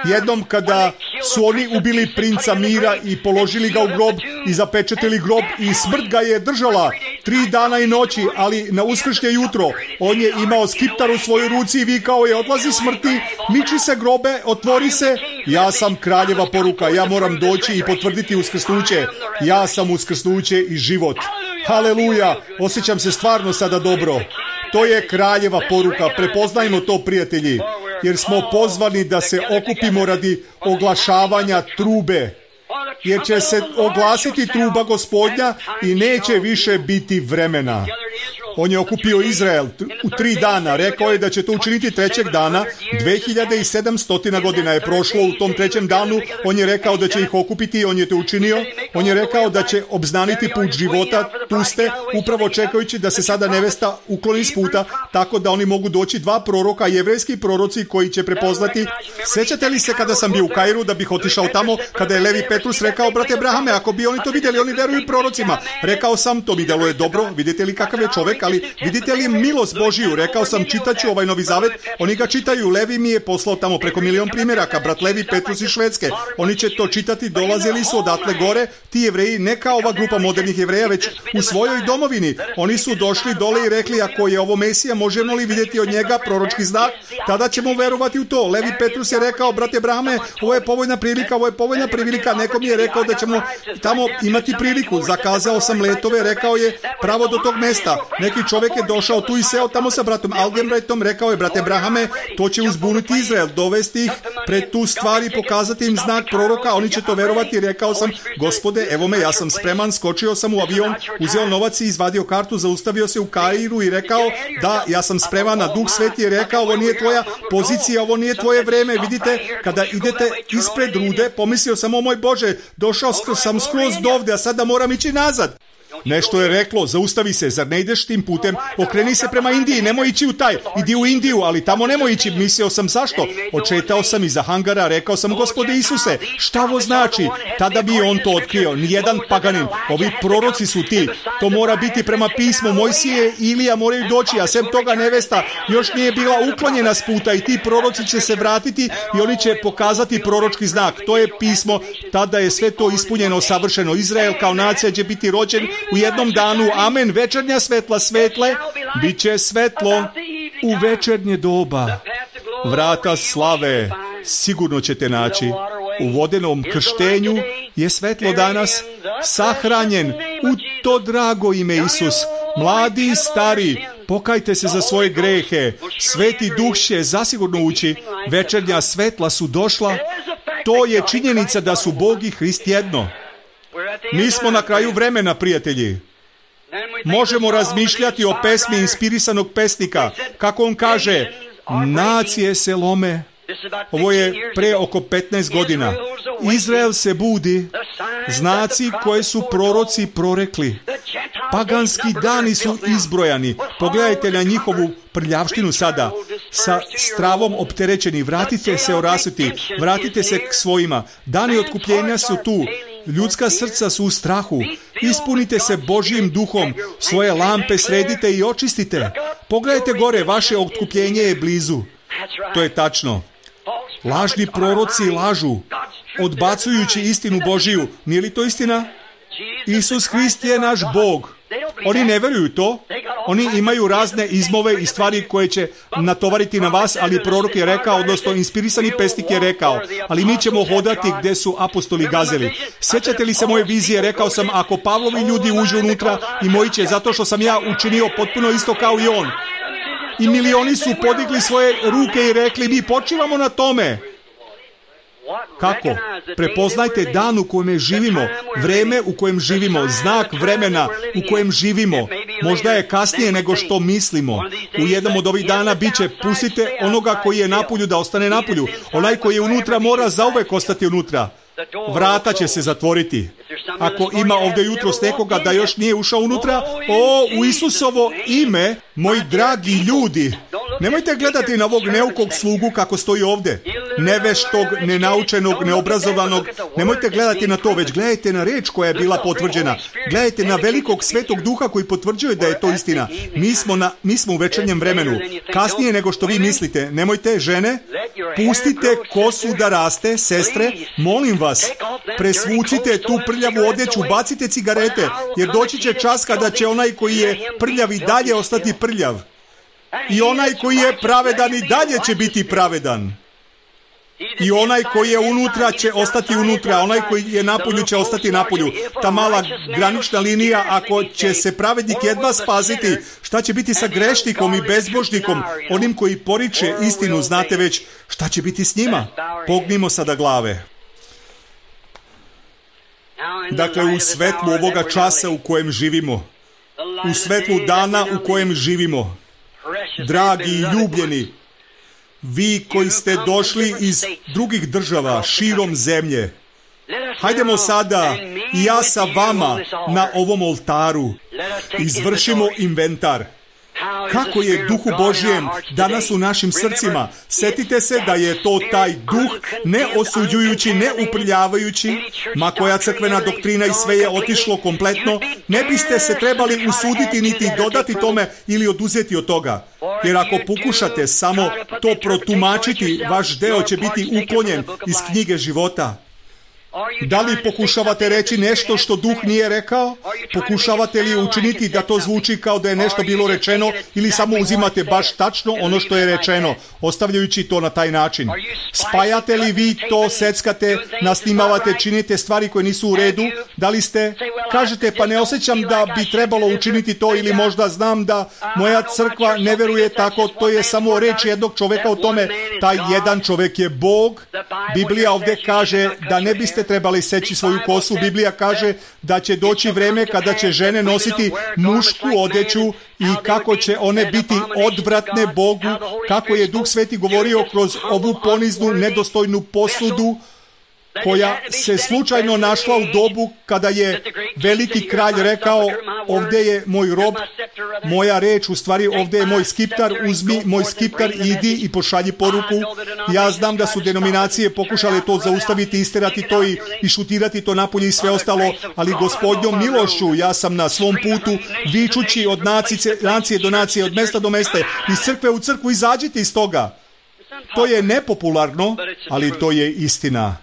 Jednom kada su oni ubili princa mira i položili ga u grob i zapečetili grob i smrt ga je držala tri dana i noći, ali na uskršnje jutro on je imao skiptar u svojoj ruci i vikao je, odlazi smrti, miči se grobe, otvori se, ja sam kraljeva poruka, ja moram doći i potvrditi uskrsnuće, ja sam uskrsnuće i život. Haleluja, osjećam se stvarno sada dobro. To je kraljeva poruka, prepoznajmo to, prijatelji, jer smo pozvani da se okupimo radi oglašavanja trube, jer će se oglasiti truba Gospodnja i neće više biti vremena. On je okupio Izrael u tri dana, rekao je da će to učiniti trećeg dana, dve hiljade sedamsto godina je prošlo u tom trećem danu, on je rekao da će ih okupiti i on je to učinio. On je rekao da će obznaniti put života, tu ste, upravo čekajući da se sada nevesta ukloni s puta, tako da oni mogu doći dva proroka, jevrejski proroci koji će prepoznati. Sjećate li se kada sam bio u Kairu da bih otišao tamo, kada je Levi Petrus rekao, brate Brahame, ako bi oni to vidjeli, oni veruju prorocima. Rekao sam, to mi deluje dobro, vidite li kakav je čovjek, ali vidite li milost Božiju. Rekao sam, čitaću ovaj Novi Zavet, oni ga čitaju, Levi mi je poslao tamo preko milion primjeraka, brat Levi Petrus iz Švedske. Oni će to čitati, dolazili su odatle gore, ti Jevreji, ne kao ova grupa modernih Jevreja, već u svojoj domovini. Oni su došli dole i rekli, ako je ovo Mesija, možemo li vidjeti od njega proročki znak, tada ćemo verovati u to. Levi Petrus je rekao, brate Brahame, ovo je povoljna prilika, ovo je povoljna prilika, neko mi je rekao da ćemo tamo imati priliku. Zakazao sam letove, rekao je, pravo do tog mesta. Neki čovjek je došao tu i seo tamo sa bratom Algenbrajtom, rekao je, brate Brahame, to će uzbuniti Izrael, dovesti ih pred tu stvar i pokazati im znak proroka, oni će to verovati. Rekao sam, Gospode, evo me, ja sam spreman, skočio sam u avion, uzeo novac i izvadio kartu, zaustavio se u Kairu i rekao, da, ja sam spreman, na Duh Sveti je rekao, ovo nije tvoja pozicija, ovo nije tvoje vreme. Vidite, kada idete ispred rude, pomislio sam, o moj Bože, došao sam skroz dovde, a sada moram ići nazad. Nešto je reklo, zaustavi se, zar ne ideš tim putem, okreni se prema Indiji, nemoj ići u taj, idi u Indiju, ali tamo nemoj ići. Mislio sam, zašto? Očetao sam iza hangara, rekao sam, Gospode Isuse, šta ovo znači? Tada bi on to otkrio, nijedan paganin, ovi proroci su ti, to mora biti prema pismu, Mojsije i Ilija moraju doći, a sem toga nevesta još nije bila uklonjena s puta i ti proroci će se vratiti i oni će pokazati proročki znak, to je pismo, tada je sve to ispunjeno, savršeno. Izrael kao nacija će biti rođen u jednom danu, amen, večernja svetla svetle, bit će svetlo u večernje doba. Vrata slave sigurno ćete naći. U vodenom krštenju je svetlo danas sahranjen u to drago ime Isus. Mladi i stari, pokajte se za svoje grehe. Sveti Duh će zasigurno ući. Večernja svetla su došla. To je činjenica da su Bog i Hrist jedno. Mi smo na kraju vremena, prijatelji. Možemo razmišljati o pesmi inspirisanog pesnika, kako on kaže, nacije se lome. Ovo je pre oko petnaest godina. Izrael se budi, znaci koje su proroci prorekli. Paganski dani su izbrojani. Pogledajte na njihovu prljavštinu sada. Sa stravom opterećeni. Vratite se orasuti. Vratite se k svojima. Dani otkupljenja su tu. Ljudska srca su u strahu. Ispunite se Božjim duhom. Svoje lampe sredite i očistite. Pogledajte gore, vaše otkupljenje je blizu. To je tačno. Lažni proroci lažu, odbacujući istinu Božiju. Nije li to istina? Isus Hrist je naš Bog. Oni ne veruju to. Oni imaju razne izmove i stvari koje će natovariti na vas, ali prorok je rekao, odnosno inspirisani pesnik je rekao, ali mi ćemo hodati gdje su apostoli gazeli. Sjećate li se moje vizije? Rekao sam, ako Pavlovi ljudi uđu unutra i moji će, zato što sam ja učinio potpuno isto kao i on. I milioni su podigli svoje ruke i rekli, mi počivamo na tome. Kako? Prepoznajte dan u kojem živimo, vreme u kojem živimo, znak vremena u kojem živimo. Možda je kasnije nego što mislimo. U jednom od ovih dana bit će, pustite onoga koji je napolju da ostane napolju. Onaj koji je unutra mora zauvek ostati unutra. Vrata će se zatvoriti. Ako ima ovdje jutros nekoga da još nije ušao unutra, o, u Isusovo ime, moji dragi ljudi, nemojte gledati na ovog neukog slugu kako stoji ovdje, neveštog, nenaučenog, neobrazovanog, nemojte gledati na to, već gledajte na reč koja je bila potvrđena, gledajte na velikog svetog duha koji potvrđuje da je to istina. Mi smo, na, mi smo u večernjem vremenu, kasnije nego što vi mislite. Nemojte, žene, pustite kosu da raste, sestre, molim vas, presvucite tu prljavu odjeću, bacite cigarete, jer doći će čas kada će onaj koji je prljav i dalje ostati prljav. I onaj koji je pravedan i dalje će biti pravedan. I onaj koji je unutra će ostati unutra, onaj koji je napolju će ostati napolju. Ta mala granična linija, ako će se pravednik jedva spasiti, šta će biti sa grešnikom i bezbožnikom, onim koji poriče istinu, znate već, šta će biti s njima? Pognimo sada glave. Dakle, u svetlu ovoga časa u kojem živimo, u svetlu dana u kojem živimo, dragi i ljubljeni, vi koji ste došli iz drugih država širom zemlje, Hajdemo sada i ja sa vama na ovom oltaru izvršimo inventar. Kako je Duhu Božjem danas u našim srcima? Setite se da je to taj duh ne osuđujući, ne uprljavajući, ma koja crkvena doktrina i sve je otišlo kompletno, ne biste se trebali usuditi niti dodati tome ili oduzeti od toga. Jer ako pokušate samo to protumačiti, vaš deo će biti uklonjen iz knjige života. Da li pokušavate reći nešto što Duh nije rekao? Pokušavate li učiniti da to zvuči kao da je nešto bilo rečeno ili samo uzimate baš tačno ono što je rečeno, ostavljajući to na taj način? Spajate li vi to, seckate, nasnimavate, činite stvari koje nisu u redu? Da li ste? Kažete, pa ne osjećam da bi trebalo učiniti to ili možda znam da moja crkva ne veruje tako, to je samo reč jednog čoveka o tome. Taj jedan čovek je Bog. Biblija ovdje kaže da ne biste trebali seći svoju kosu. Biblija kaže da će doći vreme kada će žene nositi mušku odeću i kako će one biti odvratne Bogu, kako je Duh Sveti govorio kroz ovu poniznu, nedostojnu posudu koja se slučajno našla u dobu kada je veliki kralj rekao, ovdje je moj rob, moja reč, u stvari ovdje je moj skiptar, uzmi moj skiptar, idi i pošalji poruku. Ja znam da su denominacije pokušale to zaustaviti, isterati to i, i šutirati to napolje i sve ostalo, ali Gospodnjom milošću ja sam na svom putu vičući od nacije, nacije do nacije, od mesta do mesta, iz crkve u crkvu, izađite iz toga. To je nepopularno, ali to je istina.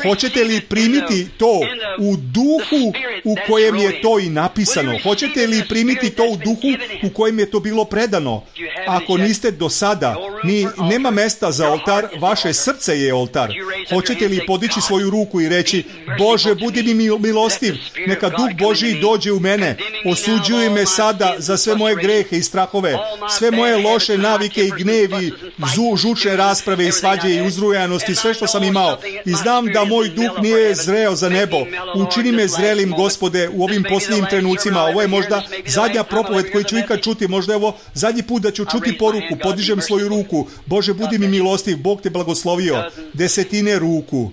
Hoćete li primiti to u duhu u kojem je to i napisano? Hoćete li primiti to u duhu u kojem je to bilo predano? Ako niste do sada, ni nema mesta za oltar, vaše srce je oltar. Hoćete li podići svoju ruku i reći, Bože, budi mi milostiv, neka Duh Božji dođe u mene, osuđuj me sada za sve moje grehe i strahove, sve moje loše navike i gnevi, zu, žučne rasprave i svađe i uzrujanosti, sve što sam imao. I znam da moj duh nije zreo za nebo. Učini me zrelim, Gospode, u ovim posljednjim trenucima. Ovo je možda zadnja propoved koju ću ikad čuti. Možda je ovo zadnji put da ću čuti poruku. Podižem svoju ruku. Bože, budi mi milostiv. Bog te blagoslovio. Desetine ruku.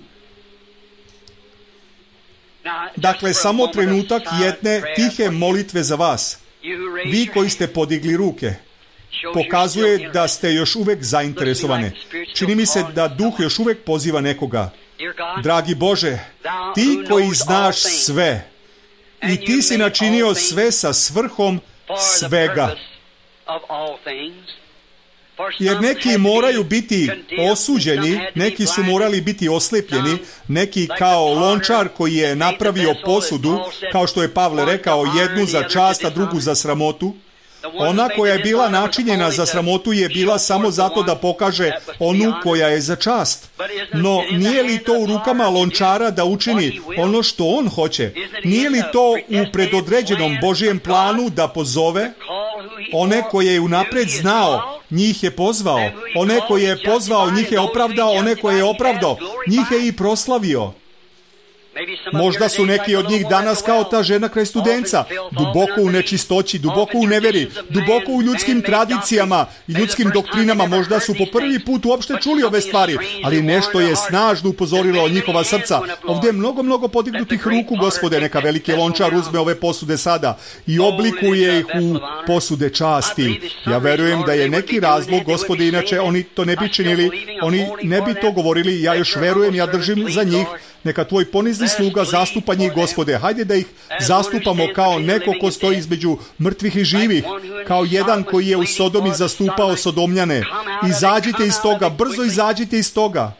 Dakle, samo trenutak jedne tihe molitve za vas. Vi koji ste podigli ruke. Pokazuje da ste još uvek zainteresovane. Čini mi se da Duh još uvek poziva nekoga. Dragi Bože, ti koji znaš sve i ti si načinio sve sa svrhom svega. Jer neki moraju biti osuđeni, neki su morali biti oslepljeni, neki kao lončar koji je napravio posudu, kao što je Pavle rekao, jednu za čast, a drugu za sramotu. Ona koja je bila načinjena za sramotu je bila samo zato da pokaže onu koja je za čast. No, nije li to u rukama lončara da učini ono što on hoće? Nije li to u predodređenom Božijem planu da pozove one koje je unapred znao, njih je pozvao, one koje je pozvao, njih je opravdao, one koje je opravdao, njih je i proslavio. Možda su neki od njih danas kao ta žena kraj Studenca, duboko u nečistoći, duboko u neveri, duboko u ljudskim tradicijama i ljudskim doktrinama. Možda su po prvi put uopšte čuli ove stvari, ali nešto je snažno upozorilo njihova srca. Ovdje je mnogo, mnogo podignutih ruku, Gospode, neka veliki lončar uzme ove posude sada i oblikuje ih u posude časti. Ja verujem da je neki razlog, Gospode, inače oni to ne bi činili, oni ne bi to govorili, ja još verujem, ja držim za njih. Neka tvoj ponizni sluga zastupa njih, Gospode. Hajde da ih zastupamo kao neko ko stoji između mrtvih i živih, kao jedan koji je u Sodomi zastupao Sodomljane. Izađite iz toga, brzo izađite iz toga.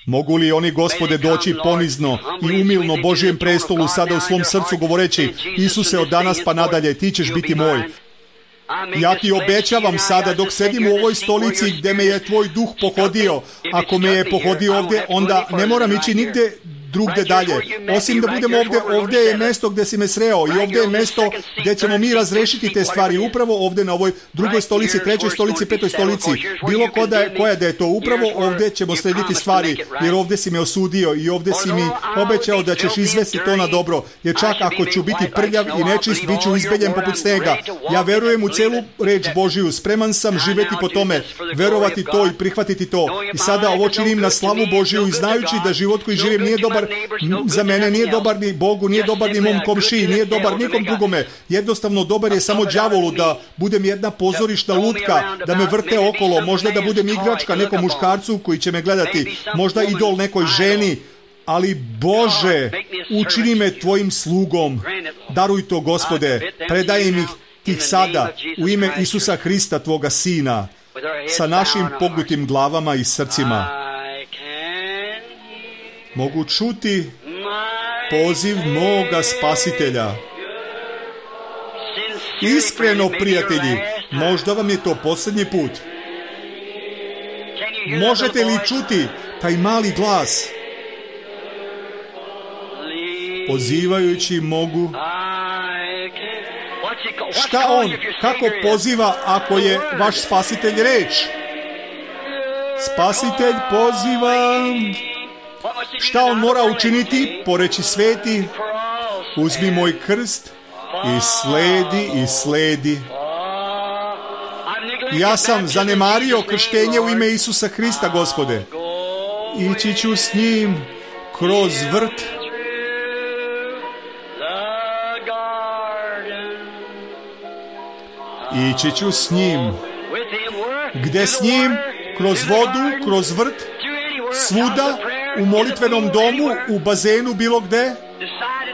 Mogu li oni, Gospode, doći ponizno i umilno Božijem prestolu sada u svom srcu govoreći, Isuse, od danas pa nadalje, ti ćeš biti moj. Ja ti obećavam sada dok sedim u ovoj stolici gdje me je tvoj duh pohodio. Ako me je pohodio ovdje, onda ne moram ići nigdje drugde dalje. Osim da budemo ovdje, ovdje je mjesto gdje si me sreo i ovdje je mjesto gdje ćemo mi razrešiti te stvari. Upravo ovdje na ovoj drugoj stolici, trećoj stolici, petoj stolici. Bilo koja je, koja da je to, upravo ovdje ćemo slediti stvari. Jer ovdje si me osudio i ovdje si mi obećao da ćeš izvesti to na dobro. Jer čak ako ću biti prljav i nečist, bit ću izbeljen poput snega. Ja verujem u celu reč Božiju. Spreman sam živjeti po tome, verovati to i prihvatiti to. I sada ovo činim na slavu Božiju i znajući da život koji živim nije dobar dobar za mene, nije dobar ni Bogu, nije dobar ni mom komšiji, nije dobar nikom drugome. Jednostavno dobar je samo đavolu, da budem jedna pozorišna lutka, da me vrte okolo, možda da budem igračka nekom muškarcu koji će me gledati, možda idol nekoj ženi, ali Bože, učini me tvojim slugom. Daruj to, Gospode, predajem ih tih sada u ime Isusa Hrista, tvoga Sina, sa našim pognutim glavama i srcima. Mogu čuti poziv moga Spasitelja. Iskreno, prijatelji, možda vam je to posljednji put. Možete li čuti taj mali glas? Pozivajući mogu. Šta on, kako poziva ako je vaš Spasitelj reč? Spasitelj poziva. Šta on mora učiniti? Poreći sveti, uzmi moj krst i sledi i sledi. Ja sam zanemario krštenje u ime Isusa Hrista, Gospode. Ići ću s njim kroz vrt. Ići ću s njim. Gde s njim? Kroz vodu, kroz vrt, svuda, u molitvenom domu, u bazenu, bilo gde.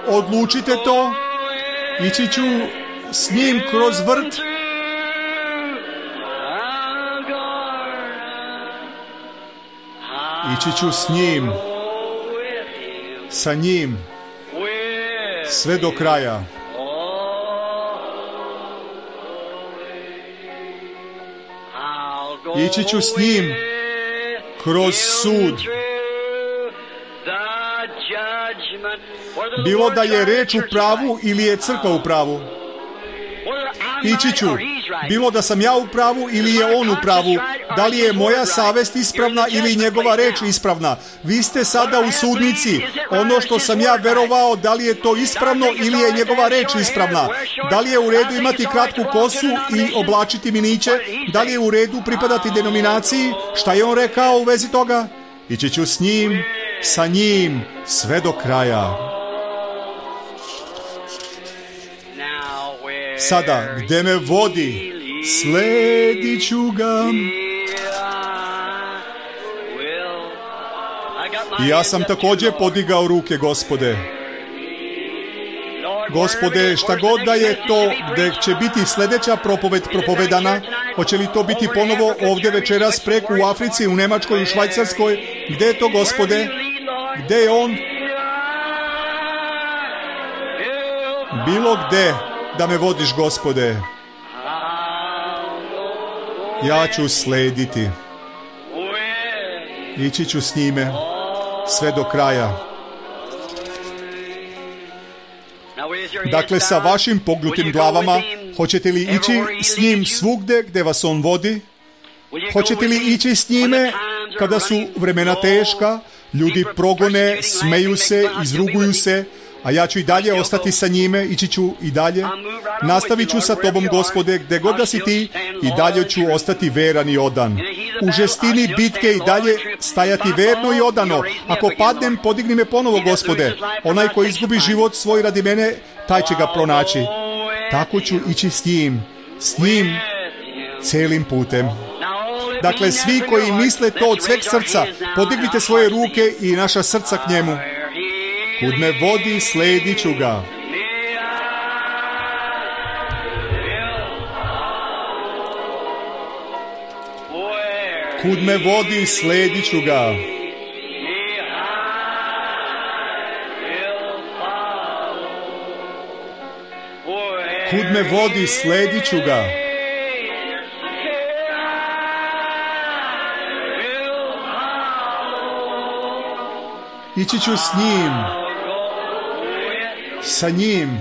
Odlučite to. Ići ću s njim kroz vrt. Ići ću s njim, sa njim, sve do kraja. Ići ću s njim kroz sud. Bilo da je reč u pravu ili je crkva u pravu. Ići ću, bilo da sam ja u pravu ili je on u pravu, da li je moja savest ispravna ili njegova reč ispravna. Vi ste sada u sudnici. Ono što sam ja verovao, da li je to ispravno ili je njegova reč ispravna. Da li je u redu imati kratku kosu i oblačiti miniće? Da li je u redu pripadati denominaciji? Šta je on rekao u vezi toga? Ići ću s njim, sa njim, sve do kraja. Sada, gde me vodi, sledit ću ga. I ja sam također podigao ruke, Gospode. Gospode, šta god da je to gde će biti sljedeća propoved propovedana, hoće li to biti ponovo ovdje večeras preko u Africi, u Nemačkoj, u Švajcarskoj? Gde je to, Gospode? Gde je on? Bilo gde da me vodiš, Gospode. Ja ću slediti. Ići ću s njime sve do kraja. Dakle, sa vašim pognutim glavama, hoćete li ići s njim svugde gde vas on vodi? Hoćete li ići s njime kada su vremena teška, ljudi progone, smeju se, izruguju se, a ja ću i dalje ostati sa njime, ići ću i dalje. Nastavit ću sa tobom, Gospode, gde god da si ti, i dalje ću ostati veran i odan. U žestini bitke i dalje stajati verno i odano. Ako padnem, podigni me ponovo, Gospode. Onaj koji izgubi život svoj radi mene, taj će ga pronaći. Tako ću ići s njim, s njim celim putem. Dakle, svi koji misle to od sveg srca, podignite svoje ruke i naša srca k njemu. Kud me vodi, sledit ću ga. Kud me vodi, sledit ću ga. Kud me vodi, sledit ću ga. Ići ću s njim, sa njim,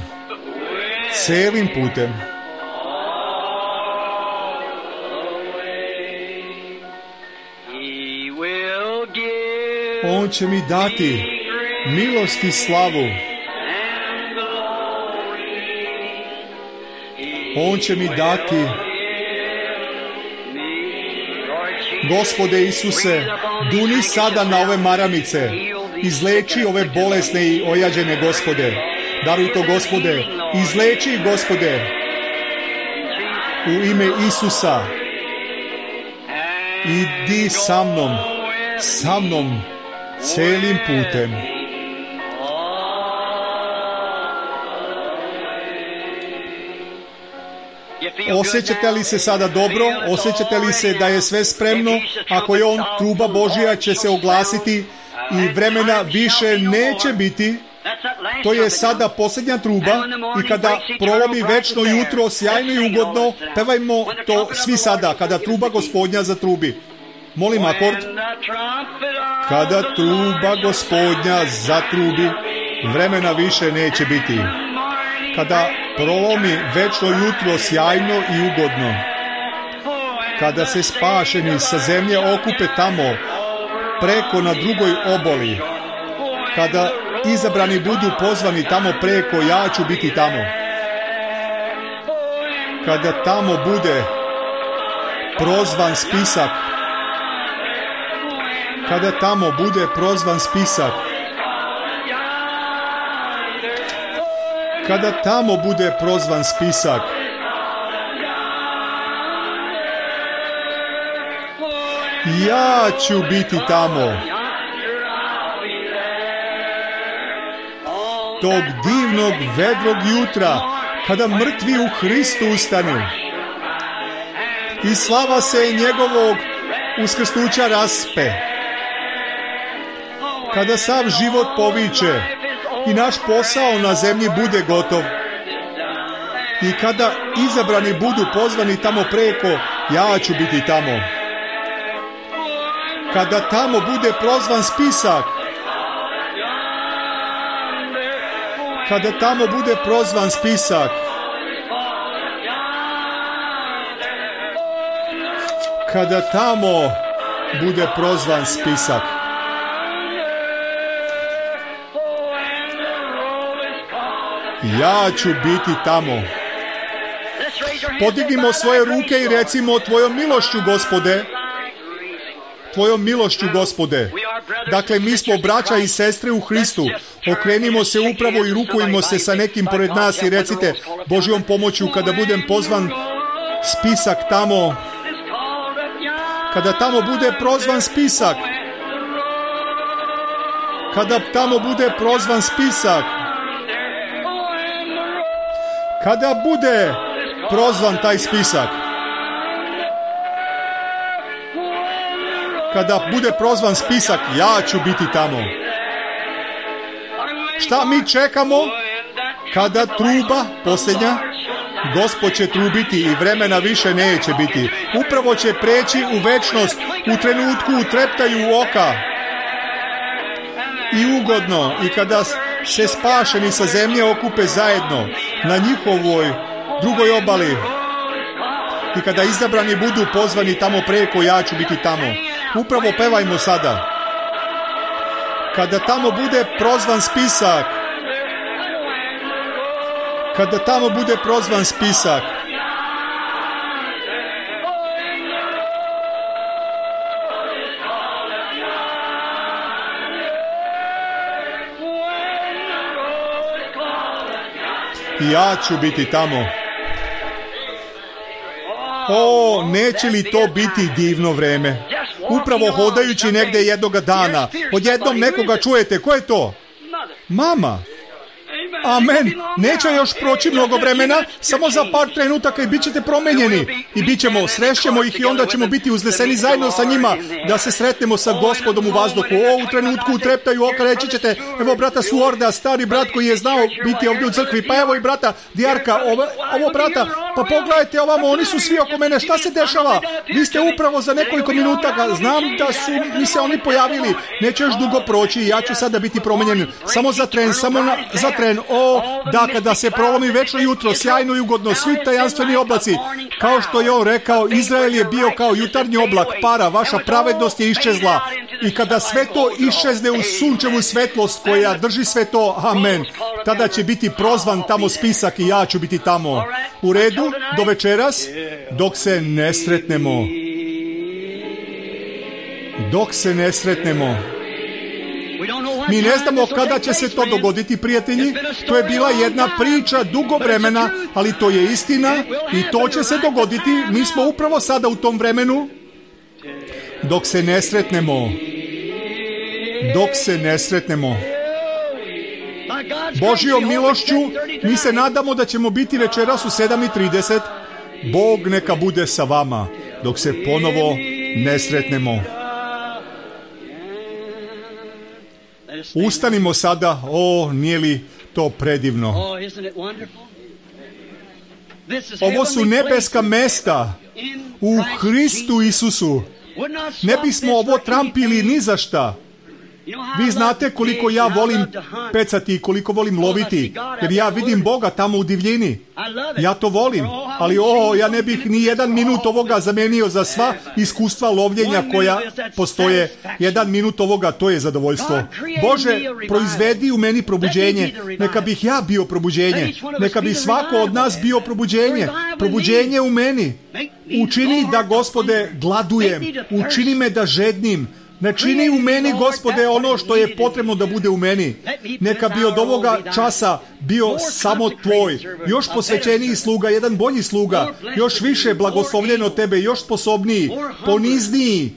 celim putem. On će mi dati milost i slavu. On će mi dati, Gospode Isuse, duni sada na ove maramice, izleči ove bolesne i ojađene, Gospode. Daruj to, Gospode. Izleči, Gospode. U ime Isusa. Idi sa mnom, sa mnom, celim putem. Osjećate li se sada dobro? Osjećate li se da je sve spremno? Ako je on, truba Božja će se oglasiti i vremena više neće biti. To je sada posljednja truba i kada prolomi večno jutro, sjajno i ugodno, pevajmo to svi sada, kada truba Gospodnja zatrubi. Molim akord. Kada truba Gospodnja zatrubi, vremena više neće biti. Kada prolomi večno jutro, sjajno i ugodno. Kada se spašeni sa zemlje okupe tamo, preko na drugoj oboli. Kada izabrani budu pozvani tamo preko, ja ću biti tamo. Kada tamo bude prozvan spisak, kada tamo bude prozvan spisak, kada tamo bude prozvan spisak, ja ću biti tamo. Tog divnog vedrog jutra, kada mrtvi u Hristu ustanu i slava se njegovog uskrsnuća raspe, kada sav život poviče i naš posao na zemlji bude gotov i kada izabrani budu pozvani tamo preko, ja ću biti tamo. Kada tamo bude prozvan spisak, kada tamo bude prozvan spisak, kada tamo bude prozvan spisak, ja ću biti tamo. Podignimo svoje ruke i recimo: Tvojom milošću, Gospode, Tvojom milošću, Gospode. Dakle, mi smo braća i sestre u Hristu. Okrenimo se upravo i rukujmo se sa nekim pored nas i recite: Božjom pomoću, kada budem pozvan spisak tamo, kada tamo bude prozvan spisak, kada tamo bude prozvan spisak, kada bude prozvan taj spisak, kada bude prozvan spisak, ja ću biti tamo. Šta mi čekamo? Kada truba posljednja, Gospod će trubiti i vremena više neće biti. Upravo će preći u večnost, u trenutku, u treptaju oka. I ugodno, i kada se spašeni sa zemlje okupe zajedno na njihovoj drugoj obali, i kada izabrani budu pozvani tamo preko, ja ću biti tamo. Upravo pevajmo sada. Kada tamo bude prozvan spisak, kada tamo bude prozvan spisak, ja ću biti tamo. O, neće li to biti divno vreme? Upravo hodajući negdje jednoga dana, odjednom nekoga čujete. Ko je to? Mama. Amen. Neće još proći mnogo vremena, samo za par trenutaka i bit ćete promenjeni. I bit ćemo, srešćemo ih i onda ćemo biti uzneseni zajedno sa njima, da se sretnemo sa Gospodom u vazduhu. O, u trenutku treptaju oka, reći ćete: evo brata Suorda, stari brat koji je znao biti ovdje u crkvi, pa evo i brata Dijarka, ovo, ovo brata, pa pogledajte ovamo, oni su svi oko mene, šta se dešava? Vi ste upravo za nekoliko minuta, znam da su mi se oni pojavili, neće još dugo proći i ja ću sada biti promenjen. Samo za tren, samo na, za tren. O, da, kada se prolomi večno jutro, sjajno i ugodno, svi tajanstveni oblaci, kao što je on rekao, Izrael je bio kao jutarnji oblak para, vaša pravednost je iščezla. I kada sve to iščezne u sunčevu svetlost koja drži sve to, amen, tada će biti prozvan tamo spisak i ja ću biti tamo. U redu, do večeras, dok se ne sretnemo. Dok se ne sretnemo. Mi ne znamo kada će se to dogoditi, prijatelji. To je bila jedna priča dugo vremena, ali to je istina i to će se dogoditi. Mi smo upravo sada u tom vremenu. Dok se ne sretnemo. Dok se ne sretnemo. Božjom milošću mi se nadamo da ćemo biti večeras u sedam i trideset. Bog neka bude sa vama dok se ponovo ne sretnemo. Ustanimo sada. O, nije li to predivno? Ovo su nebeska mesta u Hristu Isusu. Ne bismo ovo trampili ni za šta. Vi znate koliko ja volim pecati i koliko volim loviti, jer ja vidim Boga tamo u divljini. Ja to volim, ali o, ja ne bih ni jedan minut ovoga zamenio za sva iskustva lovljenja koja postoje. Jedan minut ovoga, to je zadovoljstvo. Bože, proizvedi u meni probuđenje. Neka bih ja bio probuđenje. Neka bi svako od nas bio probuđenje. Probuđenje u meni. Učini da, Gospode, gladujem. Učini me da žednim. Ne čini u meni, Gospode, ono što je potrebno da bude u meni. Neka bi od ovoga časa bio samo Tvoj, još posvećeniji sluga, jedan bolji sluga, još više blagoslovljen od Tebe, još sposobniji, ponizniji,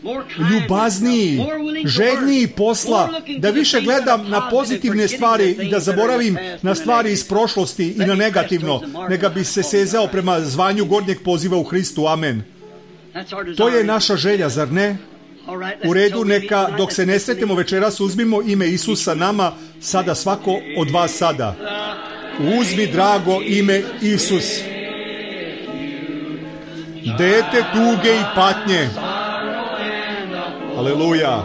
ljubazniji, željniji posla, da više gledam na pozitivne stvari i da zaboravim na stvari iz prošlosti i na negativno. Neka bi se sezao prema zvanju gornjeg poziva u Hristu. Amen. To je naša želja, zar ne? U redu, neka dok se ne sretimo večeras uzmimo ime Isusa nama sada, svako od vas sada. Uzmi, drago, ime Isus. Dete tuge i patnje. Aleluja.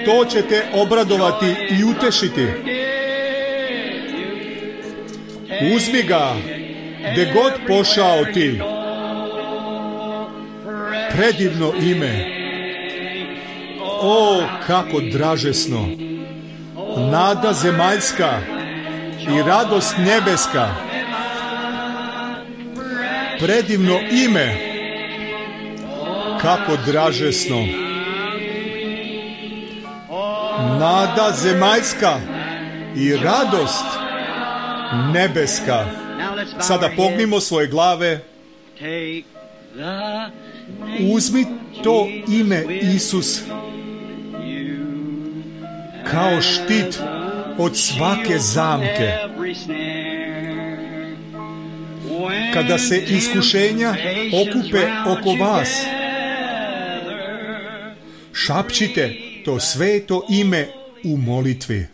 To će te obradovati i utešiti. Uzmi ga, gde god pošao ti. Predivno ime. O, kako dražesno. Nada zemaljska i radost nebeska. Predivno ime. Kako dražesno. Nada zemaljska i radost nebeska. Sada pognimo svoje glave. Uzmi to ime Isus kao štit od svake zamke. Kada se iskušenja okupe oko vas, šapćite to sveto ime u molitvi.